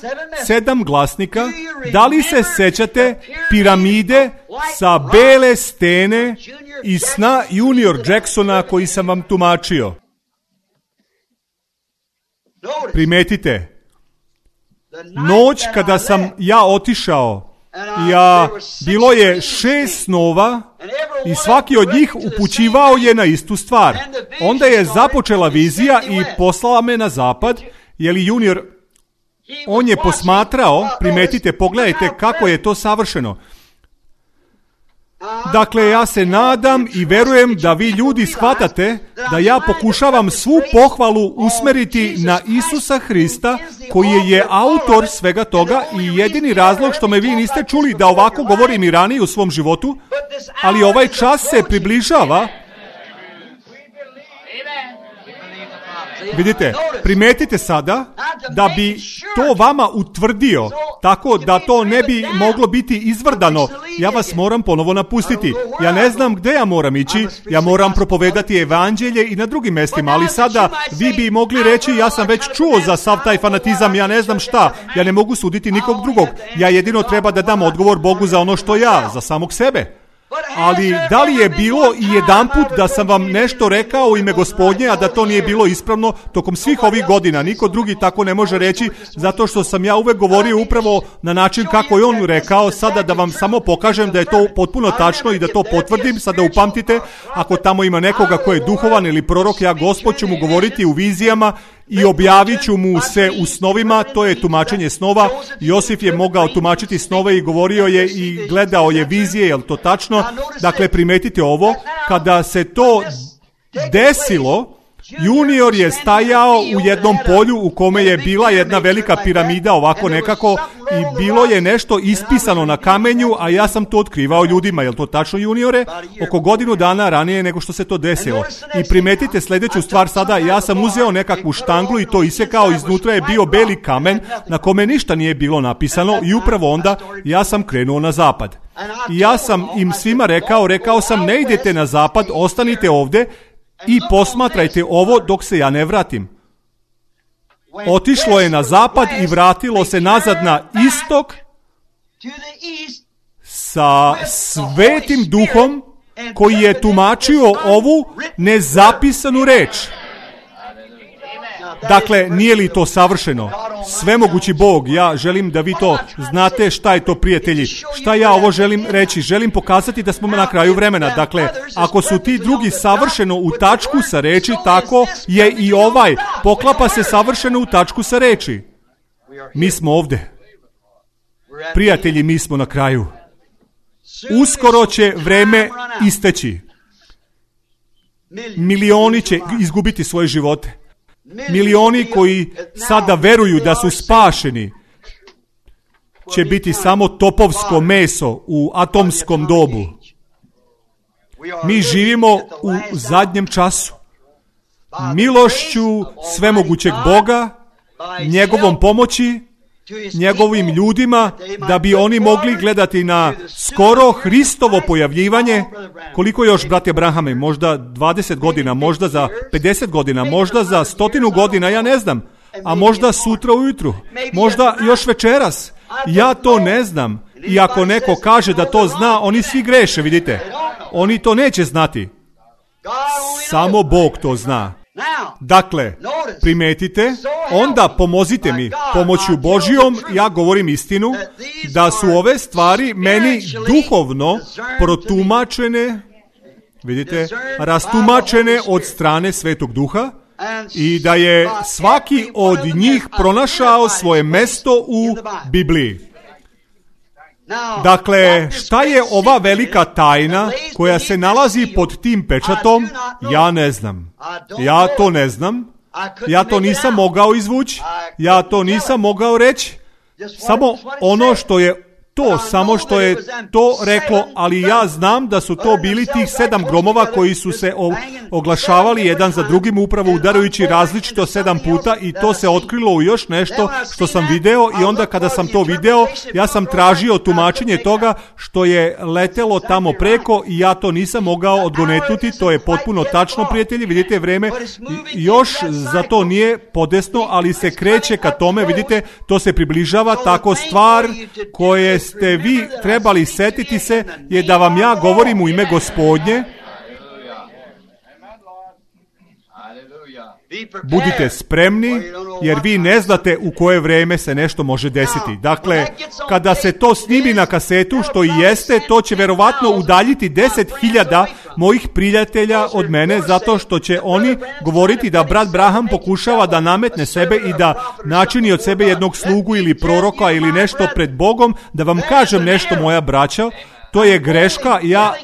sedam glasnika. Da li se sećate piramide sa bele stene i sna Junior Jacksona koji sam vam tumačio? Primetite, noć kada sam ja otišao, ja, bilo je šest snova i svaki od njih upućivao je na istu stvar. Onda je započela vizija i poslala me na zapad, jer Junior, on je posmatrao, primetite, pogledajte kako je to savršeno. Dakle, ja se nadam i verujem da vi ljudi shvatate da ja pokušavam svu pohvalu usmeriti na Isusa Hrista, koji je autor svega toga i jedini razlog što me vi niste čuli da ovako govorim i ranije u svom životu, ali ovaj čas se približava. Vidite, primetite sada da bi to vama utvrdio, tako da to ne bi moglo biti izvrdano. Ja vas moram ponovo napustiti. Ja ne znam gde ja moram ići, ja moram propovedati evanđelje i na drugim mjestima, ali sada vi bi mogli reći ja sam već čuo za sav taj fanatizam, ja ne znam šta, ja ne mogu suditi nikog drugog. Ja jedino treba da dam odgovor Bogu za ono što ja, za samog sebe. Ali da li je bilo i jedanput da sam vam nešto rekao u ime Gospodnje, a da to nije bilo ispravno tokom svih ovih godina? Niko drugi tako ne može reći, zato što sam ja uvek govorio upravo na način kako je on rekao. Sada da vam samo pokažem da je to potpuno tačno i da to potvrdim, sada upamtite, ako tamo ima nekoga ko je duhovan ili prorok, ja Gospod ću mu govoriti u vizijama i objavit ću mu se u snovima. To je tumačenje snova. Josif je mogao tumačiti snove i govorio je i gledao je vizije, je li to tačno? Dakle, primetite ovo, kada se to desilo, Junior je stajao u jednom polju u kome je bila jedna velika piramida, ovako nekako, i bilo je nešto ispisano na kamenju, a ja sam to otkrivao ljudima. Je li to tačno, Juniore? Oko godinu dana ranije nego što se to desilo. I primetite sljedeću stvar sada, ja sam uzeo nekakvu štanglu i to isekao, iznutra je bio beli kamen na kome ništa nije bilo napisano i upravo onda ja sam krenuo na zapad. I ja sam im svima rekao, rekao sam, ne idete na zapad, ostanite ovde i posmatrajte ovo dok se ja ne vratim. Otišlo je na zapad i vratilo se nazad na istok sa Svetim Duhom koji je tumačio ovu nezapisanu reč. Dakle, nije li to savršeno? Svemogući Bog, ja želim da vi to znate. Šta je to, prijatelji? Šta ja ovo želim reći? Želim pokazati da smo na kraju vremena. Dakle, ako su ti drugi savršeno u tačku sa reči, tako je i ovaj. Poklapa se savršeno u tačku sa reči. Mi smo ovde. Prijatelji, mi smo na kraju. Uskoro će vreme isteći. Milioni će izgubiti svoje živote. Milioni koji sada veruju da su spašeni će biti samo topovsko meso u atomskom dobu. Mi živimo u zadnjem času. Milošću svemogućeg Boga, njegovom pomoći, njegovim ljudima, da bi oni mogli gledati na skoro Hristovo pojavljivanje. Koliko još, brate Abrahame? Možda dvadeset godina, možda za pedeset godina, možda za stotinu godina, ja ne znam. A možda sutra ujutru, možda još večeras. Ja to ne znam. I ako neko kaže da to zna, oni svi greše, vidite. Oni to neće znati. Samo Bog to zna. Dakle, primetite, onda pomozite mi pomoću Božjom, ja govorim istinu, da su ove stvari meni duhovno protumačene, vidite, rastumačene od strane Svetog Duha i da je svaki od njih pronašao svoje mesto u Bibliji. Dakle, šta je ova velika tajna koja se nalazi pod tim pečatom? Ja ne znam. Ja to ne znam. Ja to nisam mogao izvući. Ja to nisam mogao reći. Samo ono što je to, samo što je to reklo, ali ja znam da su to bili tih sedam gromova koji su se oglašavali jedan za drugim, upravo udarajući različito sedam puta, i to se otkrilo u još nešto što sam video. I onda kada sam to video, ja sam tražio tumačenje toga što je letelo tamo preko i ja to nisam mogao odgonetnuti. To je potpuno tačno, prijatelji, vidite, vreme još za to nije podesno, ali se kreće ka tome, vidite, to se približava. Tako stvar koje ste vi trebali setiti se je da vam ja govorim u ime Gospodnje. Budite spremni, jer vi ne znate u koje vreme se nešto može desiti. Dakle, kada se to snimi na kasetu, što i jeste, to će verovatno udaljiti deset hiljada mojih prijatelja od mene, zato što će oni govoriti da brat Branham pokušava da nametne sebe i da načini od sebe jednog slugu ili proroka ili nešto pred Bogom. Da vam kažem nešto, moja braća, to je greška. Ja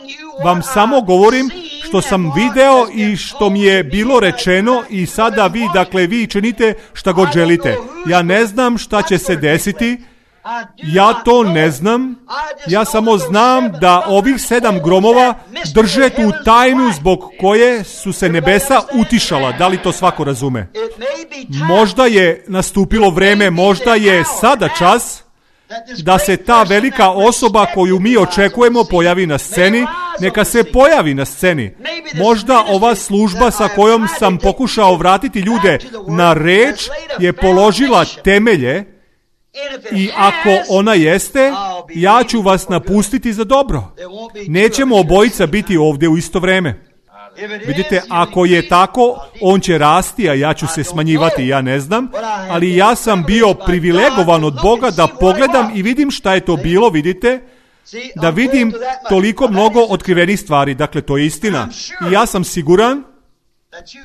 vam samo govorim što sam video i što mi je bilo rečeno, i sada vi, dakle, vi činite šta god želite. Ja ne znam šta će se desiti. Ja to ne znam. Ja samo znam da ovih sedam gromova drže tu tajnu zbog koje su se nebesa utišala. Da li to svako razume? Možda je nastupilo vreme, možda je sada čas da se ta velika osoba koju mi očekujemo pojavi na sceni. Neka se pojavi na sceni. Možda ova služba sa kojom sam pokušao vratiti ljude na reč je položila temelje I ako ona jeste, ja ću vas napustiti za dobro. Nećemo obojica biti ovdje u isto vrijeme. Vidite, ako je tako, on će rasti, a ja ću se smanjivati, ja ne znam, ali ja sam bio privilegovan od Boga da pogledam i vidim šta je to bilo, vidite, da vidim toliko mnogo otkrivenih stvari, dakle to je istina. I ja sam siguran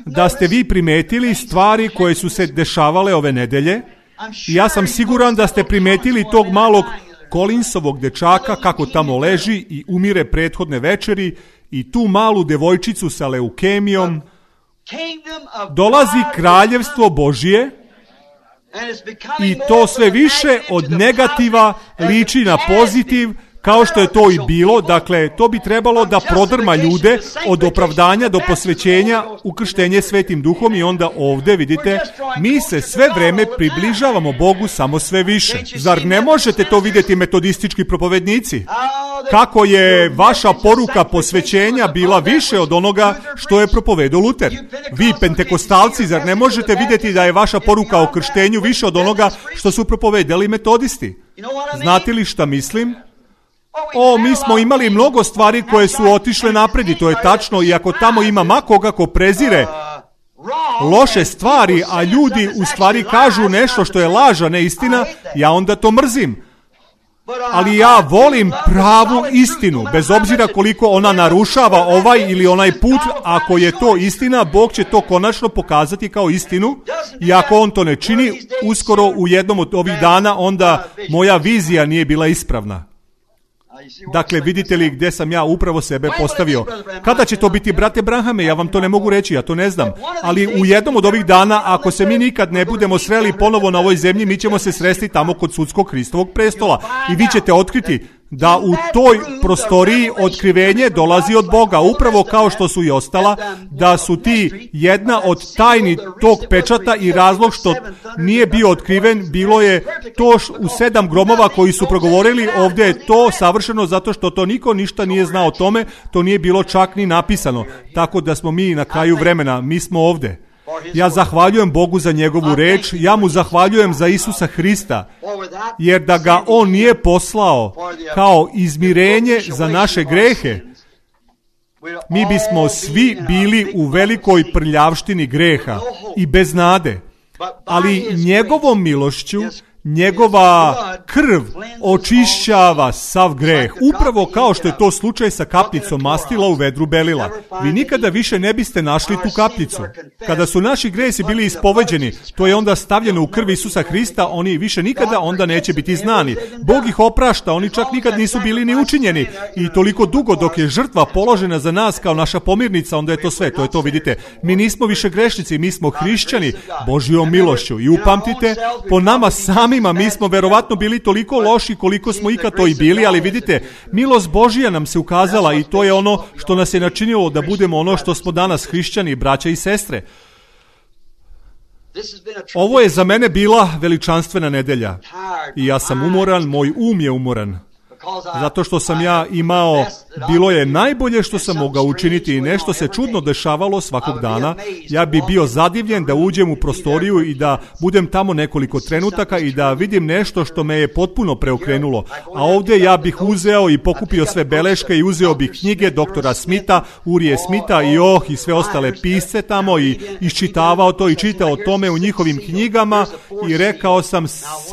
da ste vi primetili stvari koje su se dešavale ove nedelje. I ja sam siguran da ste primetili tog malog Collinsovog dečaka kako tamo leži i umire prethodne večeri i tu malu devojčicu sa leukemijom. Dolazi kraljevstvo Božje i to sve više od negativa liči na pozitiv, kao što je to i bilo. Dakle, to bi trebalo da prodrma ljude od opravdanja do posvećenja u krštenje Svetim Duhom i onda ovdje, vidite, mi se sve vreme približavamo Bogu samo sve više. Zar ne možete to vidjeti, metodistički propovednici? Kako je vaša poruka posvećenja bila više od onoga što je propovedao Luter? Vi, pentekostalci, zar ne možete vidjeti da je vaša poruka o krštenju više od onoga što su propovedali metodisti? Znate li šta mislim? O, mi smo imali mnogo stvari koje su otišle napred i to je tačno, i ako tamo ima makoga ko prezire loše stvari, a ljudi u stvari kažu nešto što je laž, a ne istina, ja onda to mrzim. Ali ja volim pravu istinu, bez obzira koliko ona narušava ovaj ili onaj put. Ako je to istina, Bog će to konačno pokazati kao istinu, i ako on to ne čini, uskoro u jednom od ovih dana, onda moja vizija nije bila ispravna. Dakle, vidite li gdje sam ja upravo sebe postavio? Kada će to biti, brate Branhame? Ja vam to ne mogu reći, ja to ne znam. Ali u jednom od ovih dana, ako se mi nikad ne budemo sreli ponovo na ovoj zemlji, mi ćemo se sresti tamo kod sudskog Hristovog prestola. I vi ćete otkriti da u toj prostoriji otkrivenje dolazi od Boga, upravo kao što su i ostala, da su ti jedna od tajni tog pečata, i razlog što nije bio otkriven bilo je to u sedam gromova koji su progovorili. Ovdje je to savršeno zato što to niko ništa nije znao o tome, to nije bilo čak ni napisano, tako da smo mi na kraju vremena, mi smo ovdje. Ja zahvaljujem Bogu za njegovu reč, ja mu zahvaljujem za Isusa Hrista, jer da ga on nije poslao kao izmirenje za naše grehe, mi bismo svi bili u velikoj prljavštini greha i bez nade. Ali njegovom milošću, njegova krv očišćava sav greh, upravo kao što je to slučaj sa kapljicom mastila u vedru belila. Vi nikada više ne biste našli tu kapljicu. Kada su naši gresi bili ispoveđeni, to je onda stavljeno u krv Isusa Hrista, oni više nikada onda neće biti znani. Bog ih oprašta, oni čak nikad nisu bili ni učinjeni, i toliko dugo dok je žrtva položena za nas kao naša pomirnica, onda je to sve, to je to, vidite. Mi nismo više grešnici, mi smo hrišćani Božjom milošću, i upamtite, po nama samima mi smo verovatno bili toliko loši koliko smo ikad to i bili, ali vidite, milost Božja nam se ukazala, i to je ono što nas je načinilo da budemo ono što smo danas, hrišćani, braća i sestre. Ovo je za mene bila veličanstvena nedelja i ja sam umoran, moj um je umoran. Zato što sam ja imao, bilo je najbolje što sam mogao učiniti i nešto se čudno dešavalo svakog dana. Ja bi bio zadivljen da uđem u prostoriju i da budem tamo nekoliko trenutaka i da vidim nešto što me je potpuno preokrenulo. A ovdje ja bih uzeo i pokupio sve beleške i uzeo bih knjige doktora Smitha, Urije Smitha i oh i sve ostale pisce tamo i iščitavao to i čitao o tome u njihovim knjigama i rekao sam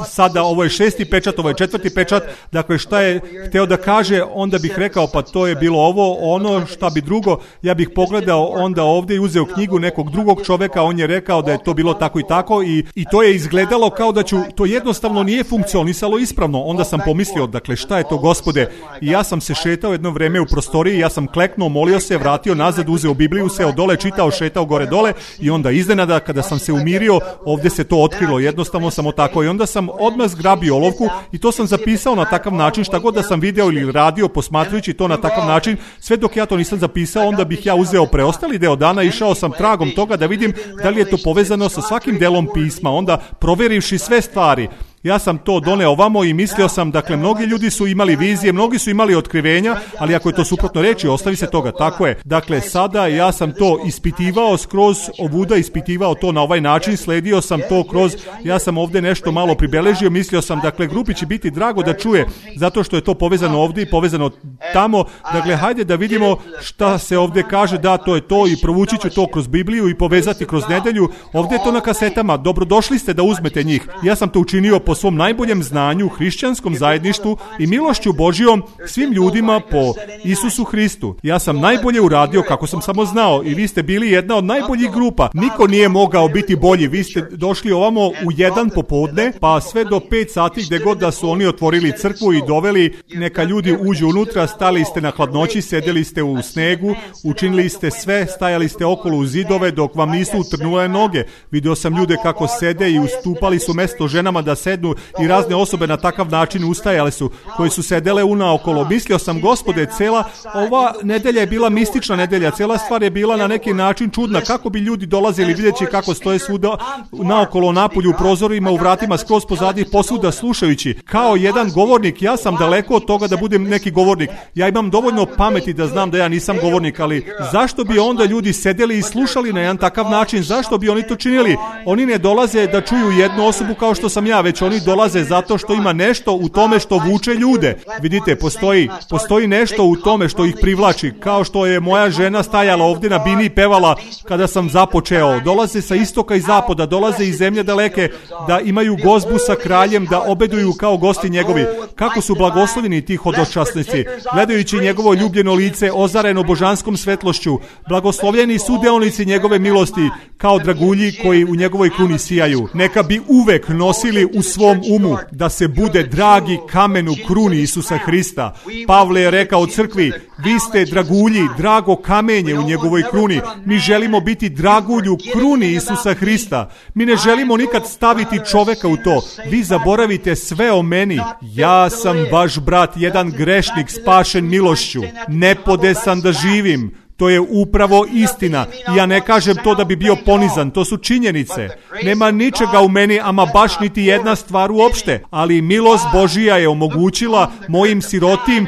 sada ovo je šesti pečat, ovo je četvrti pečat, dakle šta je hteo da kaže, onda bih rekao pa to je bilo ovo, ono šta bi drugo, ja bih pogledao onda ovdje i uzeo knjigu nekog drugog čoveka, on je rekao da je to bilo tako i tako i, i to je izgledalo kao da ću, to jednostavno nije funkcionisalo ispravno, onda sam pomislio, dakle šta je to Gospode, i ja sam se šetao jedno vreme u prostoriji, ja sam kleknuo, molio se, vratio nazad, uzeo Bibliju, seo dole, čitao, šetao gore dole i onda iznenada kada sam se umirio, ovdje se to otkrilo, jednostavno samo tako i onda sam odmah zgrabio olovku i to sam zapisao na takav način, šta god da sam video ili radio posmatrajući to na takav način, sve dok ja to nisam zapisao, onda bih ja uzeo preostali deo dana, išao sam tragom toga da vidim da li je to povezano sa svakim delom pisma, onda proverivši sve stvari. Ja sam to doneo ovamo i mislio sam, dakle, mnogi ljudi su imali vizije, mnogi su imali otkrivenja, ali ako je to suprotno reči, ostavi se toga. Tako je. Dakle, sada ja sam to ispitivao skroz ovuda, ispitivao to na ovaj način, sledio sam to kroz, ja sam ovdje nešto malo pribeležio, mislio sam, dakle, grupi će biti drago da čuje, zato što je to povezano ovdje i povezano tamo. Dakle, hajde da vidimo šta se ovdje kaže, da, to je to i provući ću to kroz Bibliju i povezati kroz nedelju. Ovdje je to na kasetama, dobrodošli ste da uzmete njih. Ja sam to učinio po svom najboljem znanju, hrišćanskom zajedništvu i milošću Božijom svim ljudima po Isusu Hristu. Ja sam najbolje uradio kako sam samo znao i vi ste bili jedna od najboljih grupa. Niko nije mogao biti bolji. Vi ste došli ovamo u jedan popodne, pa sve do pet sati gdje god da su oni otvorili crkvu i doveli, neka ljudi uđu unutra, stali ste na hladnoći, sedjeli ste u snegu, učinili ste sve, stajali ste okolo u zidove dok vam nisu utrnule noge. Vidio sam ljude kako sede i ustupali su mesto ženama da sednu i razne osobe na takav način ustajale su, koji su sedele unaokolo. Mislio sam, Gospode, cela ova nedelja je bila mistična nedelja, cela stvar je bila na neki način čudna. Kako bi ljudi dolazili videći kako stoje svuda naokolo, napolju, u prozorima, u vratima, skroz pozadi, posvuda slušajući. Kao jedan govornik, ja sam daleko od toga da budem neki govornik. Ja imam dovoljno pameti da znam da ja nisam govornik, ali zašto bi onda ljudi sedeli i slušali na jedan takav način? Zašto bi oni to činili? Oni ne dolaze da čuju jednu osobu kao što sam ja, već oni dolaze zato što ima nešto u tome što vuče ljude. Vidite, postoji, postoji nešto u tome što ih privlači, kao što je moja žena stajala ovdje na bini i pevala kada sam započeo. Dolaze sa istoka i zapada, dolaze iz zemlje daleke, da imaju gozbu sa kraljem, da obeduju kao gosti njegovi. Kako su blagosloveni ti hodočasnici, gledajući njegovo ljubljeno lice ozareno božanskom svetlošću. Blagoslovljeni su deonici njegove milosti, kao dragulji koji u njegovoj kruni sijaju. Neka bi uvek nosili u svom umu da se bude dragi kamen u kruni Isusa Hrista. Pavle je rekao u crkvi, vi ste dragulji, drago kamenje u njegovoj kruni. Mi želimo biti dragulj u kruni Isusa Hrista. Mi ne želimo nikad staviti čoveka u to. Vi zaboravite sve o meni. Ja sam vaš brat, jedan grešnik spašen milošću. Nepodesan da živim. To je upravo istina. I ja ne kažem to da bi bio ponizan, to su činjenice. Nema ničega u meni, ama baš niti jedna stvar uopšte. Ali milost Božija je omogućila mojim sirotim,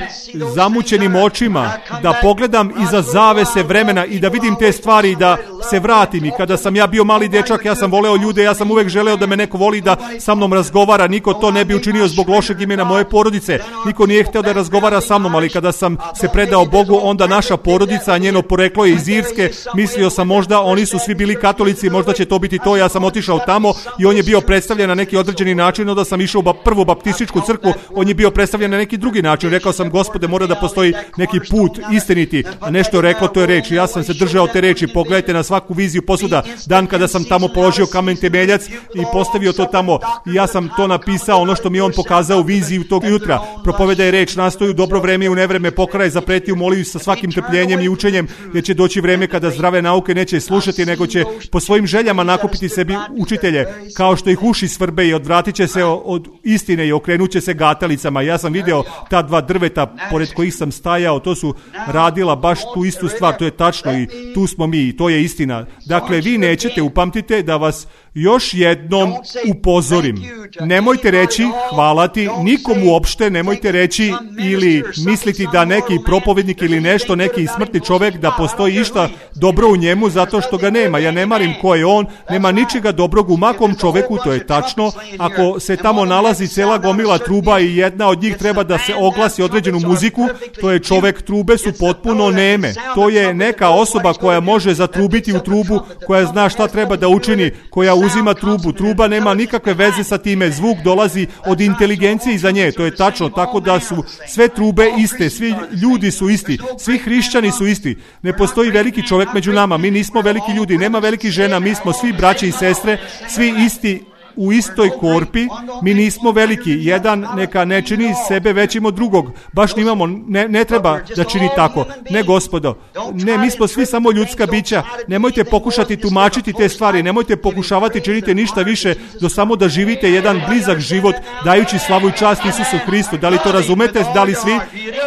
zamućenim očima da pogledam iza zavese vremena i da vidim te stvari i da se vratim. I kada sam ja bio mali dečak, ja sam voleo ljude, ja sam uvek želeo da me neko voli, da sa mnom razgovara. Niko to ne bi učinio zbog lošeg imena moje porodice. Niko nije hteo da razgovara sa mnom, ali kada sam se predao Bogu, onda naša porodica, a njeno poreklo je iz Irske, mislio sam možda oni su svi bili katolici, možda će to biti to. Ja sam otišao tamo i on je bio predstavljen na neki određeni način. Onda sam išao u prvu baptističku crkvu, on je bio predstavljen na neki drugi način. Rekao sam, Gospode, mora da postoji neki put istiniti, a nešto je reklo, to je reč. Ja sam se držao te reči. Pogledajte na svaku viziju posvuda. Dan kada sam tamo položio kamen temeljac i postavio to tamo, i ja sam to napisao, ono što mi on pokazao u viziji tog jutra. Propovedaj reč, nastoju dobro vreme i u nevreme, pokraj, zapretio, moliju sa svakim trpljenjem i učenjem, jer će doći vreme kada zdrave nauke neće slušati, nego će po svojim željama nakupiti sebi učitelje, kao što ih uši svrbe, i odvratit će se od istine i okrenut će se gatalicama. Ja sam video ta dva drveta pored kojih sam stajao, to su radila baš tu istu stvar, to je tačno i tu smo mi, to je istina. Dakle, vi nećete, upamtite, da vas još jednom upozorim. Nemojte reći hvala ti nikomu uopšte, nemojte reći ili misliti da neki propovednik ili nešto, neki smrtni čovjek, da postoji išta dobro u njemu zato što ga nema. Ja ne marim ko je on, nema ničega dobrog u makom čoveku, to je tačno. Ako se tamo nalazi cela gomila truba i jedna od njih treba da se oglasi određenu muziku, to je čovek, trube su potpuno neme. To je neka osoba koja može zatrubiti u trubu, koja zna šta treba da učini, koja uzima trubu. Truba nema nikakve veze sa time, zvuk dolazi od inteligencije iza nje, to je tačno, tako da su sve trube iste, svi ljudi su isti, svi hrišćani su isti. Ne postoji veliki čovjek među nama, mi nismo veliki ljudi, nema velikih žena, mi smo svi braće i sestre, svi isti u istoj korpi, mi nismo veliki, jedan neka ne čini sebe većim od drugog, baš nimamo, ne, ne treba da čini tako, ne gospodo, ne, mi smo svi samo ljudska bića, nemojte pokušati tumačiti te stvari, nemojte pokušavati činiti ništa više do samo da živite jedan blizak život, dajući slavu i čast Isusu Hristu. Da li to razumete, da li svi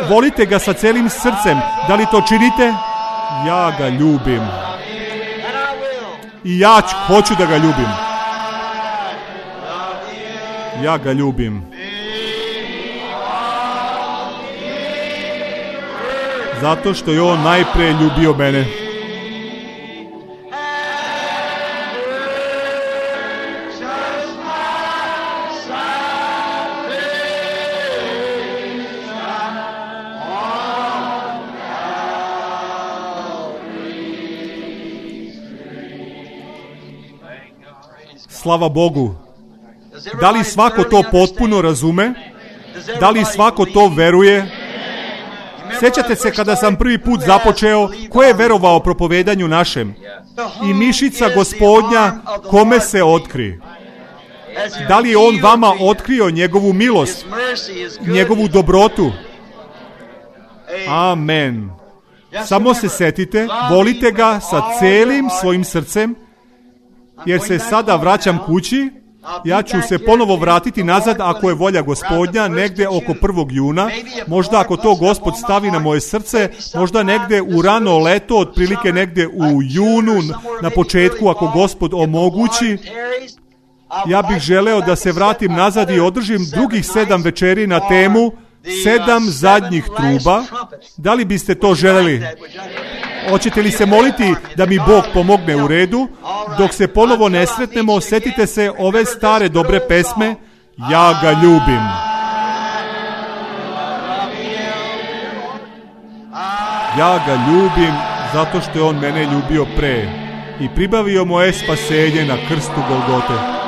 volite ga sa celim srcem, da li to činite? Ja ga ljubim i ja hoću da ga ljubim. Ja ga ljubim. Zato što je on najpre ljubio mene. Slava Bogu. Da li svako to potpuno razume? Da li svako to veruje? Sjećate se kada sam prvi put započeo, ko je verovao propovedanju našem? I mišica Gospodnja kome se otkri? Da li je on vama otkrio njegovu milost, njegovu dobrotu? Amen. Samo se setite, volite ga sa celim svojim srcem, jer se sada vraćam kući. Ja ću se ponovo vratiti nazad ako je volja Gospodnja, negdje oko prvog juna, možda ako to Gospod stavi na moje srce, možda negdje u rano leto, otprilike negdje u junu, na početku ako Gospod omogući. Ja bih želeo da se vratim nazad i održim drugih sedam večeri na temu sedam zadnjih truba. Da li biste to želeli? Hoćete li se moliti da mi Bog pomogne u redu? Dok se ponovo ne sretnemo, setite se ove stare dobre pesme. Ja ga ljubim. Ja ga ljubim zato što je on mene ljubio pre i pribavio moje spasenje na krstu Golgote.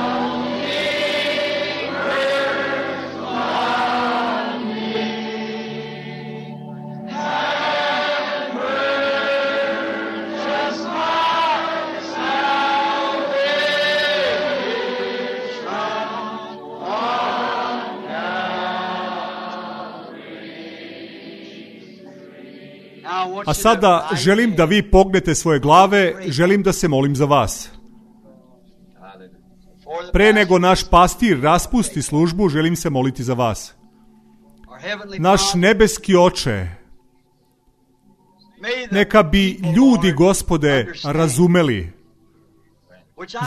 A sada želim da vi pognete svoje glave, želim da se molim za vas. Pre nego naš pastir raspusti službu, želim se moliti za vas. Naš nebeski Oče, neka bi ljudi, Gospode, razumeli,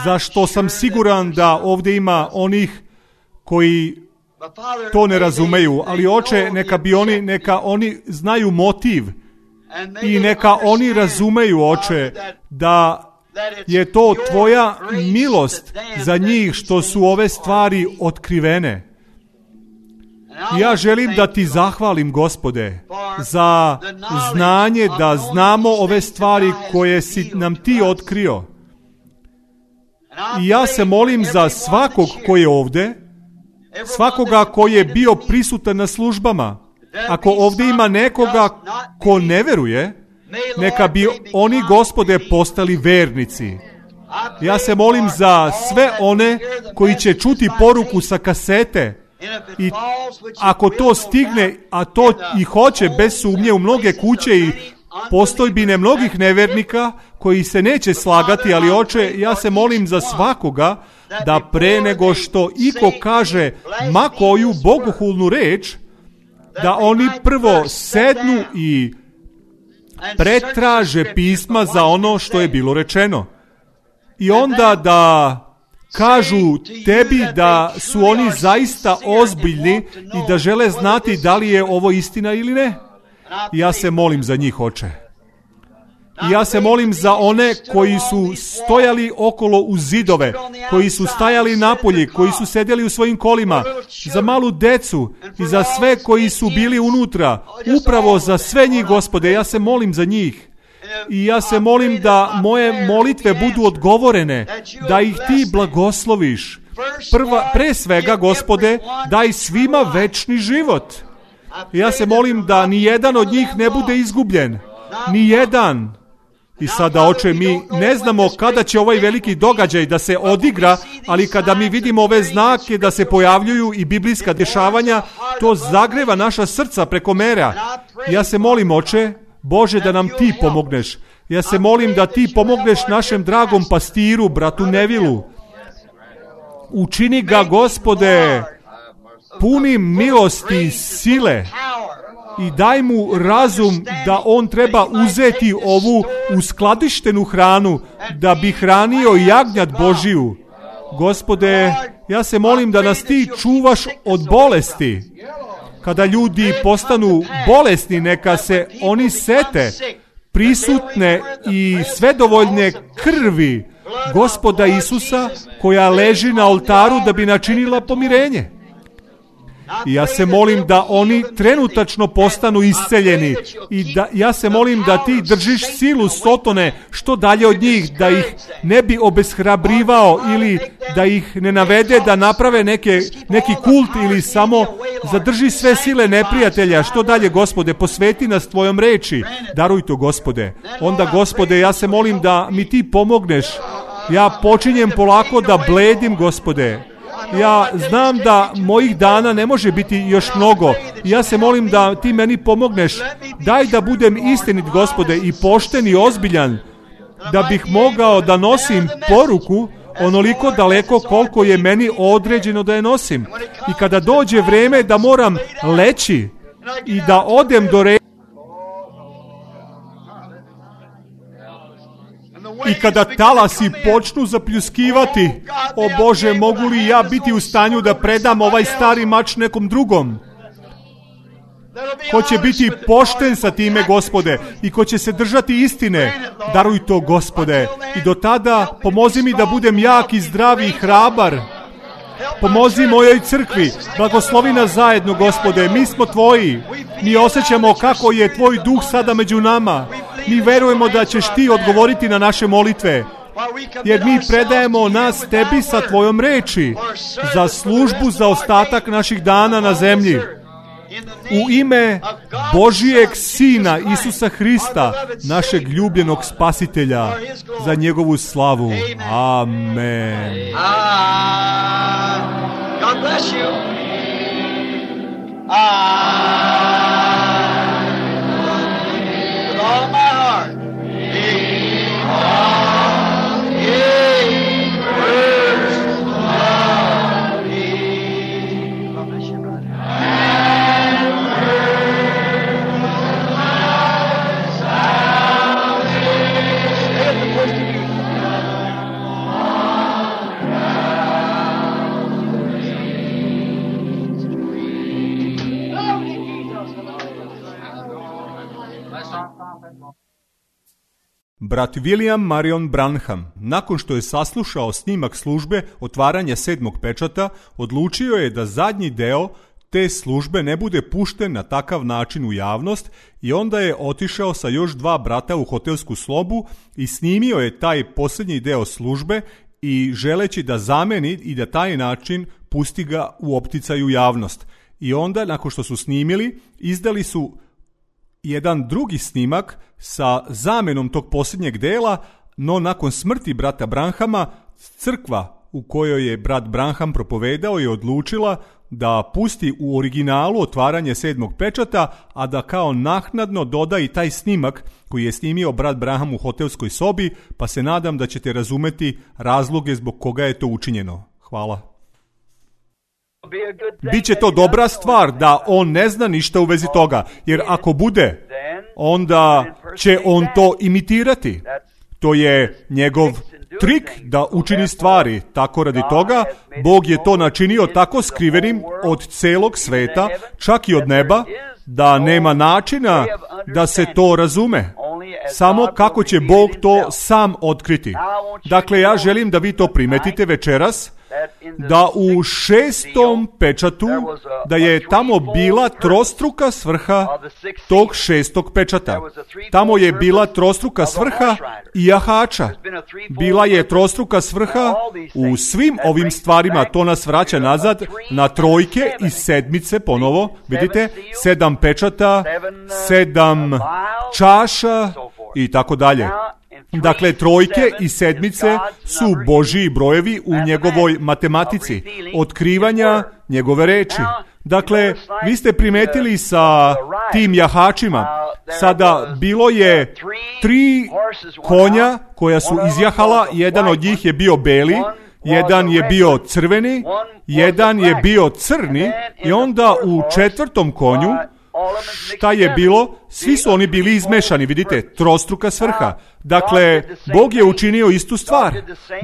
za što sam siguran da ovdje ima onih koji to ne razumeju, ali Oče, neka bi oni, neka oni znaju motiv i neka oni razumeju, Oče, da je to tvoja milost za njih što su ove stvari otkrivene. Ja želim da ti zahvalim, Gospode, za znanje da znamo ove stvari koje si nam ti otkrio. I ja se molim za svakog koji je ovdje, svakoga koji je bio prisutan na službama. Ako ovdje ima nekoga ko ne veruje, neka bi oni, Gospode, postali vernici. Ja se molim za sve one koji će čuti poruku sa kasete i ako to stigne, a to i hoće bez sumnje u mnoge kuće i postojbine mnogih nevernika koji se neće slagati, ali Oče, ja se molim za svakoga da pre nego što iko kaže ma koju bogohulnu reč, da oni prvo sednu i pretraže pisma za ono što je bilo rečeno. I onda da kažu tebi da su oni zaista ozbiljni i da žele znati da li je ovo istina ili ne. Ja se molim za njih, Oče. I ja se molim za one koji su stojali okolo uz zidove, koji su stajali napolje, koji su sedjeli u svojim kolima, za malu decu i za sve koji su bili unutra, upravo za sve njih, Gospode, ja se molim za njih. I ja se molim da moje molitve budu odgovorene, da ih ti blagosloviš. Prva, pre svega, Gospode, daj svima večni život. I ja se molim da ni jedan od njih ne bude izgubljen. Ni jedan. I sada, Oče, mi ne znamo kada će ovaj veliki događaj da se odigra, ali kada mi vidimo ove znake da se pojavljuju i biblijska dešavanja, to zagreva naša srca preko mera. Ja se molim, Oče, Bože, da nam ti pomogneš. Ja se molim da ti pomogneš našem dragom pastiru, bratu Nevilu. Učini ga, Gospode, punim milosti i sile. I daj mu razum da on treba uzeti ovu uskladištenu hranu da bi hranio jagnjad Božiju. Gospode, Ja se molim da nas ti čuvaš od bolesti. Kada ljudi postanu bolesni, neka se oni sete prisutne i svedovoljne krvi Gospoda Isusa koja leži na oltaru da bi načinila pomirenje. I ja se molim da oni trenutačno postanu isceljeni i da ja se molim da ti držiš silu Sotone što dalje od njih, da ih ne bi obeshrabrivao ili da ih ne navede da naprave neke, neki kult ili samo zadrži sve sile neprijatelja. Što dalje, Gospode, posveti nas tvojom reči. Daruj to, Gospode. Onda, Gospode, ja se molim da mi ti pomogneš. Ja počinjem polako da bledim, Gospode. Ja znam da mojih dana ne može biti još mnogo. Ja se molim da ti meni pomogneš. Daj da budem istinit, Gospode, i pošten i ozbiljan, da bih mogao da nosim poruku onoliko daleko koliko je meni određeno da je nosim. I kada dođe vreme da moram leći i da odem do re... I kada talasi počnu zapljuskivati, o Bože, mogu li ja biti u stanju da predam ovaj stari mač nekom drugom? Ko će biti pošten sa time, Gospode, i ko će se držati istine, daruj to, Gospode. I do tada pomozi mi da budem jak i zdrav i hrabar. Pomozi mojoj crkvi, blagoslovi nas zajedno, Gospode, mi smo tvoji. Mi osjećamo kako je tvoj duh sada među nama. Mi verujemo da ćeš ti odgovoriti na naše molitve, jer mi predajemo nas tebi sa tvojom reči za službu za ostatak naših dana na zemlji. U ime Božijeg Sina Isusa Hrista, našeg ljubljenog Spasitelja, za njegovu slavu. Amen. God bless you. With all my heart. Brat William Marion Branham, nakon što je saslušao snimak službe otvaranja sedmog pečata, odlučio je da zadnji deo te službe ne bude pušten na takav način u javnost i onda je otišao sa još dva brata u hotelsku sobu i snimio je taj posljednji deo službe i želeći da zameni i da taj način pusti ga u opticaju javnost. I onda, nakon što su snimili, izdali su jedan drugi snimak sa zamenom tog posljednjeg dela, no nakon smrti brata Branhama, crkva u kojoj je brat Branham propovedao je odlučila da pusti u originalu otvaranje sedmog pečata, a da kao naknadno doda i taj snimak koji je snimio brat Branham u hotelskoj sobi, pa se nadam da ćete razumeti razloge zbog koga je to učinjeno. Hvala. Biće to dobra stvar da on ne zna ništa u vezi toga, jer ako bude, onda će on to imitirati. To je njegov trik da učini stvari. Tako radi toga, Bog je to načinio tako skrivenim od celog sveta, čak i od neba, da nema načina da se to razume. Samo kako će Bog to sam otkriti. Dakle, ja želim da vi to primetite večeras, da u šestom pečatu, da je tamo bila trostruka svrha tog šestog pečata. Tamo je bila trostruka svrha i jahača. Bila je trostruka svrha u svim ovim stvarima. To nas vraća nazad na trojke i sedmice ponovo. Vidite, sedam pečata, sedam čaša i tako dalje. Dakle, trojke i sedmice su Božji brojevi u njegovoj matematici, otkrivanja njegove reči. Dakle, vi ste primetili sa tim jahačima, sada bilo je tri konja koja su izjahala, jedan od njih je bio beli, jedan je bio crveni, jedan je bio crni i onda u četvrtom konju šta je bilo? Svi su oni bili izmešani, vidite, trostruka svrha. Dakle, Bog je učinio istu stvar.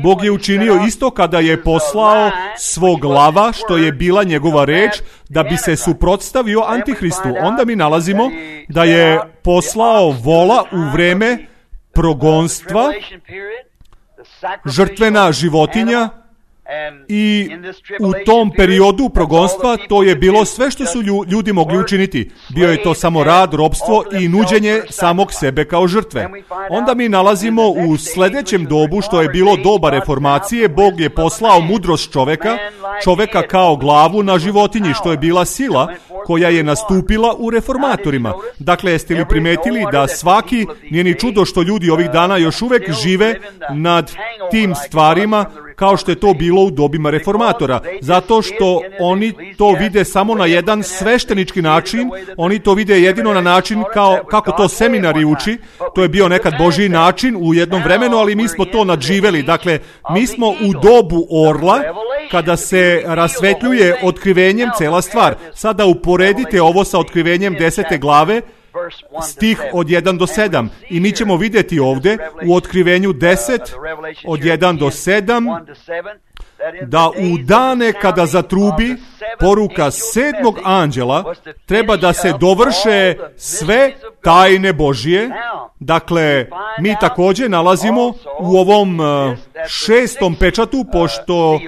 Bog je učinio isto kada je poslao svog lava, što je bila njegova reč, da bi se suprotstavio Antihristu. Onda mi nalazimo da je poslao vola u vreme progonstva, žrtvena životinja, i u tom periodu progonstva to je bilo sve što su ljudi mogli učiniti. Bio je to samo rad, ropstvo i nuđenje samog sebe kao žrtve. Onda mi nalazimo u sljedećem dobu, što je bilo doba reformacije, Bog je poslao mudrost čoveka, čoveka kao glavu na životinji, što je bila sila koja je nastupila u reformatorima. Dakle, jeste li primetili da svaki, nije ni čudo što ljudi ovih dana još uvek žive nad tim stvarima kao što je to bilo u dobima reformatora, zato što oni to vide samo na jedan sveštenički način, oni to vide jedino na način kao, kako to seminari uči, to je bio nekad Božji način u jednom vremenu, ali mi smo to nadživeli. Dakle, mi smo u dobu orla, kada se rasvetljuje otkrivenjem cela stvar. Sada uporedite ovo sa otkrivenjem desete glave, stih od jedan do sedam. I mi ćemo vidjeti ovdje u otkrivenju deset od jedan do sedam da u dane kada zatrubi poruka sedmog anđela treba da se dovrše sve tajne Božije. Dakle, mi također nalazimo u ovom šestom pečatu, pošto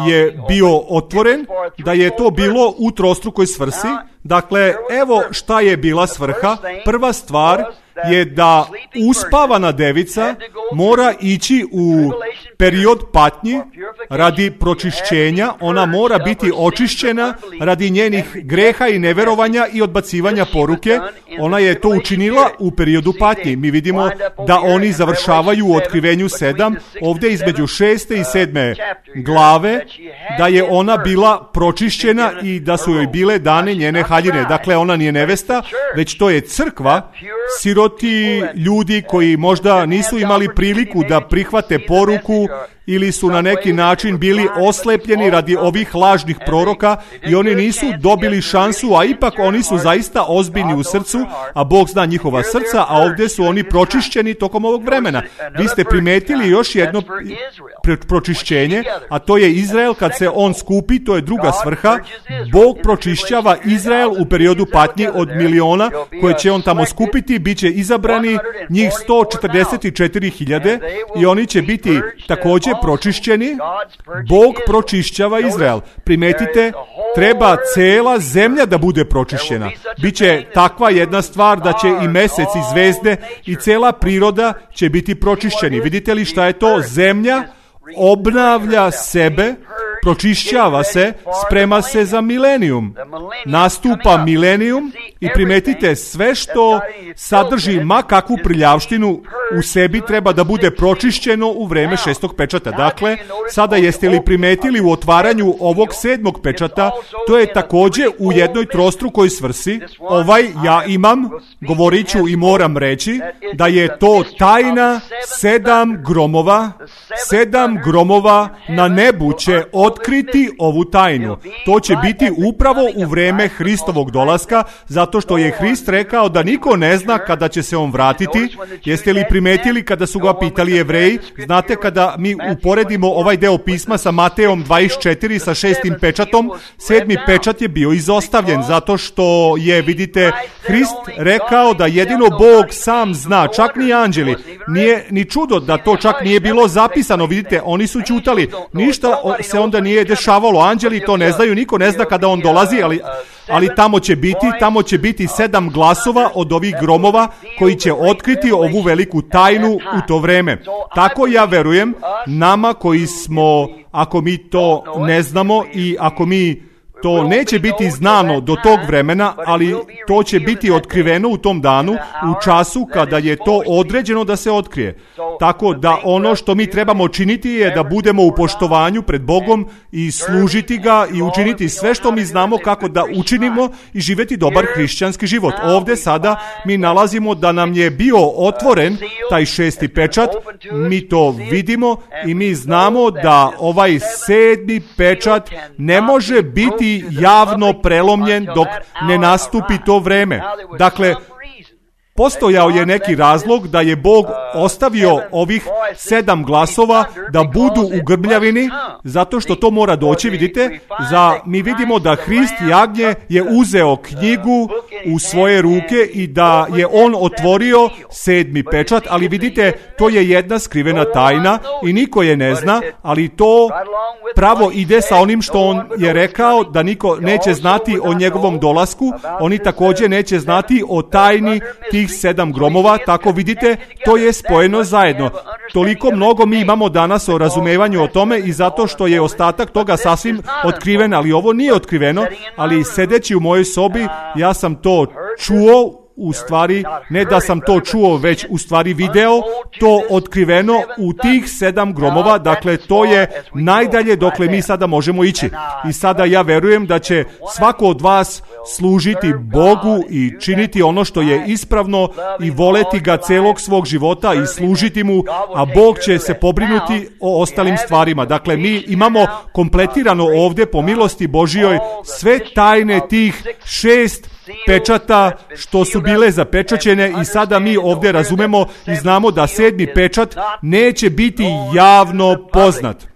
je bio otvoren, da je to bilo u trostrukoj svrsi. Dakle, evo šta je bila svrha. Prva stvar je da uspavana devica mora ići u period patnji radi pročišćenja, ona mora biti očišćena radi njenih greha i neverovanja i odbacivanja poruke. Ona je to učinila u periodu patnji. Mi vidimo da oni završavaju u otkrivenju sedam, ovdje između šeste i sedme glave, da je ona bila pročišćena i da su joj bile dane njene haljine. Dakle, ona nije nevesta, već to je crkva, siroti ljudi koji možda nisu imali priliku da prihvate poruku ili su na neki način bili oslepljeni radi ovih lažnih proroka i oni nisu dobili šansu, a ipak oni su zaista ozbiljni u srcu, a Bog zna njihova srca, a ovdje su oni pročišćeni tokom ovog vremena. Vi ste primetili još jedno pročišćenje, a to je Izrael kad se on skupi, to je druga svrha. Bog pročišćava Izrael u periodu patnji od miliona koje će on tamo skupiti, bit će izabrani njih sto četrdeset četiri hiljade i oni će biti također pročišćeni. Bog pročišćava Izrael. Primetite, treba cela zemlja da bude pročišćena. Biće takva jedna stvar da će i mesec i zvezde i cela priroda će biti pročišćeni. Vidite li šta je to? Zemlja obnavlja sebe, pročišćava se, sprema se za milenijum. Nastupa milenijum i primetite, sve što sadrži ma kakvu prljavštinu u sebi treba da bude pročišćeno u vreme šestog pečata. Dakle, sada jeste li primetili u otvaranju ovog sedmog pečata, to je također u jednoj trostrukoj svrsi. Ovaj ja imam, govorit ću i moram reći, da je to tajna sedam gromova, sedam gromova na nebu će otkriti ovu tajnu. To će biti upravo u vreme Hristovog dolaska, zato što je Hrist rekao da niko ne zna kada će se on vratiti. Jeste li primetili kada su ga pitali Jevreji? Znate, kada mi uporedimo ovaj deo pisma sa Matejom dvadeset četiri sa šestim pečatom, sedmi pečat je bio izostavljen, zato što je, vidite, Hrist rekao da jedino Bog sam zna, čak ni anđeli. Nije ni čudo da to čak nije bilo zapisano, vidite, oni su ćutali. Ništa se onda nije dešavalo, anđeli to ne znaju, niko ne zna kada on dolazi, ali, ali tamo će biti, tamo će biti sedam glasova od ovih gromova koji će otkriti ovu veliku tajnu u to vreme. Tako ja verujem, nama koji smo, ako mi to ne znamo i ako mi to neće biti znano do tog vremena, ali to će biti otkriveno u tom danu, u času kada je to određeno da se otkrije. Tako da ono što mi trebamo činiti je da budemo u poštovanju pred Bogom i služiti ga i učiniti sve što mi znamo kako da učinimo i živjeti dobar hrišćanski život. Ovdje sada mi nalazimo da nam je bio otvoren taj šesti pečat, mi to vidimo i mi znamo da ovaj sedmi pečat ne može biti biti javno prelomljen dok ne nastupi to vreme. Dakle, postojao je neki razlog da je Bog ostavio ovih sedam glasova da budu u grmljavini, zato što to mora doći, vidite, za, mi vidimo da Hrist jagnje je uzeo knjigu u svoje ruke i da je on otvorio sedmi pečat, ali vidite, to je jedna skrivena tajna i niko je ne zna, ali to pravo ide sa onim što on je rekao, da niko neće znati o njegovom dolasku, oni također neće znati o tajni tih sedam gromova, tako vidite, to je spojeno zajedno. Toliko mnogo mi imamo danas o razumevanju o tome i zato što je ostatak toga sasvim otkriven, ali ovo nije otkriveno, ali sedeći u mojoj sobi, ja sam to čuo, u stvari, ne da sam to čuo, već u stvari video, to otkriveno u tih sedam gromova, dakle to je najdalje dokle mi sada možemo ići. I sada ja verujem da će svako od vas služiti Bogu i činiti ono što je ispravno i voleti ga celog svog života i služiti mu, a Bog će se pobrinuti o ostalim stvarima. Dakle, mi imamo kompletirano ovdje po milosti Božijoj sve tajne tih šest pečata što su bile zapečaćene i sada mi ovdje razumemo i znamo da sedmi pečat neće biti javno poznat.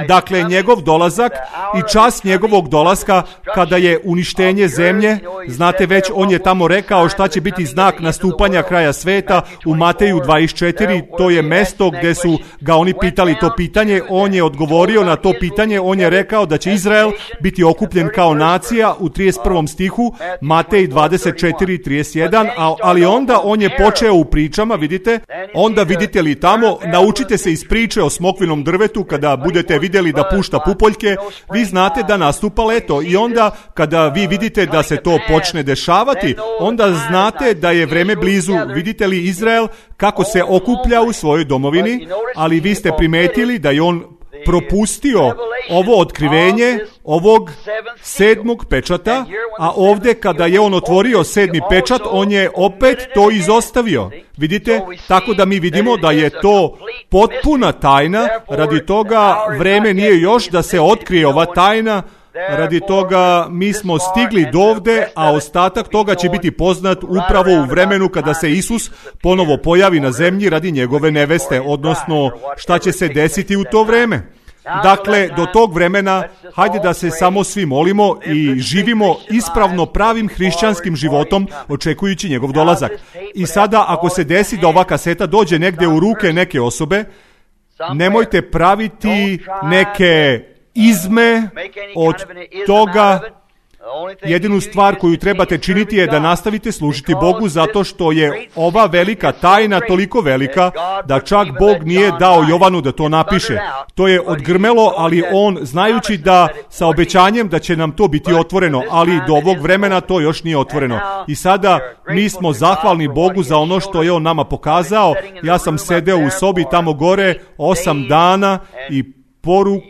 Dakle, njegov dolazak i čas njegovog dolaska kada je uništenje zemlje, znate već, on je tamo rekao šta će biti znak nastupanja kraja sveta u Mateju dvadeset četiri, to je mesto gdje su ga oni pitali to pitanje, on je odgovorio na to pitanje, on je rekao da će Izrael biti okupljen kao nacija u trideset prvom stihu, Matej dvadeset četiri trideset jedan, ali onda on je počeo u pričama, vidite, onda vidite li tamo, naučite se iz priče o smokvinom drvetu kada budete vidjeli da pušta pupoljke, vi znate da nastupa leto i onda kada vi vidite da se to počne dešavati, onda znate da je vreme blizu. Vidite li Izrael kako se okuplja u svojoj domovini, ali vi ste primetili da je on propustio ovo otkrivenje ovog sedmog pečata, a ovdje kada je on otvorio sedmi pečat, on je opet to izostavio. Vidite, tako da mi vidimo da je to potpuna tajna, radi toga vreme nije još da se otkrije ova tajna, radi toga mi smo stigli dovde, a ostatak toga će biti poznat upravo u vremenu kada se Isus ponovo pojavi na zemlji radi njegove neveste, odnosno šta će se desiti u to vreme. Dakle, do tog vremena, hajde da se samo svi molimo i živimo ispravno pravim hrišćanskim životom, očekujući njegov dolazak. I sada, ako se desi da ova kaseta dođe negdje u ruke neke osobe, nemojte praviti neke izme od toga. Jedinu stvar koju trebate činiti je da nastavite služiti Bogu, zato što je ova velika tajna toliko velika da čak Bog nije dao Jovanu da to napiše. To je odgrmelo, ali on, znajući da sa obećanjem da će nam to biti otvoreno, ali do ovog vremena to još nije otvoreno. I sada mi smo zahvalni Bogu za ono što je on nama pokazao. Ja sam sedeo u sobi tamo gore osam dana i poruku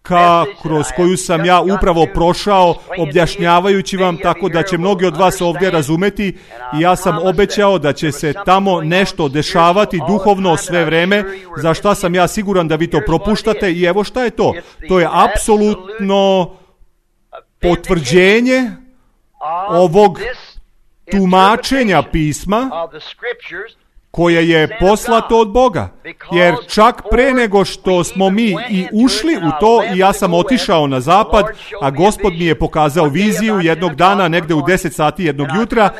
Ka, kroz koju sam ja upravo prošao objašnjavajući vam, tako da će mnogi od vas ovdje razumeti, i ja sam obećao da će se tamo nešto dešavati duhovno sve vreme, za šta sam ja siguran da vi to propuštate, i evo šta je to. To je apsolutno potvrđenje ovog tumačenja pisma koje je poslato od Boga. Jer čak pre nego što smo mi i ušli u to, i ja sam otišao na zapad, a Gospod mi je pokazao viziju jednog dana, negde u deset sati jednog jutra,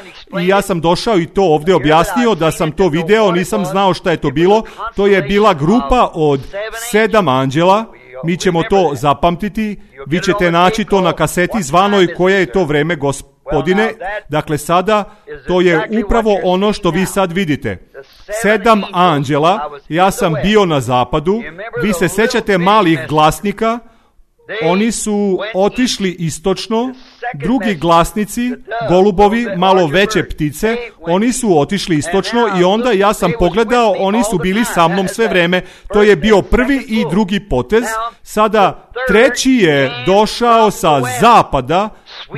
i ja sam došao i to ovdje objasnio, da sam to video, nisam znao šta je to bilo. To je bila grupa od sedam anđela, mi ćemo to zapamtiti, vi ćete naći to na kaseti zvanoj Koje je to vreme, Gospodine. Dakle, sada to je upravo ono što vi sad vidite. Sedam anđela, ja sam bio na zapadu, vi se sećate malih glasnika, oni su otišli istočno, drugi glasnici, golubovi, malo veće ptice, oni su otišli istočno i onda ja sam pogledao, oni su bili sa mnom sve vreme. To je bio prvi i drugi potez. Sada treći je došao sa zapada,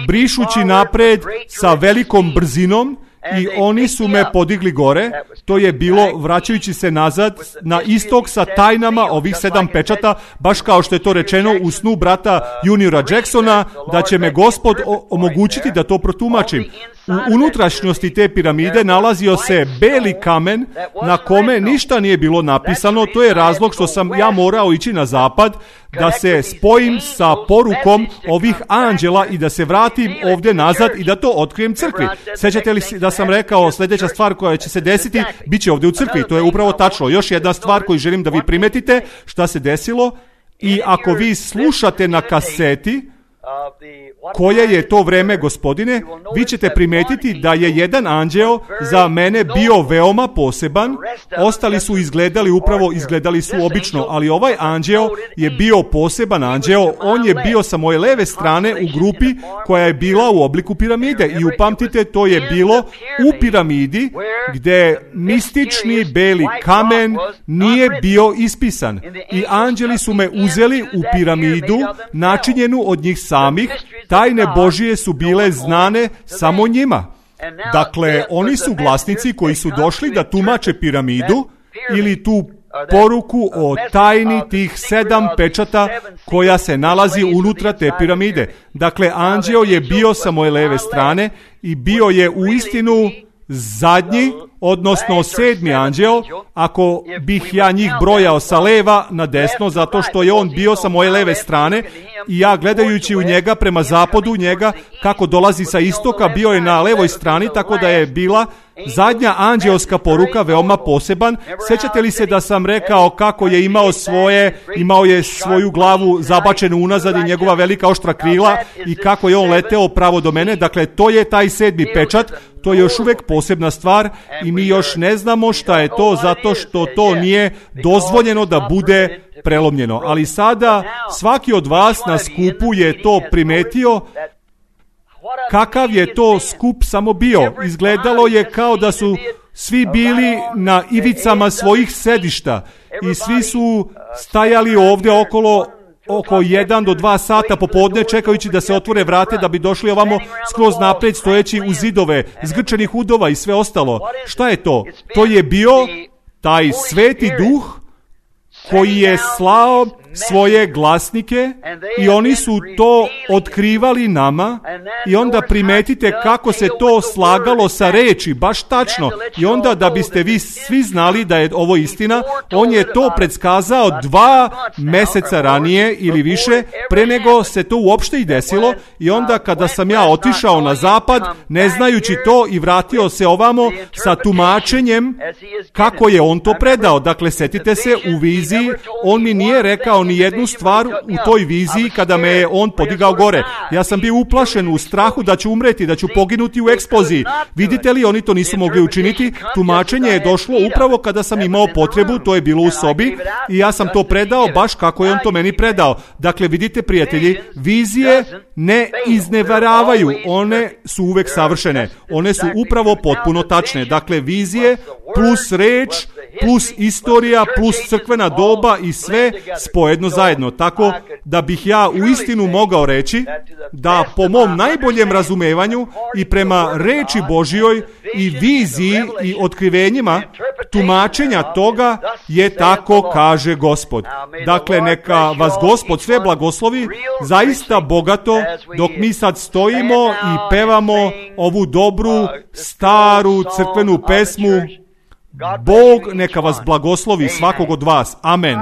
brišući napred sa velikom brzinom, i oni su me podigli gore. To je bilo vraćajući se nazad na istok sa tajnama ovih sedam pečata, baš kao što je to rečeno u snu brata Juniora Jacksona, da će me Gospod omogućiti da to protumačim. U unutrašnjosti te piramide nalazio se beli kamen na kome ništa nije bilo napisano. To je razlog što sam ja morao ići na zapad, da se spojim sa porukom ovih anđela i da se vratim ovdje nazad i da to otkrijem crkvi. Sjećate li da sam rekao sljedeća stvar koja će se desiti, bit će ovdje u crkvi. To je upravo tačno. Još jedna stvar koju želim da vi primetite šta se desilo, i ako vi slušate na kaseti koje je to vreme, Gospodine, vi ćete primetiti da je jedan anđeo za mene bio veoma poseban. Ostali su izgledali upravo, izgledali su obično, ali ovaj anđeo je bio poseban anđeo. On je bio sa moje leve strane u grupi koja je bila u obliku piramide. I upamtite, to je bilo u piramidi gdje mistični beli kamen nije bio ispisan. I anđeli su me uzeli u piramidu načinjenu od njih samih. Tajne Božije su bile znane samo njima. Dakle, oni su glasnici koji su došli da tumače piramidu ili tu poruku o tajni tih sedam pečata koja se nalazi unutra te piramide. Dakle, anđeo je bio sa moje leve strane i bio je u istinu zadnji, odnosno sedmi anđeo, ako bih ja njih brojao sa leva na desno, zato što je on bio sa moje leve strane i ja gledajući u njega prema zapadu, njega kako dolazi sa istoka, bio je na levoj strani, tako da je bila zadnja anđeoska poruka veoma poseban. Sjećate li se da sam rekao kako je imao svoje, imao je svoju glavu zabačenu unazad i njegova velika oštra krila i kako je on leteo pravo do mene? Dakle, to je taj sedmi pečat. To je još uvijek posebna stvar i mi još ne znamo šta je to, zato što to nije dozvoljeno da bude prelomljeno. Ali sada svaki od vas na skupu je to primetio. Kakav je to skup samo bio? Izgledalo je kao da su svi bili na ivicama svojih sedišta i svi su stajali ovdje okolo oko jedan do dva sata popodne čekajući da se otvore vrate da bi došli ovamo skroz naprijed stojeći u zidove, zgrčenih udova i sve ostalo. Šta je to? To je bio taj sveti duh koji je slao svoje glasnike i oni su to otkrivali nama i onda primetite kako se to slagalo sa reči, baš tačno. I onda da biste vi svi znali da je ovo istina, on je to predskazao dva mjeseca ranije ili više pre nego se to uopšte i desilo. I onda kada sam ja otišao na zapad ne znajući to i vratio se ovamo sa tumačenjem kako je on to predao. Dakle, setite se, u viziji on mi nije rekao ni jednu stvar u toj viziji kada me je on podigao gore. Ja sam bio uplašen u strahu da ću umreti, da ću poginuti u eksploziji. Vidite li, oni to nisu mogli učiniti. Tumačenje je došlo upravo kada sam imao potrebu, to je bilo u sobi i ja sam to predao baš kako je on to meni predao. Dakle, vidite prijatelji, vizije ne iznevaravaju, one su uvek savršene. One su upravo potpuno tačne. Dakle, vizije plus reč, plus istorija, plus crkvena doba i sve spojedno zajedno. Tako da bih ja u istinu mogao reći da po mom najboljem razumevanju i prema reči Božjoj i viziji i otkrivenjima tumačenja toga je tako kaže Gospod. Dakle, neka vas Gospod sve blagoslovi zaista bogato dok mi sad stojimo i pevamo ovu dobru, staru crkvenu pesmu. Bog neka vas blagoslovi svakog od vas. Amen.